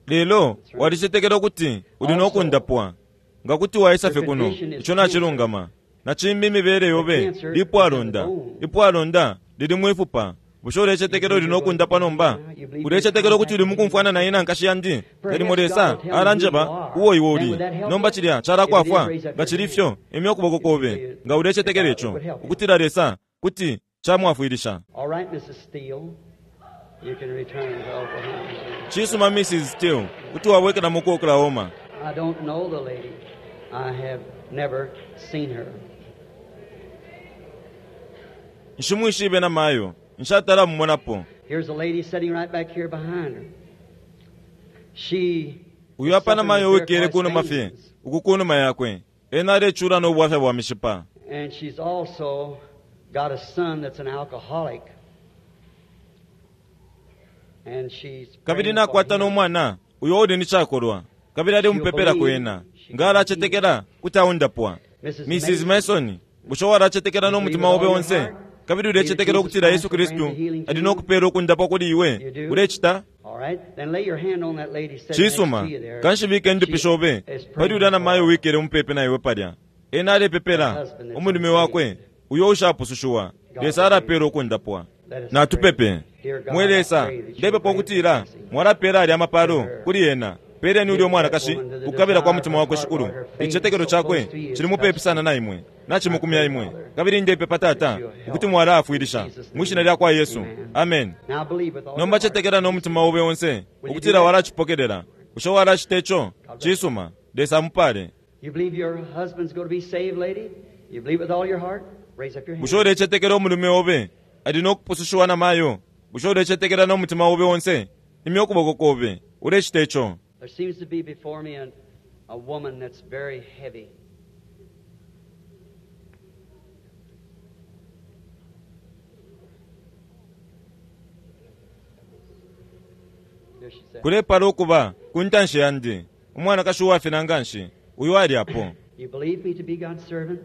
lelo walicetekela ukuti uli no kundapwa nga kuti waisa fye kuno. Ico nacilungama. Na cimbi imibele yobe lipwalonda. Ipwalonda lili mwifupa. Bushe ulecetekela uli no kundapwa nomba? Ulecetekela ukuti uli mukumfwana na ine nkashi yandi? Nalimo Lesa alanjeba uwo iwe uli. Nomba cilya calakwafwa. Nga cili fyo, imya ukuboko kobe nga ulecetekela ico, ukutila Lesa kuti camwafwilisha. All right, Missus Steele, you can return to Oklahoma. Cisuma, Missus Steele, kuti wabwekelamo ku Oklahoma. I don't know the lady. I have never seen her. Nshimwishibe na mayo, nshatala mumonapo. Here's a lady sitting right back here behind her. She Uyu apa na mayo is uwikele kunuma fye uku kunuma yakwe, ena alecula n'obwafya bwa mishipa. And she's also got a son that's an alcoholic. And she's Kabili praying for nakwata him. n'omwana uyo uli ni cakolwa, kabili ali mupepelako ena nga alacetekela kuti aundapwa. Missus Mason, bushe walacetekela n'omutima obe onse, kabili ulecetekela ukutila Yesu Kristu ali nokupela okundapwa kuli iwe? Ulecita? All right, then lay your hand on that lady sitting next Cisuma. to you there. Kanshi indupi shobe She is pali praying ulya na mayo for wikele mupepe na iwe palya. Ena alepepela umulume wakwe uyo ushapusushiwa. Lesa alapela okundapwa. Natupepe. Mwe Lesa, ndepepa ukutila mwalapela alya amapalo kuli ena. Peleni ulya umwanakashi ukukabila kwa mutima wakwe, Shikulu. Icicetekelo cakwe cili mupepi sana na imwe, nacimukumya imwe. Kabili ndepepa, Tata, ukuti mwalaafwilisha mwi shina lya kwa Yesu. Amen. Now believe with all Nomba your heart. cetekela n'omutima obe onse ukutila walacipokelela. Bushe walacita ico? Cisuma. Lesa amupale. You believe your husband's going to be saved, lady? You believe with all your heart? Raise up your hand. Bushe ulecetekela umulume obe ali nokupusushiwa na mayo? Bushe ulecetekela n'omutima obe onse? Imya ukuboko kobe. Ulecita ico? There seems to be before me an, a woman that's very heavy. There she sat. Kulepala ukuba ku ntanshi yandi umwanakashi uwafina nganshi uyu ali apo. You believe me to be God's servant?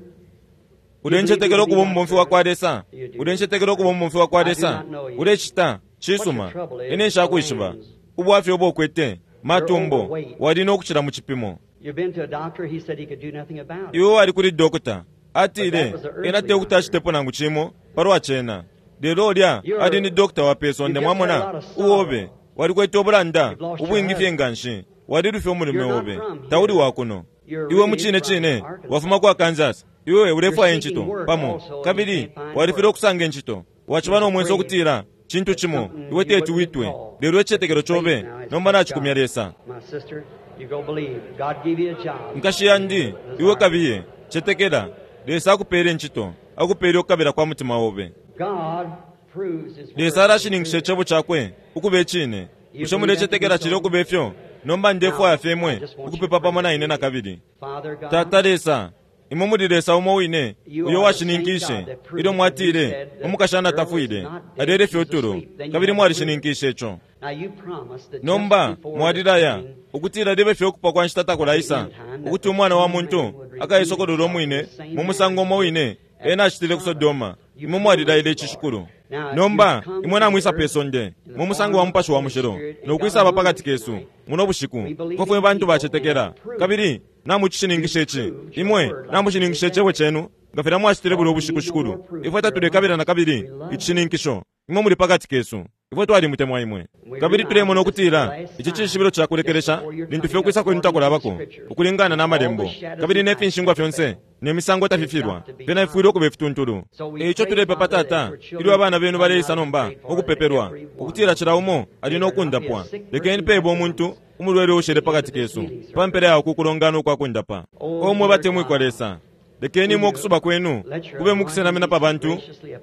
Ulencetekela ukuba umubomfi wa kwa Lesa? Ulencetekela ukuba umubomfi wa kwa Lesa? Ulecita? Cisuma. Ine nshakwishiba. Ubwafya ubo ukwete Matumbo wali no kucila mu cipimo. You've been to a doctor, he said he could do nothing about it. Iwe wali kuli dokota, atile ena tekuti acitepo nangu cimo palwa cena. Lelo ulya ali ni dokota wa pesonde, mwamona, uobe walikwete obulanda ubwingi fye nganshi, walilufya umulume obe, tauli wakuno. Iwe mucine cine wafuma kwa Kansas, iwe ulefwaya incito pamo, kabili walifile okusanga incito, waciba nomwenso okutila cintu cimo iwe teti witwe, lelo icicetekelo cobe nomba nacikumya Lesa. My sister, you go believe. God give you a job. Nkashi yandi, iwe kabiye cetekela, Lesa akupele incito, akupele okukabila kwa mutima obe. God proves his word. Lesa alashininkisha icebo cakwe ukuba icine. Bushe mulecetekela cili ukuba ifyo? Nomba ndefwaya fye imwe ukupepa pamo na ine nakabili. Father God, Tata Lesa, imwe muli Lesa umo wine uyo washininkishe ilyo mwatile umukashana tafwile, alele fye utulo, kabili mwalishininkishe ico. now you promised that Nomba just before mwalilaya the coming ukutila libe fye okupa kwa nshita takulaisa, ukuti umwana wa muntu akaisokolola omwine mu musango umo wine ena acitile ku Sodoma. Imwe mwalilaile ici shikulu. Nomba imwe namwisa pe sonde mu musango wa Mupashi wa Mushilo nokwisaba pakati kesu muno bushiku, ko fwe bantu bacetekela, kabili namucishininkisha ici. Imwe namushininkisha icebo cenu nga filya mwacitile bulya ubushiku shikulu. Ifwe tatulekabila nakabili icishininkisho. Imwe muli pakati kesu, ifwe twalimutemwa imwe, kabili tulemona okutila ici cishibilo cakulekelesha lintu fye okwisa kwenu takulabako ukulingana n'amalembo, kabili nefinshingwa fyonse nemisango tafifilwa fyena ifwile okuba ifituntulu. Eico tulepepa Tata, ilyo abana benu baleisa nomba okupepelwa, ukutila cila umo ali nokundapwa. Lekeni pebe omuntu umulwele ushele pakati kesu pa mpela yawo kukulongana ukwakundapa. Omwe batemwikwa Lesa, lekeni imwe okusuba kwenu kube mukusenamina pa bantu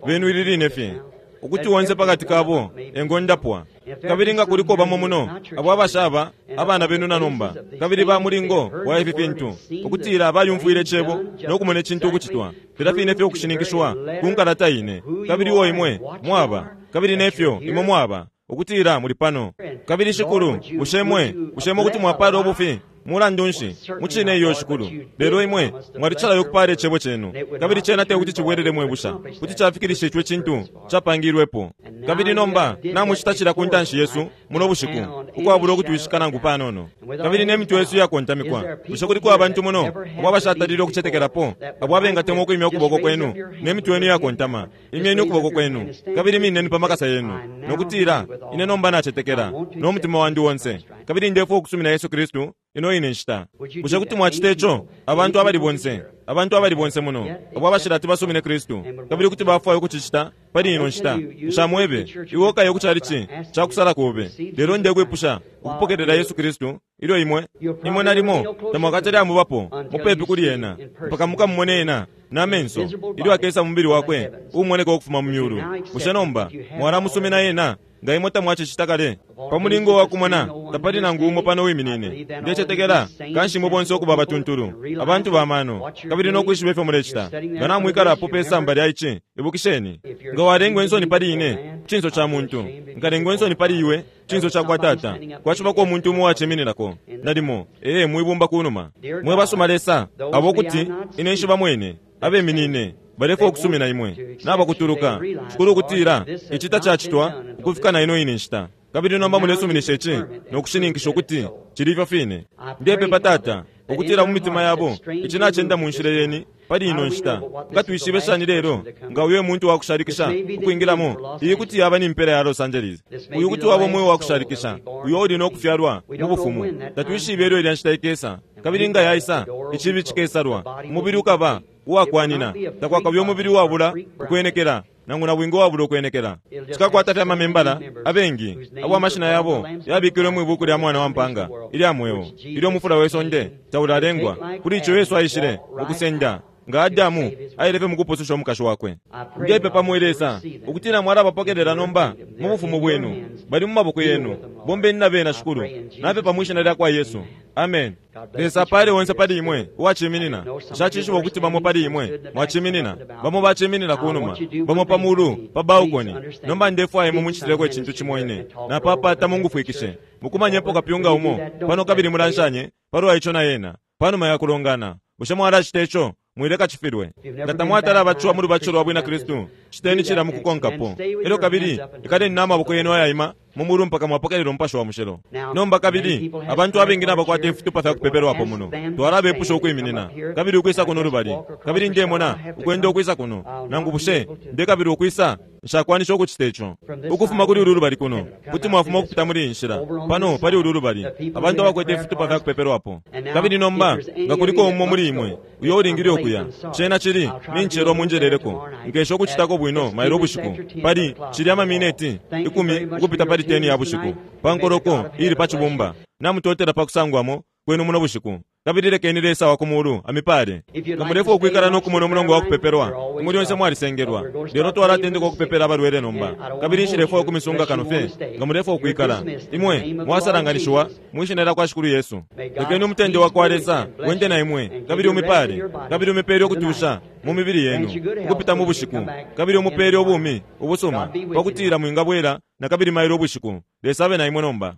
benu ili line fye, ukuti wonse pakati kabo engondapwa. Kabili nga kuliko bamo muno abo abashaba abana benu na nomba, kabili ba mulingo wa ifi fintu, ukutila bayumfwile icebo nokumona icintu ukucitwa filya fine fye okushininkishwa ku nkalata ine, kabili uo imwe mwaba, kabili nefyo imwe mwaba, ukutila muli pano. Kabili shikulu, bushe mwe bushe mwe kuti mwapala obufi? Mulandu nshi, mucine iyo shikulu, lelo imwe mwalicalayo okupala icebo cenu, kabili cena tekuti cibwelele mwebusha, kuti cafikilisha ico icintu capangilwepo. Kabili nomba namucita cila ku ntanshi yesu muno bushiku ukwabula okutwishika nangu panono, kabili nemitwe yesu iyakontamikwa. Bushe kuliko abantu muno abo abashatalile okucetekelapo, abo abengatemwa okwimya ukuboko kwenu nemitwe yenu iyakontama? Imyeni ukuboko kwenu kabili mineni pa makasa yenu nokutila, ine nomba nacetekela nomutima wandi wonse, kabili ndefwaya ukusumina Yesu Kristu ino ine nshita. Bushe kuti mwacita ico? Abantu abali bonse, abantu abali bonse muno abo abashilati basumine Kristu, kabili kuti bafwaya ukucicita pali ino nshita. Nshamwebe iwe okaye ku chalichi cakusala kobe, lelo ndekwipusha ukupokelela Yesu Kristu ilyo imwe imwe nalimo tamwakatale amubapo mupepi kuli ena mpaka mukamumone ena n'amenso ilyo akesa mu mubili wakwe uumoneka ukufuma mu myulu. Bushe nomba mwalamusumina ena nga imwe tamwacicita kale? Pa mulingo wa kumona tapali nangu umo pano wiminine. Ndecetekela kanshi imwe bonse okuba abatuntulu, abantu bamano, kabili nokwishiba ifyo mulecita. Nga namwikalapo pe samba lya ici, ibukisheni, nga walengwa insoni pali ine cinso ca muntu, nkalengwa insoni pali iwe cinso ca kwa Tata. Kwacibako umuntu umo uwacimininako nalimo ee mwibumba kunuma. Mwe basuma Lesa, abo kuti ine nshiba mwene abeminine balefwaya ukusumina imwe nabakutuluka shikulu ukutila ici tacacitwa ukufika na ino ine nshita, kabili nomba mulesuminisha ici nokushininkisha ukuti cili ifyo fine. Ndepepa Tata ukutila mu mitima yabo ici nacenda mu nshila yeni pali ino nshita. Nga twishibe shani lelo nga uyo muntu wakushalikisha ukwingilamo, iyi kuti yaba ni mpela ya Los Angeles, uyu kuti waba umweo wakushalikisha uyo uli nokufyalwa mu bufumu. Tatwishibe ilyo ilya nshita ikesa, kabili nga yaisa icibi cikesalwa, umubili ukaba uwakwanina, takwakabe umubili uwabula ukwenekela nangu na bwingi uwabula ukwenekela. Cikakwata fye amamembala abengi abo amashina yabo yabikilwe mwibuku lya mwana wa mpanga ilya mweo ilyo umufula we sonde taulalengwa. Kuli ico Yesu aishile ukusenda nga Adamu aile fye mukupususha umukashi wakwe. Ndepepa mwe Lesa ukutila mwalabapokelela nomba mu bufumu bwenu, bali mu maboko yenu, bombeni na bena shikulu. Napepa mwishina lya kwa Yesu, amen. Lesa apale onse pali imwe uwaciminina. Nshacishiba ukuti bamo pali imwe mwaciminina, bamo baciminina kunuma, bamo pa mulu pa balcony. Nomba ndefwaya imwe muncitileko icintu cimo ine napapata mungufwikishe mukumanyepo kapyunga umo pano, kabili mulanshanye palwa ico na yena panuma ya kulongana. Bushe mwalacita ico? Mwileka cifilwe. Nga tamwatala abaciwa mu lubatisho lwa bwina Kristu, citeni cila mukukonkapo. Elyo kabili ikaleni n'amaboko yenu ayaima mu mulu mpaka mwapokelela Umupashi wa Mushilo. Nomba kabili abantu abengi nabakwata ifitupa fya kupepelwapo muno, twalabepusha ukwiminina kabili ukwisa kuno lubali. Kabili ndemona ukwenda ukwisa kuno, nangu bushe ndekabili ukwisa, nshakwanisha ukucita ico. Ukufuma kuli ulu lubali kuno, kuti mwafuma ukupita muli iyi nshila pano pali ulu lubali, abantu abakwete ifitupa fya kupepelwapo. Kabili nomba nga kuliko umo muli imwe uyo ulingile ukuya, cena cili nincelwa munjeleleko, nkesha ukucitako bwino mailo ubushiku pali cili amamineti ikumi ukupita pali teni ya bushiku pa nkoloko ili pa cibumba. Namutotela pa kusangwamo kwenu muno bushiku. Kabili lekeni Lesa wa kumulu amipale. Nga mulefwa ukwikala n'okumona omulongo wa kupepelwa, imwe lyonse mwalisengelwa. Lelo twalatendeka okupepela abalwele nomba. Kabili nshilefwa ukumisunga kano fye nga mulefwa ukwikala. Imwe mwasalanganishiwa mwishina lya kwa Shikulu Yesu. Lekeni umutende wa kwa Lesa wende na imwe, kabili umipale, kabili umipele ukutusha mu mibili yenu ukupita mu bushiku, kabili umupele ubumi ubusuma pakutila mwingabwela na kabili mailo ubushiku. Lesa abe na imwe nomba.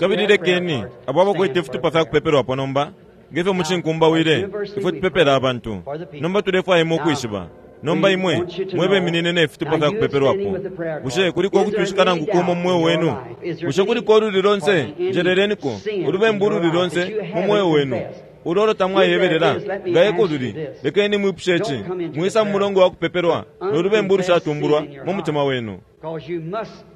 Kabili lekeni abo abakwete ifitupa fya kupepelwapo nomba, ngefyo mucinkumbawile ifwe tupepela abantu. Nomba tulefwaya imwe ukwishiba. Nomba imwe mwebeminine ne fitupa fya kupepelwapo, bushe kuliko ukutwishika nangu kumo mu mweo wenu? Bushe kuliko ululi lonse, njeleleniko ulubembu ululi lonse mu mweo wenu ulolo tamwayebelela? Nga eko luli, lekeni mwipushe ici: mwisa mu mulongo wa kupepelwa n'olubembu ulushatumbulwa mu mutima wenu,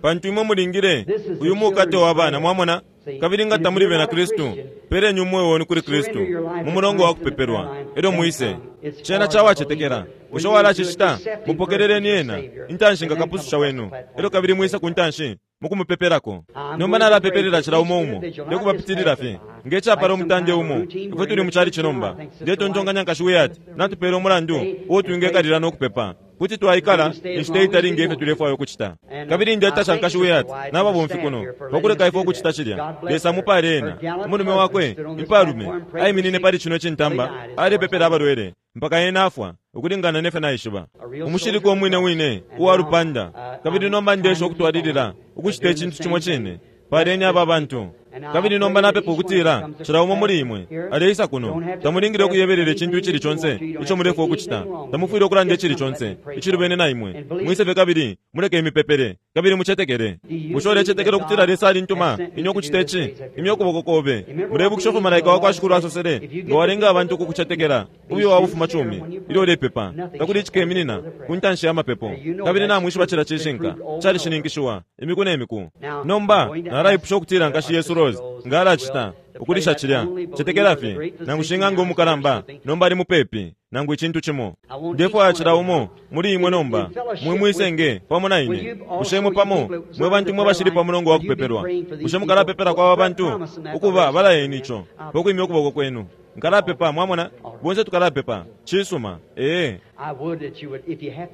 pantu imwe mulingile uyu mukate wa bana, mwamona. Kabili nga tamuli bena Kristu, peleni umweo wenu kuli Kristu mu mulongo wa kupepelwa, elyo mwise. Cena cawacetekela. Bushe walacicita? Mupokeleleni ena intanshi nga kapususha wenu, elyo kabili mwise ku ntanshi mukumupepelako. Nomba nalapepelela cila umo umo, ndekubapitilila fye ngecapala umutande umo. Ifwe tuli mu chalichi nomba. Ndetontonkanya nkashi Wyatt natupela umulandu uo twingekalila n'okupepa, kuti twaikala inshita itali ngefyo tulefwaya ukucita. Kabili ndetasha nkashi Wyatt n'ababomfi kuno pakuleka ifwe ukucita cilya. Lesa mupale ena. Umulume wakwe impalume aiminine pali cino cintamba alepepela abalwele mpaka ena afwa, ukulingana nefyo naishiba. Umushilika umwine wine uwa lupanda. Kabili nomba ndesha ukutwalilila ukucita icintu cimo cine. Paleni aba bantu. Kabili nomba napepa ukutila cila umo muli imwe aleisa kuno, tamulingile ukuyebelela icintu icili conse ico mulefwa ukucita, tamufwile ukulanda icili conse icilubene na imwe. Mwisefye kabili muleke imipepele, kabili mucetekele. Bushe ulecetekela ukutila Lesa alintuma ine ukucita ici? Imya ukuboko kobe. Mulebukisha ifyo malaika wa kwa Shikulu asosele, nga walenga abantu ukukucetekela ubuyo wa bufuma cumi ilyo ulepepa, takuli icikeminina ku ntanshi ya mapepo. Kabili namwishiba cila cishinka calishininkishiwa imiku ne miku. Nomba nalaipusha ukutila nkashi Yesu Rose nga alacita ukulisha cilya, cetekela fye nangu shing'anga umukalamba nomba ali mupepi nangu icintu cimo. Ndefwaya cila umo muli imwe nomba mwe mwisenge pamo na ine. Bushe imwe pamo mwe bantu mwe bashili pa mulongo wa kupepelwa, bushe mukalapepela kwa aba bantu ukuba balayeni ico pakwimya ukuboko kwenu? Nkalapepa, mwamona, bonse tukalapepa. Cisuma. Ee,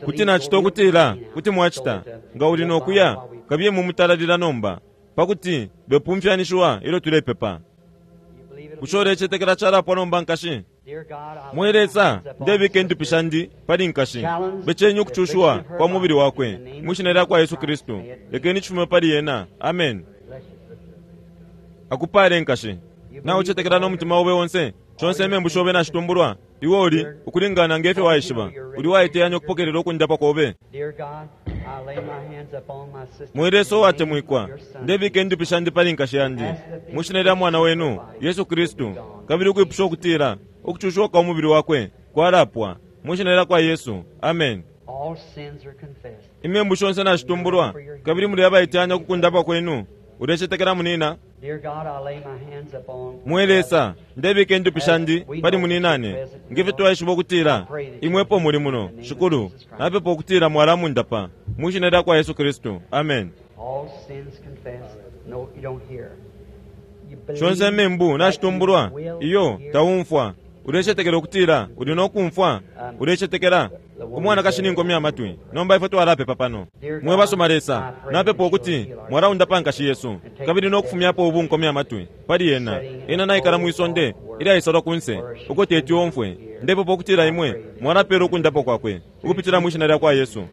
kuti nacita ukutila kuti mwacita nga uli nokuya kabiye mumutalalila nomba pakuti bepumfyanishiwa ilyo tulepepa. Bushe ulecetekela calapwa nomba nkashi? Mwe Lesa, ndebika indupi shandi pali nkashi, bechenyi ukucushiwa kwa mubili wakwe mwishina lya kwa Yesu Kristu. Lekeni cifume pali ena. Amen. Akupale nkashi. Na ucetekela n'omutima obe wonse, conse emembu shobe nashitumbulwa, iwe uli ukulingana ngefyo waishiba, uli waiteyanya okupokelela okundapa kobe. Mwe Lesa uwatemwikwa, ndebika indupi shandi pali nkashi yandi mwishina lya mwana wenu Yesu Kristu, kabili ukwipusha ukutila ukucushiwa kwa mubili wakwe kwalapwa mwishina lya kwa Yesu. Amen. Imembu shonse nashitumbulwa, kabili muli abaiteyanya okukundapa kwenu. Ulecetekela munina? Mwe Lesa, ndebika indupi shandi pali muninane ngefyo twaishiba ukutila imwepo muli muno. Shikulu, napepa ukutila mwalamundapa mwishina lya kwa Yesu Kristu. Amen. Shonse emembu nashitumbulwa, iyo taumfwa. Ulecetekela ukutila uli nokumfwa? Ulecetekela? Umwanakashi ninkomya amatwi. Nomba ifwe twalapepa pano. Mwe basoma Lesa, napepa ukuti mwalaundapa nkashi Yesu, kabili nokufumyapo ubu nkomya amatwi pali ena. Ena naikala mwisonde ilyaisalwa kunse uko teti omfwe. Ndepepa ukutila imwe mwalapela ukundapa kwakwe ukupitila mwishina lya kwa Yesu.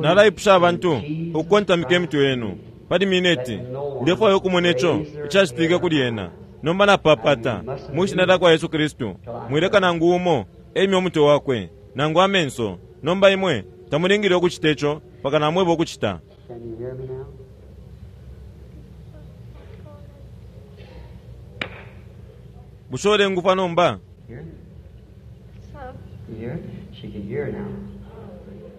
Nalaipusha abantu ukukontamika emitwe yenu pali mineti. Ndefwaya okumona ico icacitike kuli ena. Nomba napapata mwishina lya kwa Yesu Kristu, mwileka nangu umo emye umutwe wakwe nangu amenso. Nomba imwe Tamulingile ukucita ico mpaka namweba ukucita. Can you hear me now? Bushe ulengufwa nomba? Hear? Some. You hear? She can hear now.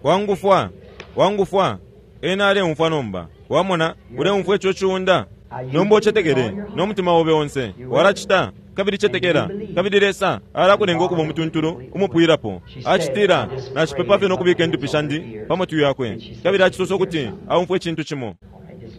Wangufwa, wangufwa. Ena aleumfwa nomba. Wamona, uleumfwa ico ciunda. Nomba ucetekele n'omutima obe onse. Walacita kabili cetekela kabili Lesa alakulenga okuba omutuntulu umupwirapo. Acitila nacipepa fye n'okubika endupi shandi pa matwi yakwe kabili acisosa ukuti aumfwe icintu cimo.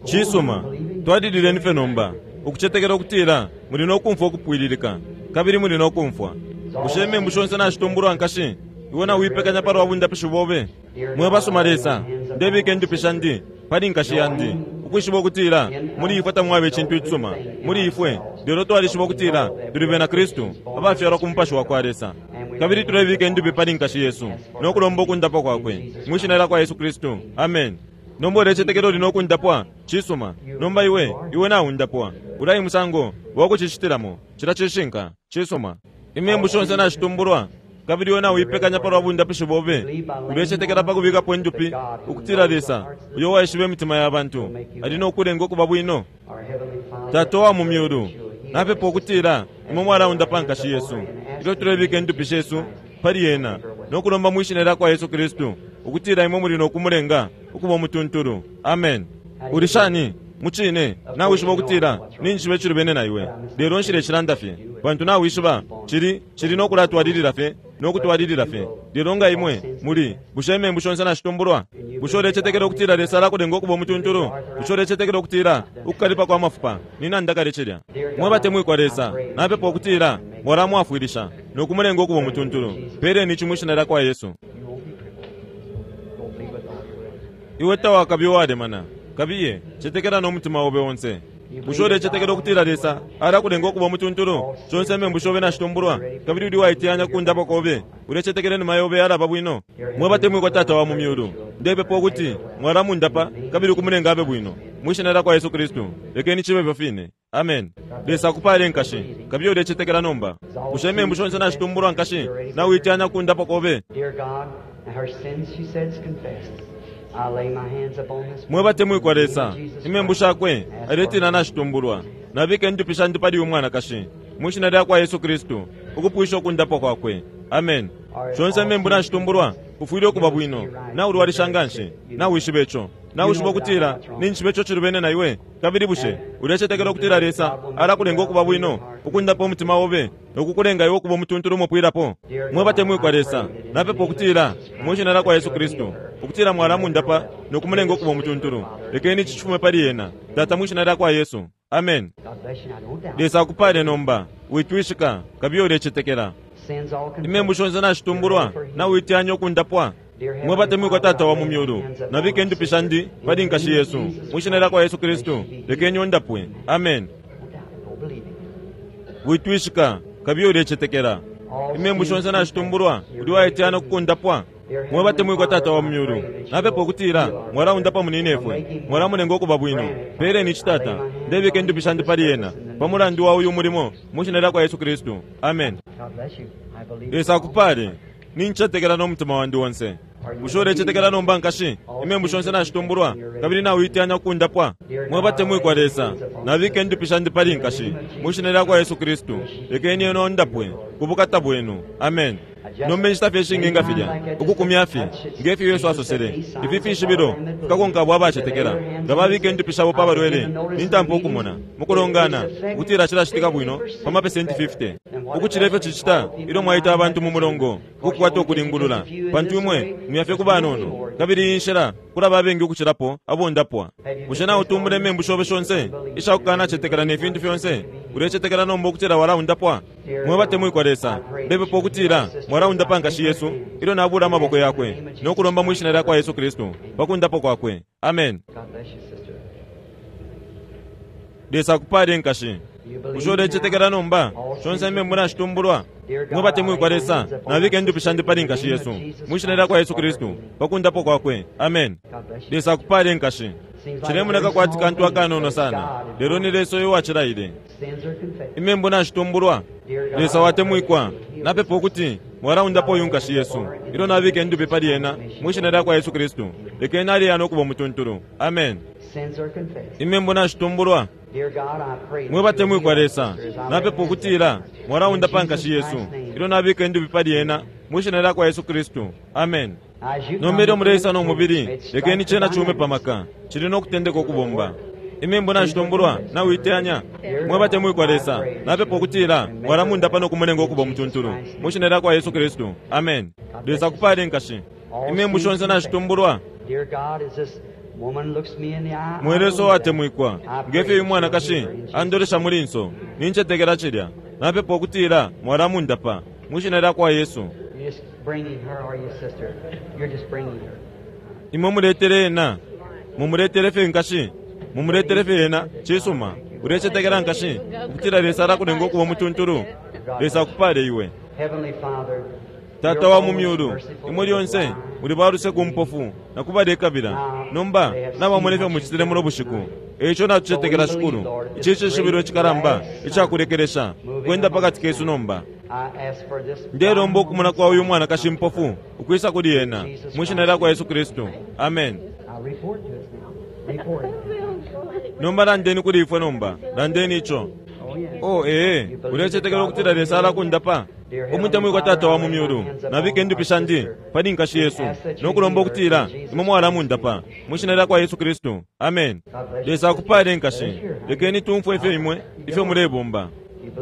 Cisuma, twalilileni fye nomba ukucetekela ukutila muli n'okumfwa okupwililika kabili muli n'okumfwa. Bushe imembu shonse nashitumbulwa nkashi? Iwe nawipekanya palwa bundapishi bobe. Mwe basuma Lesa, ndebika endupi shandi pali nkashi yandi ukwishiba ukutila muli ifwe tamwaba icintu icisuma muli ifwe, lelo twalishiba ukutila tuli bena Kristu abafyalwa ku mupashi wa kwa Lesa kabili tulebika endupi pali nkashi Yesu n'okulomba okundapwa kwakwe mwishina lya kwa Yesu Kristu. Amen. Nomba ulecetekela uli n'okundapwa? Cisuma. Nomba iwe iwe naundapwa. Ulayi musango wakucicitilamo cila cishinka. Cisuma. Imembu shonse nashitumbulwa kabili iwe nawipekanya palwa bundapishi bobe. Ulecetekela pa kubikapo endupi ukutila Lesa uyo waishiba emitima ya bantu ali n'okulenga okuba bwino. Our Heavenly Father, Tata wa mu myulu, napepa ukutila imwe mwalaundapa nkashi Yesu ilyo tulebika endupi shesu pali yena n'okulomba mwishina lya kwa Yesu Kristu ukutila imwe muli n'okumulenga okuba omutuntulu. Amen. Uli shani? Mucine nawishiba ukutila ninjishiba icilubene na iwe, lelo nshile cilanda fye pantu nawishiba cili cili n'okulatwalilila fye n'okutwalilila fye. Lelo nga imwe muli, bushe imembu shonse nashitumbulwa? Bushe ulecetekela ukutila Lesa alakulenga okuba omutuntulu? Bushe ulecetekela ukutila ukukalipa kwa mafupa ninanda kale cilya? Mwe batemwikwa Lesa, napepa ukutila mwalamwafwilisha n'okumulenga okuba omutuntulu. Peleni ici mwishina lya kwa Yesu. you won't be crippled. Don't believe with all your heart. Iwe tawakabi owalemana kabiye cetekela n'omutima obe onse. Bushe ulecetekela ukutila Lesa alakulenga okuba omutuntulu? Shonse imembu shobe nashitumbulwa kabili uli waiteyanya kundapwa kobe. Ulecetekela enuma yobe yalaba bwino. Mwe batemwikwa Tata wa mu myulu, ndepepa ukuti mwalamundapa kabili kumulenga abe bwino mwishina lya kwa Yesu Kristu. Lekeni cibe ifyo fine. Amen. Lesa akupale nkashi kabiye ulecetekela nomba. Bushe imembu shonse nashitumbulwa nkashi? Nawiteyanya kundapwa kobe. Dear God, her sins, she says, confessed. I lay my hands upon this Mwe batemwikwa Lesa, In Jesus imembu Christ. shakwe aletila nashitumbulwa. Nabika endupi shandi pali uyu mwanakashi mwishina lya kwa Yesu Kristu ukupwisha okundapwa kwakwe. Amen. Shonse imembu nashitumbulwa ufwile okuba bwino. Naulwalisha nganshi, nawishiba ico, nawishiba ukutila ninjishiba ico cilubene na iwe. Kabili bushe ulecetekela ukutila Lesa alakulenga okuba bwino ukundapa omutima obe nokukulenga iwe okuba omutuntulu umupwilapo? Mwe batemwikwa Lesa, napepa ukutila mwishina lya kwa Yesu Kristu ukutila mwalamundapa nokumulenga okuba omutuntulu. Lekeni ici cifume pali yena Tata mwishina lya kwa Yesu. Amen. God bless you. Now, don't doubt. Lesa akupale nomba witwishika kabiye ulecetekela. Sins all confessed. Imembu shonse nashitumbulwa nawiteyanya okundapwa. Mwe batemwikwa Tata wa mu myulu, nabika endupi shandi pali nkashi Yesu mwishina lya kwa Yesu Kristu. Lekeni ondapwe. Amen. Don't doubt it. Go believe it. Witwishika kabiye ulecetekela. Imembu shonse nashitumbulwa uli waiteyanya okukundapwa. Mwe batemwikwa Tata wa mu myulu, napepa ukutila mwalaundapa muninefwe, mwalamulenga okuba bwino. Peleni ici Tata, ndebika endupi shandi pali yena pa mulandu wa uyu mulimo mwishina lya kwa Yesu Kristu. Amen. God bless you. I believe. Lesa akupale. Nincetekela n'omutima wandi onse. Bushe ulecetekela nomba nkashi? Imembu shonse nashitumbulwa kabili nawiteyanya okundapwa. Mwe batemwikwa Lesa, nabika endupi shandi pali nkashi mwishina lya kwa Yesu Kristu. Lekeni ena ondapwe ku bukata bwenu. Amen. Nomba inshita fye ishingi nga filya ukukumya fye ngefyo Yesu asosele, ifi fishibilo fikakonka abo abacetekela nga babika endupi shabo pa balwele nintampa okumona mukulongana ukutila cilacitika bwino pa mapesenti fifty ukucila ifyo cicita ilyo mwaita abantu mu mulongo ukukwata okulingulula, pantu imwe muyafye ku banono kabili iyi nshila kulaba abengi ukucilapo abondapwa. Bushe nautumbula imembu shobe shonse ishakukanacetekela ne fintu fyonse? Ulecetekela nomba ukutila walaundapwa? Mwe batemwikwa Lesa, ndepepa ukutila mwalaundapa nkashi Yesu ilyo nabula amaboko yakwe n'okulomba mwishina lya kwa Yesu Kristu pa kundapwa kwakwe. Amen. God bless you, sister. Lesa akupale nkashi. You believe Bushe ulecetekela nomba? Shonse imembu nashitumbulwa. Mwe batemwikwa Lesa, nabika endupi shandi pali nkashi Yesu mwishina lya kwa Yesu Kristu pa kundapwa kwakwe. Amen. God bless you. Lesa akupale nkashi. Cilemoneka kwati kantu akanono sana, lelo ni Lesa uyo wacilaile. Sins are confessed. Imembu nashitumbulwa. Lesa watemwikwa, napepa ukuti Mwalaundapo uyu nkashi Yesu. Ilyo nabika indupi pali ena mwi shina lyakwa Yesu Kristu. Lekeni aleya no kuba umutuntulu. Amen. Sins are confessed. Imembu nashitumbulwa. Dear God, I pray Mwe batemwikwa Lesa, napepa ukutila mwalaundapa nkashi Yesu. Ilyo nabika indupi pali ena mwi shina lyakwa Yesu Kristu. Amen. As you Nomba ilyo muleisa no come mubili, to lekeni cena cume pamaka. Cili no kutendeka ukubomba. Imembu nashitumbulwa, nawiteyanya. Mwe batemwikwa Lesa, napepa ukutila mwalamundapa no kumulenga ukuba umutuntulu mwi shina lyakwa Yesu Kristu. Amen. Lesa akupale nkashi. Imembu shonse nashitumbulwa. Dear God, as this woman looks me in the eye, Mwe Lesa uwatemwikwa, ngefyo uyu mwanakashi andolesha mu linso, nincetekela cilya. Napepa ukutila mwalamundapa mwi shina lyakwa Yesu. You're just bringing her, or your sister. You're just bringing her. Imwe muletele ena, mumuletele fye nkashi, mumuletele fye ena, cisuma. Ulecetekela nkashi, ukutila Lesa alakulenga ukuba umutuntulu. Lesa akupale iwe. Heavenly Father, Tata wa mu myulu, imwe lyonse muli baluse ku mpofu na kubalekabila. Nomba nabamone fye mucitile muno bushiku. Eico natucetekela Shikulu. Ici cishibilo icikalamba icakulekelesha kwenda pakati kesu nomba. I ask for this Ndelomba ukumona kwa uyu mwanakashi mpofu ukwisa kuli ena mwi shina lyakwa Yesu Kristu. Amen. Now report to us now. Report it. Nomba landeni kuli ifwe nomba, landeni ico. Oh, yeah. Oh, ee, ulecetekela ukutila Lesa alakundapa. Umutemwikwa Tata wa mu myulu, nabika indupi shandi pali nkashi Yesu nokulomba ukutila imwe mwalamundapa mwi shina lyakwa Yesu Kristu. Amen. Lesa akupale nkashi. Lekeni tumfwe ifyo imwe ifyo mulebomba.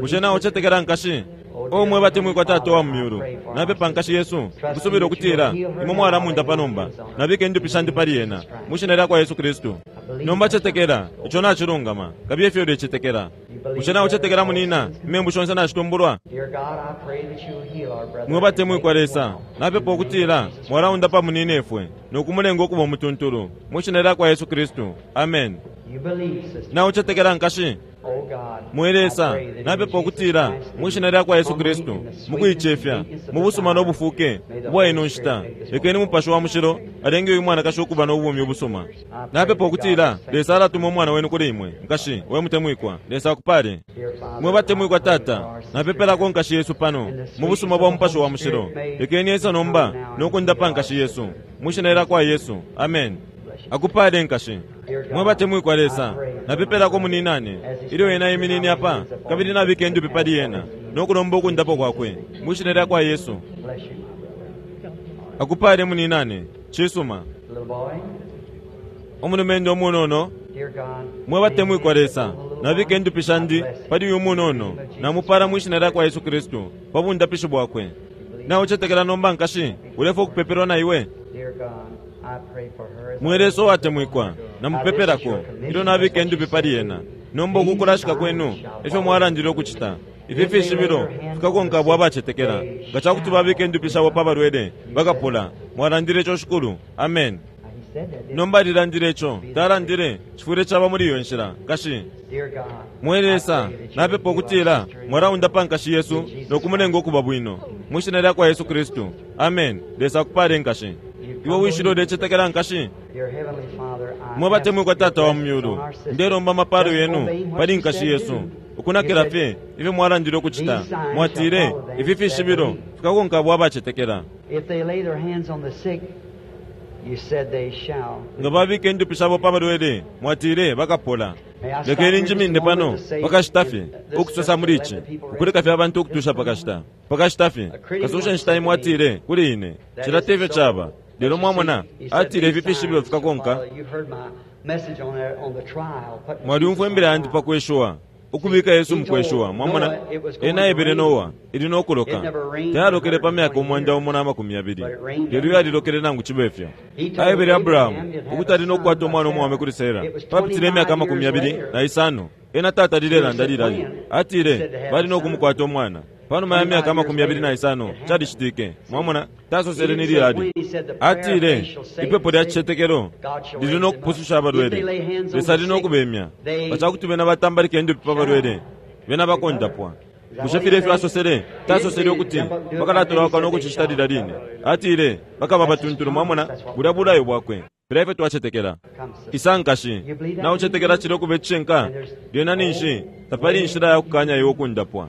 Bushe nawe ucetekela nkashi? O mwe batemwikwa Tata wa mu myulu, napepa nkashi Yesu ukusubila ukutila imwe mwalamundapa nomba. Nabika indupi shandi pali ena mwi shina lyakwa Yesu Kristu. Nomba cetekela ico nacilungama, kabiye ifyo ulecetekela. Bushe nawe ucetekela munina imembu shonse nashitumbulwa? Dear God, I pray that you'll heal our brother. Mwe batemwikwa Lesa, napepa ukutila mwalaundapa munine ifwe nokumulenga ukuba umutuntulu mwi shina lyakwa Yesu Kristu. Amen. You believe, sister. Nawe ucetekela nkashi? Oh God, Mwe Lesa, I pray that in napepa Jesus ukutila Christ's mwi shina lyakwa Yesu name, Kristu, in the sweetness mukuicefya, and meekness of mu busuma the no hour, bufuke may the ubwa Holy ino nshita, Spirit make this lekeni Mupashi wa Mushilo alenge uyu mwanakashi ukuba no bumi ubusuma. Napepa ukutila Lesa alatuma umwana wenu kuli imwe, nkashi we mutemwikwa. Lesa akupale. Dear Father, Mwe batemwikwa I pray for Tata, our sister. napepelako nkashi Yesu pano mu busuma bwa Mupashi wa Mushilo. Lekeni Yesu nomba nokundapa nkashi Yesu mwi shina lyakwa Yesu. Amen. Akupale nkashi. Mwe batemwikwa Lesa, napepelako muninane ilyo ena iminine apa, kabili nabika indupi pali ena nokulomba ukundapo kwakwe mwi shina lyakwa Yesu. Bless you, my brother. Akupale muninane. Cisuma. Little boy, Umulumendo umunono, dear God, mwe batemwikwa Lesa, nabika indupi shandi pali uyu munono, namupala mwi shina lyakwa Yesu Kristu pa bundapishi bwakwe. Nawe ucetekela nomba nkashi, ulefa ukupepelwa na iwe. Dear God, I pray for her as Mwe Lesa uwatemwikwa, namupepelako ilyo nabika indupi pali ena. Nomba ukukulashika kwenu ifyo mwalandile ukucita. Ifi fishibilo fikakonka abo abacetekela. Nga cakuti babika indupi shabo pa balwele bakapola. Mwalandile ico Shikulu. Amen. He said that, didn't Nomba alilandile ico, talandile cifwile caba muli iyo nshila nkashi. he? Dear God, Mwe Lesa, I pray that you napepa will heal ukutila our sister. mwalaundapa nkashi Yesu nokumulenga ukuba bwino mwi shina lyakwa Yesu Kristu. Amen. Lesa akupale nkashi. Iwe wishile ulecetekela nkashi. Dear Heavenly Father, I Mwe batemwikwa ask your Tata wa mu blessings myulu, on our sister. ndelomba amapalo Just yenu obey what pali you nkashi said Yesu. do. Ukunakila You said, fye ifyo mwalandile ukucita. These signs Mwatile shall follow them ifi fishibilo that believe. fikakonka abo abacetekela. If they lay their hands on the sick, you said they shall. Nga babika indupi shabo pa balwele, mwatile bakapola. May I stop Lekeni here njimine just a pano moment to say, pakashita fye and this ukusosa just to muli let ici the people rest. ukuleka fye abantu ukutusha pakashita pakashita fye kasusha nshita imwe atile kuli ine That cila is tefyo so. caba lelo mwamona He said, atile "These ifi fishibilo signs shall fikakonka follow." You've heard my message on that, on the trial, putting mwalyumfwa Jesus on imbila yandi trial. pakweshuwa ukubika Yesu mukweshuwa mwamona ena aebele Noa ili nokuloka tayalokele pa myaka umwanda umo na makumi yabili lelo yalilokele nangu cibe fyo. Aebele Abrahamu ukuti ali nokukwata umwana umwaume kuli Sera papitile imyaka amakumi yabili na isano. Ena tata lilelanda lilali atile bali nokumukwata umwana panuma ya myaka amakumi yabili na isano calicitike. Mwamona tasosele ni lilali atile ipepo lya cicetekelo lili nokupususha abalwele. Lesa ali nokubemya nga cakuti bena batambalika indupi pa balwele bena bakondapwa. Bushe filya ifyo asosele tasosele ukuti bakalatolauka nokucicita lilya line. Atile bakaba batuntulu. Mwamona bulya bulayo bwakwe filya ifyo twacetekela. Come, sister. Isa nkashi, nawe ucetekela cili ukuba icishinka lyena ninshi tapali inshila ya kukanya iwe ukundapwa.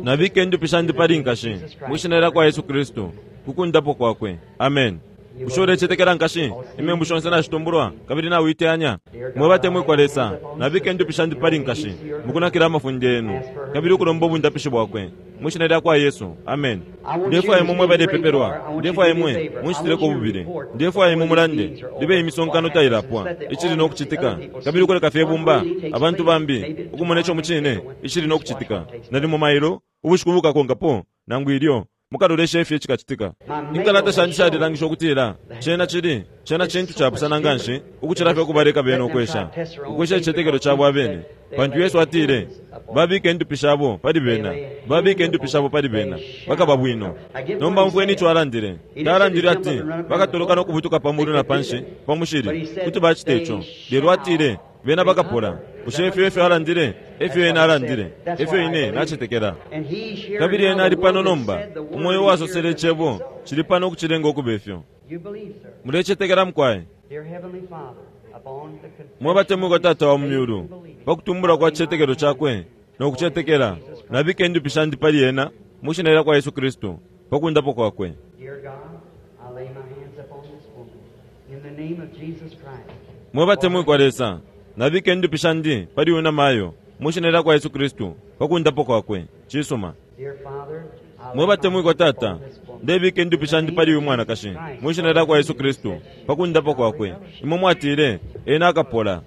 Nabika indupi shandi pali nkashi mwishina lya kwa Yesu Kristu kukundapo kwakwe. Amen. Bushe ulecetekela nkashi imembu shonse nashitumbulwa kabili nawiteyanya? Mwe batemwikwa Lesa, nabika indupi shandi pali nkashi mukunakila amafunde yenu kabili ukulomba ubundapishi bwakwe mwishina lya kwa Yesu. Amen. Ndefwaya imwe mwe balepepelwa, ndefwaya imwe munshitileko bubili, ndefwaya imwe mulande libe imisonkano tailapwa icili nokucitika kabili ukuleka fye bumba abantu bambi ukumona ico mucine icili nokucitika. Nalimo mailo ubushiku bukakonkapo nangu ilyo mukalolesha ifyo cikacitika. Inkalata shandi shalilangisha ukutila cena cili cena cintu capusana nganshi ukucila fye ukubaleka bene ukwesha ukwesha icicetekelo cabo abene, pantu Yesu atile babike indupi shabo pali bena, babike indupi shabo pali bena bakaba bwino. Nomba mfweni ico alandile. Talandile ati bakatoloka nokubutuka pamulu na panshi pa mushili kuti bacita ico, lelo atile bena bakapola. Bushe ifyo efyo alandile? Efyo ena alandile, efyo ine nacetekela. Kabili ena ali pano nomba, umwoyo wasosele icebo cili pano ukucilenga ukuba ifyo. Mulecetekela mukwaye? Mwe batemwikwa Tata wa mu myulu, pakutumbula kwa cicetekelo cakwe nokucetekela, nabika indupi shandi pali ena mwishina lya kwa Yesu Kristu pakundapo kwakwe. Mwe batemwikwa Lesa, nabika indupi shandi pali uyu namayo mwishina lya kwa Yesu Kristu pakundapo kwakwe. Cisuma. Mwe batemwikwa Tata, ndebika indupi shandi pali uyu mwanakashi mwishina lya kwa Yesu Kristu pakundapo kwakwe. Imwe mwatile ena akapola.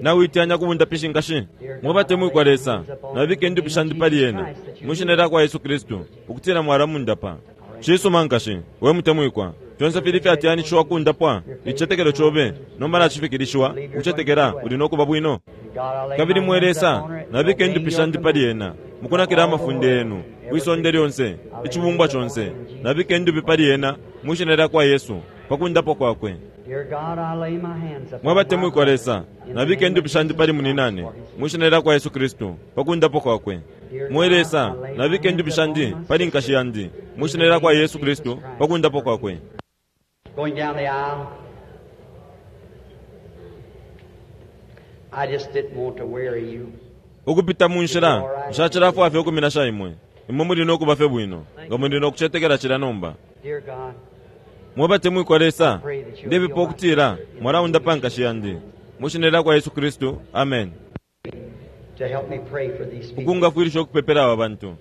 Nawiteyanya kubundapishi nkashi. Mwe batemwikwa Lesa, nabika indupi shandi pali ena mwishina lya kwa Yesu Kristu ukutila mwalamundapa. Cisuma nkashi, we mutemwikwa, fyonse fili fyateyanishiwa kundapwa icicetekelo cobe nomba nacifikilishiwa ukucetekela uli nokuba bwino. Kabili mwe Lesa, nabika indupi shandi pali ena mukunakila amafunde yenu kwisonde lyonse icibumbwa conse. Nabika indupi pali ena mwishina lya kwa Yesu pakundapo kwakwe. Mwe batemwikwa Lesa, nabika indupi shandi pali muninane mwishina lya kwa Yesu Kristu pakundapo kwakwe. Mwe Lesa, nabika indupi shandi pali nkashi yandi mwishina lya kwa Yesu Kristu pakundapo kwakwe. Going down the aisle, I just didn't want to weary you. Ukupita mu nshila nshacilafwa fye ukuminasha imwe. Imwe muli nokuba fye bwino nga muli nokucetekela cila nomba. Dear God, Mwe batemwikwa Lesa, ndepepa ukutila mwalaundapa nkashi yandi mwishina lya kwa Yesu Kristu. Amen. to help me pray for these people. Ukungafwilisha ukupepela aba bantu.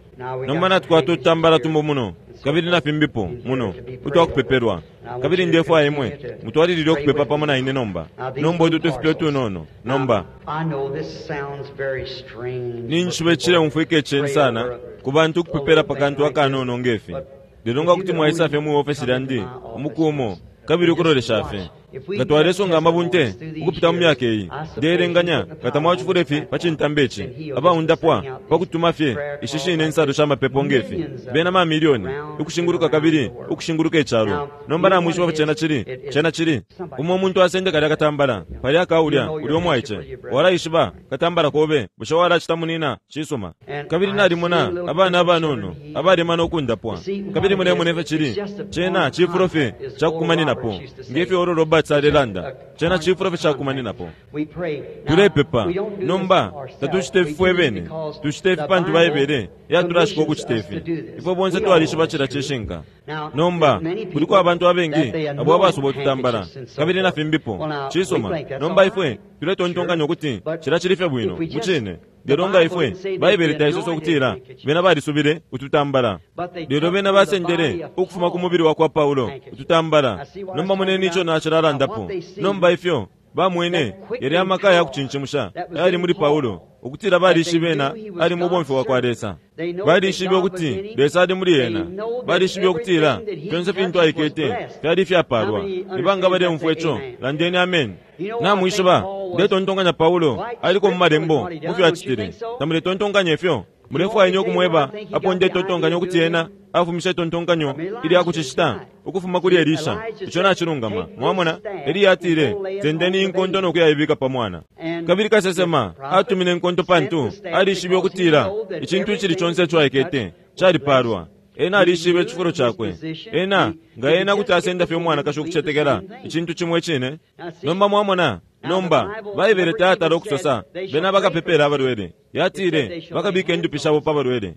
Nomba natwata ututambala tumbo muno kabili nafimbipo muno utwakupepelwa, kabili ndefwaya imwe mutwalilile ukupepa pamo na ine nomba. Nomba utu tufipe utunono nomba. I know this sounds very strange. Ninjishiba cileumfwika iceni sana ku bantu ukupepela pakantu akanono ngefi, lelo nga kuti mwaisa fye mu ofesi lyandi umukumo kabili ukulolesha fye nga twalesonga amabunte ukupita mu myaka iyi, ndeelenganya nga tamwacifula ifi pa cintambi ici abaundapwa pakutuma fye ishi shine insalo sha mapepo ngefi bena mamiliyoni ukushinguluka kabili ukushinguluka icalo. Nomba namwishiba cena cili cena cili umo umuntu asende kalya katambala palya akaulya uli omwaice walaishiba katambala kobe bushe walacita munina. Cisuma. Kabili nalimona abana abanono abalema nokundapwa, kabili mulemona ifyo cili cena cifulo fye cakukumaninapo ngefyo olo Roberts alelanda, cena cifulo fye cakukumaninapo. We pray. Now, Tulepepa. we don't do this Nomba ourselves. tatucita ifi We fwe do bene, because tucita ifi the pantu Bible Baibele yatulashika commissions ukucita us to ifi. do this. Ifwe bonse We all twalishiba know cila this truth. cishinka. Now, Nomba there's many people kuliko abantu abengi that they abo anoint abasuba ututambala handkerchiefs and so kabili forth. nafimbipo. Well, now, we Cisuma. think that's Nomba all ifwe right. tuletontonkanya Sure. ukuti But cila cili fye bwino if we just- mucine. the Lelo nga Bible ifwe didn't say that Baibele they taisosa anointed ukutila handkerchiefs. bena balisubile ututambala, But they lelo took bena from the basendele body of ukufuma ku Paul mubili wa kwa Paulo handkerchiefs. ututambala. I see what Nomba I'm moneni talking ico about. nacilalandapo. Now, what they see, Nomba ifyo bamwene that quickening yali amaka ya power kucincimusha that was ayali in muli Paul, Paulo ukutila balishibe that they ena knew he was ali mubomfi God's wa kwa servant. Lesa. They know that Balishibe God was ukuti in him. Lesa ali muli They ena. know that Balishibe ukutila everything that he fyonse fintu touched was aikete blessed. fyali ifyapalwa. How many Ni banga understand baleumfwa that? ico? Amen. Landeni amen. You know, I Namwishiba, think Paul was ndetontonkanya Paulo quite aliko mu scriptural in malembo what he mu done, fyo don't you acitile. think so? Tamuletontonkanya ifyo? Mulefwaya ine ukumweba apo ndetontonkanya ukuti ena afumisha itontonkanyo ilya kucicita ukufuma kuli Elisha. Ico nacilungama. Mwamona, Eliya atile sendeni inkonto nokuyaibika pa mwana. Kabili kasesema atumine inkonto pantu alishibe ukutila icintu icili conse ico aikete calipalwa. Ena alishibe icifulo cakwe. Ena nga ena kuti asenda fye umwanakashi ukucetekela icintu cimo icine. Nomba mwamona, Nomba Baibele tayatala ukusosa bena bakapepela abalwele, yatile bakabika indupi shabo pa balwele.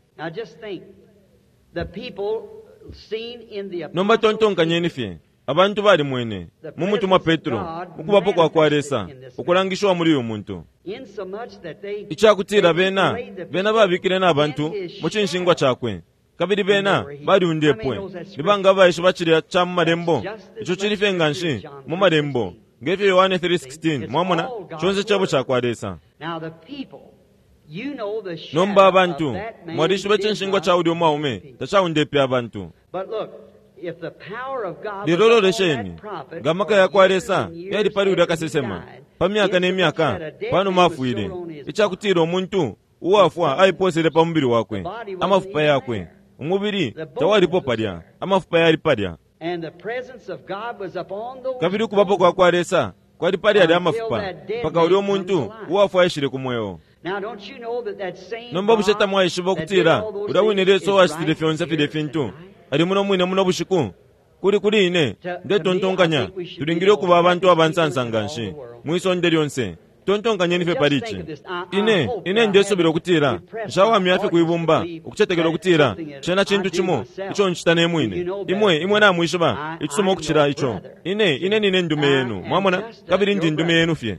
Nomba tontonkanyeni fye, abantu balimwene mu mutumwa Petro ukubapo kwa kwa Lesa ukulangishiwa muli uyu muntu, icakutila bena bena babikile na bantu mu cinshingwa cakwe, kabili bena baliundepwe. Nibanga abaishiba cilya ca mu malembo? Ico cili fye nganshi mu malembo ngefyo Yohane three sixteen. Mwamona, conse cebo ca kwa Lesa. Nomba abantu mwalishiba icinshingwa ca ulya umwaume tacaundepe abantu. Lelo lolesheni, nga amaka ya kwa Lesa yali pali ulya kasesema pa myaka ne myaka panuma afwile, icakutila umuntu uwafwa aiposele pa mubili wakwe, amafupa yakwe, umubili tawalipo palya, amafupa yali palya. Kabili ukubapo kwa kwa Lesa kwali pali alya amafupa mpaka ulya umuntu uwafwa aishile ku mweo. Nomba bushe tamwaishiba ukutila ulya wine Lesa uwacitile fyonse filya fintu ali muno mwine muno bushiku? Kuli kuli ine ndetontonkanya tulingile ukuba abantu abansansa nganshi mwisonde lyonse. Tontonkanyeni fye pali ici. Ine ine ndesubila ukutila nshawamya fye kuibumba ukucetekela ukutila cena cintu cimo ico ncita ne mwine. Imwe imwe namwishiba icisuma ukucila ico. Ine ine nine ndume yenu, mwamona, kabili ndi ndume yenu fye.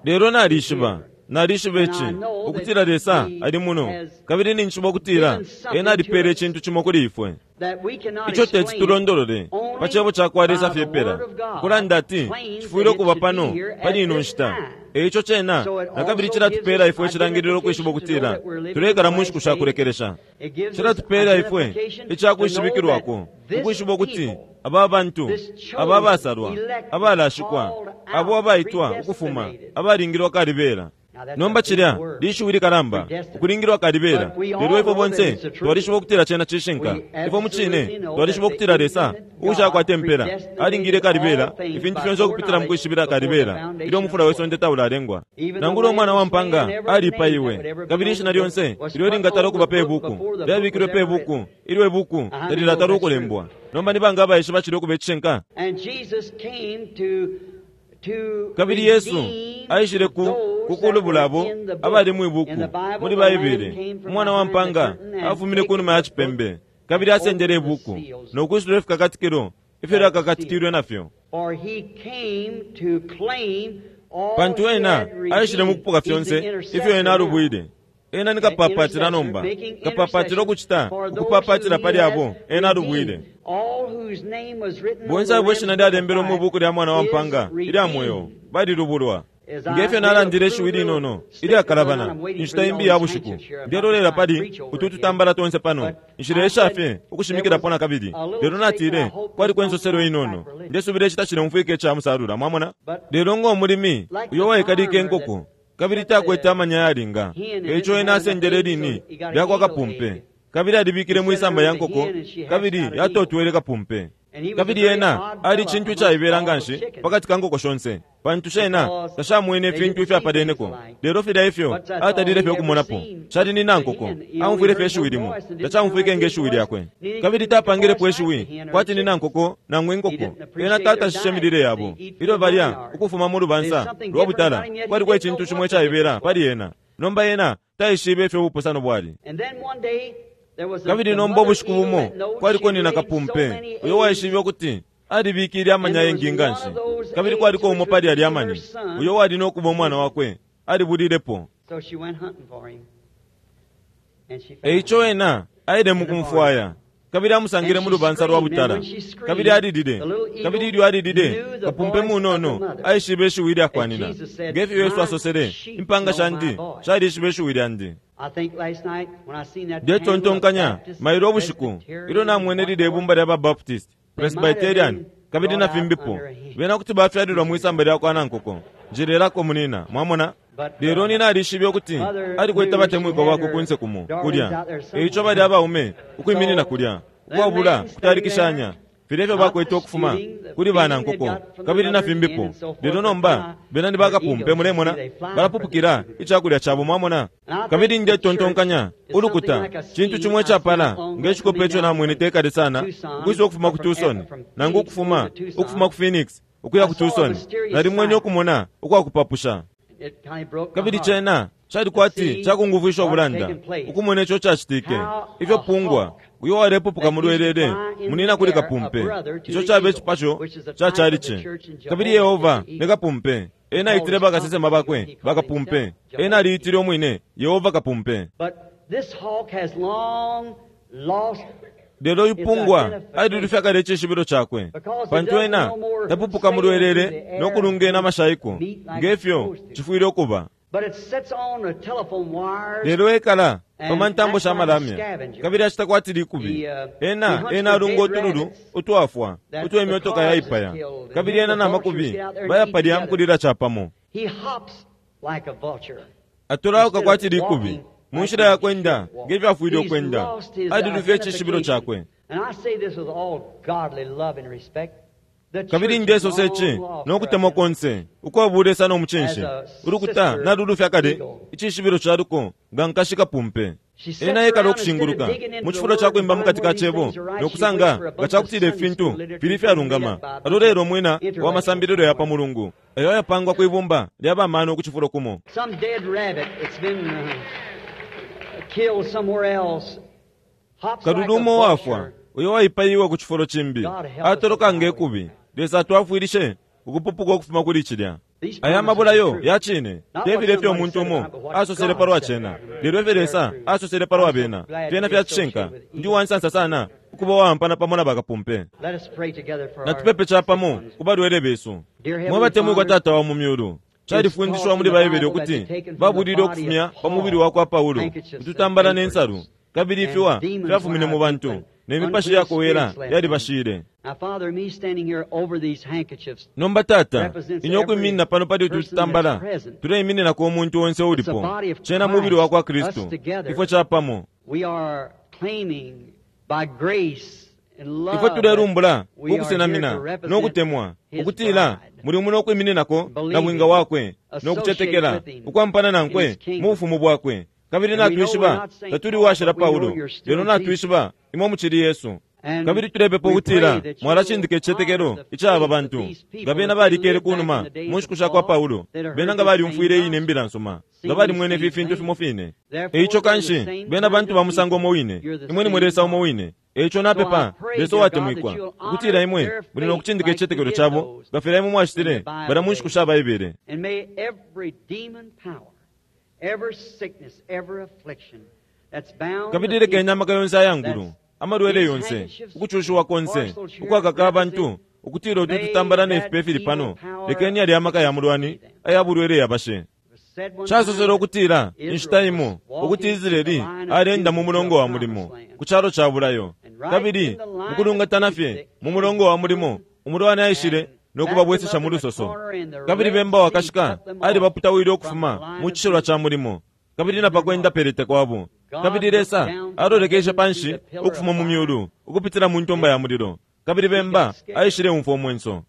Lelo nalishiba, nalishiba ici, ukutila Lesa ali muno, kabili ninjishiba ukutila ena alipele icintu cimo kuli ifwe ico teti tulondolole pa cebo ca kwa Lesa fye pela, kulanda ati cifwile ukuba pano pali ino nshita. Eico cena nakabili cilatupela ifwe icilangililo ukwishiba ukutila tulekala mu nshiku sha kulekelesha. Cilatupela ifwe icakwishibikilwako ukwishiba ukuti aba bantu aba basalwa, abalashikwa, abo abaitwa ukufuma, abalingilwa kalibela. Nomba cilya lishiwi likalamba, ukulingilwa kalibela. Lelo ifwe bonse twalishiba ukutila cena cishinka. Ifwe mucine twalishiba ukutila Lesa uushakwata impela alingile kalibela ifintu fyonse ukupitila mu kwishibila kalibela ilyo umufula we sonde taulalengwa. Nangula umwana wa mpanga alipaiwe, kabili ishina lyonse ilyo lingatala ukuba pe buku lyabikilwe pe buku ilyo ibuku talilatala ukulembwa. Nomba nibanga abaishiba cilya ukuba icishinka? Kabili Yesu aishile ku kukulubula abo abali mwibuku muli Baibele. Umwana wa mpanga afumine kunuma ya cipembe, kabili asendele ibuku nokwisula ifikakatikilo ifyo lyakakatikilwe nafyo. Pantu ena aishile mukupoka fyonse ifyo ena alubwile. Ena ni kapapatila nomba, kapapatila ukucita ukupapatila pali abo ena alubwile. Bonse abo ishina lyalembelwe mu buku lya mwana wa mpanga ilya mweo balilubulwa. Ngefyo nalandile ishiwi linono ilyakalabana inshita imbi ya bushiku, ndelolela pali utu tutambala tonse pano, nshilesha fye ukushimikilapo nakabili. Lelo natile kwaliko insoselo inono, ndesubila icita cileumfwika ica musalula, mwamona. Lelo ng'omulimi uyo waikalike inkoko kabili takwete amanya yalinga, eico ena asendele lini lyakwa kapumpe, kabili alibikile mwisamba ya nkoko, kabili yatotwele kapumpe. Kabili ena ali cintu icaibela nganshi pakati ka nkoko shonse, pantu shena tashamwene ifintu ifyapaleneko. Lelo filya ifyo atalile fye ukumonapo cali ni nankoko, aumfwile fye ishiwi limo, tacaumfwike nge shiwi lyakwe, kabili tapangilepo ishiwi kwati ni nankoko nangu inkoko. Ena tatashishe milile yabo ilyo balya ukufuma mu lubansa lwa butala. Kwaliko icintu cimo icaibela pali ena. Nomba ena taishibe ifyo ubupusano bwali. Kabili nomba ubushiku bumo kwaliko nina kapumpe uyo waishibe ukuti alibikile amanya ayengi nganshi, kabili kwaliko umo pali alya amani uyo wali nokuba umwana wakwe alibulilepo. Eico ena aile mukumfwaya, kabili amusangile mu lubansa lwa butala, kabili alilile. Kabili ilyo alilile, kapumpe munono aishibe ishiwi lyakwanina, ngefyo Yesu asosele, impanga shandi shalishibe ishiwi lyandi. Ndetontonkanya mailo ubushiku ilyo namwene lile ibumba lya Baptist, Presbyterian, kabili na fimbipo, bena kuti bafyalilwa mwisamba lya kwa nankoko. Njilelako munina, mwamona. Lelo nina alishibe ukuti alikwete abatemwikwa bakwe kunse kumo kulya, eico bali abaume ukwiminina kulya ukwabula kutalikishanya. Filya ifyo bakwete ukufuma kuli banankoko kabili na fimbipo. Lelo nomba bena ni bakapumpe, mulemona, balapupukila icakulya cabo, mwamona. Kabili ndetontonkanya ulukuta cintu cimwe icapala nge cikope ico namwene tekale sana, ukwisa ukufuma ku Tucson nangu ukufuma ukufuma ku Phoenix ukuya ku Tucson. Nalimwene ukumona ukwakupapusha, kabili cena cali kwati cakungufwisha ubulanda ukumona ico cacitike, ifyo pungwa uyo walepupuka mulwelele munina kuli kapumpe. Ico cabe icipasho ca calici. Kabili Yehova ne kapumpe, ena aitile bakasesema bakwe bakapumpe. Ena aliitile umwine Yehova kapumpe. Lelo yupungwa alilufya kale icishibilo cakwe, pantu ena tapupuka mulwelele no kulungena amashaiko ngefyo cifwile ukuba. Lelo ekala pa ntambo sha malamya kabili acita kwati likubi. Ena ena alunga utululu utwafwa utwe imyotoka yaipaya, kabili ena na makubi bayapalya mukulila capamo. Atolauka kwati likubi mu nshila ya kwenda ngefyo afwile ukwenda. Alilufya icishibilo cakwe. Kabili ndesosa ici nokutemwa konse ukwabulesa no mucinshi, ulukuta nalulufya kale icishibilo ca luko nga nkashi kapumpe. Ena ekala okushinguluka mu cifulo ca kwimba mukati ka cebo nokusanga nga cakutila ifintu fili ifyalungama. Alolelo umwina wa masambililo ya pa mulungu ayo ayapangwa kwibumba lya bamano ku cifulo kumo. Kalulu umo wafwa uyo waipaiwe ku cifulo cimbi atoloka ngekubi. Lesa atwafwilishe ukupupuka ukufuma kuli cilya. Aya mabulayo ya cine tefile ifyo umuntu umo asosele palwa cena, lelo ifyo Lesa asosele palwa bena fyena fya cishinka. Ndi uwansansa sana ukuba uwampana pamo na bakapumpe. Natupepe capamo ku balwele besu. Mwe batemwikwa Tata wa mu myulu, califundishwa muli Baibele ukuti babulile ukufumya pa mubili wa kwa Paulo ututambala ne nsalu, kabili ifiwa fyafumine mu bantu ne mipashi yakowela yalibashile. Nomba Tata, ine ukwiminina pano pali utu tutambala tuleimininako umuntu onse ulipo. Cena mubili wa kwa Kristu, ifwe capamo. Ifwe tulelumbula ukusenamina no kutemwa ukutila muli muno ukwimininako na bwinga wakwe no kucetekela ukwampana nankwe mu bufumu bwakwe. Kabili natwishiba tatuli washila Paulo, lelo natwishiba imwe mucili Yesu. Kabili tulepepa ukutila mwalacindika icicetekelo icaba bantu nga bena balikele kunuma mu nshiku sha kwa Paulo, bena nga balyumfwile ine imbila nsuma, nga balimwene ifi fintu fimo fine. Eico kanshi bena bantu ba musango umo wine, imwe nimwe Lesa umo wine. Eico napepa Lesa uwatemwikwa ukutila imwe muli no kucindika icicetekelo cabo nga filya imwe mwacitile balya mu nshiku sha Baibele. Kabili lekeni amaka yonse ayangulu, amalwele yonse, ukucushiwa konse ukwakaka abantu ukutila utu tutambala ne fipe fili pano, lekeni yali amaka ya mulwani aya bulwele yabashe. Casosele ukutila inshita imo ukuti Israeli alenda mu mulongo wa mulimo ku calo ca bulayo, kabili mukulungatana fye mu mulongo wa mulimo umulwani aishile no kubabwesesha mu lusoso. Kabili bemba wakashika alibaputawile ukufuma mu cishilwa ca mulimo kabili na pakwenda pelete kwabo. Kabili Lesa alolekeshe panshi ukufuma mu myulu ukupitila mu ntomba ya mulilo, kabili bemba aishile umfwa umwenso.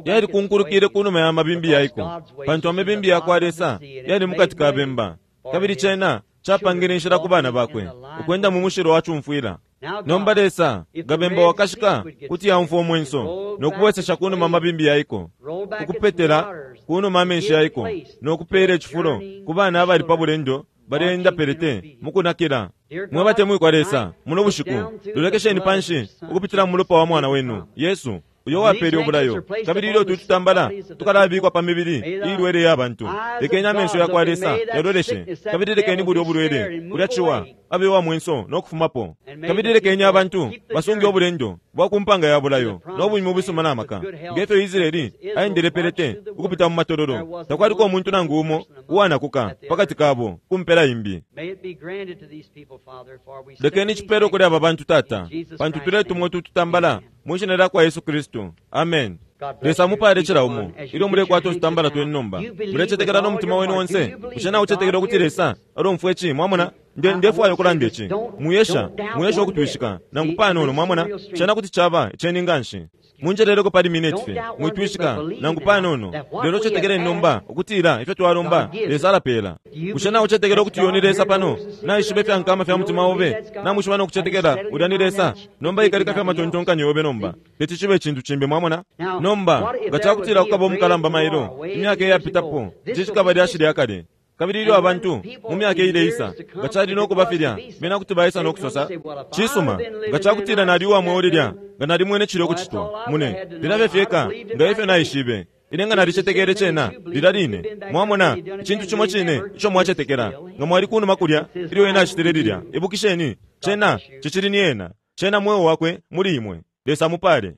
Yali kunkulukile kunuma ya mabimbi yaiko, pantu amabimbi ya kwa Lesa yali mukati ka bemba, kabili cena capangile inshila ku bana bakwe ukwenda mu mushilo wa cumfwila. Nomba Lesa nga bemba wakashika kuti yaumfwa umwenso no kubwesesha kunuma amabimbi yaiko, ukupetela kunuma amenshi yaiko, no kupeela icifulo ku bana abali pa bulendo baleenda pelete mukunakila. Mwe batemwikwa Lesa, muno bushiku lolekesheni panshi ukupitila mu mulopa wa mwana wenu Yesu, uyo wapele ubulayo. Kabili ilyo tutambala tukalabikwa pa mibili ilwele ya bantu, lekeni amenso ya kwa Lesa yaloleshe, kabili lekeni bulyo bulwele bulya ciwa abe wa mwenso no kufumapo. Kabili lekeni abantu basunge obulendo bwa kumpanga ya bulayo no bunyuma ubusuma na maka ngefyo Israeli aendele pelete ukupita mu matololo. Takwaliko umuntu nangu umo uwanakuka pakati kabo kumpela imbi. Lekeni cipelo kuli aba bantu Tata, pantu tuletumwa tutambala mu shina lya kwa Yesu Kristu. Amen. Lesa mupale cila umo ilyo mulekwata tutambala twenu nomba. Mulecetekela no mutima wenu onse. Bushe naucetekela ukuti Lesa alomfwa ici? Mwamona? Nde, ndefwaya ukulanda ici. Mwiyesha, mwiyesha ukutwishika nangu panono, mwamona. Cena kuti caba iceni nganshi. Munjeleleko pali minute fye. Mwitwishika nangu panono, lelo cetekeleni nomba ukutila ifyo twalomba Lesa alapela. Bushe naucetekela ukuti uyo ni Lesa pano? Naishiba ifyankama fya mutima obe. Namwishiba no kucetekela ulya ni Lesa. Nomba ikalika fya matontonkanyo yobe nomba. Teti cibe icintu cimbi, mwamona. Nomba nga cakutila kukaba umukalamba mailo, imyaka iyapitapo, ici cikaba lyashi lya kale. Kabili ilyo abantu mu myaka ileisa, nga cali no kuba filya, bena kuti baisa no kusosa, cisuma, nga cakutila nali uwa mweo lilya, nga nalimwene cilya ukucitwa. Mune lilafye fyeka nga ifyo naishibe. Ine nga nalicetekele cena lilya line. Mwamona, icintu cimo cine ico mwacetekela, nga mwali kunuma kulya ilyo ena acitile lilya. Ibukisheni, cena cicili ni ena. Cena mweo wakwe muli imwe. Lesa mupale.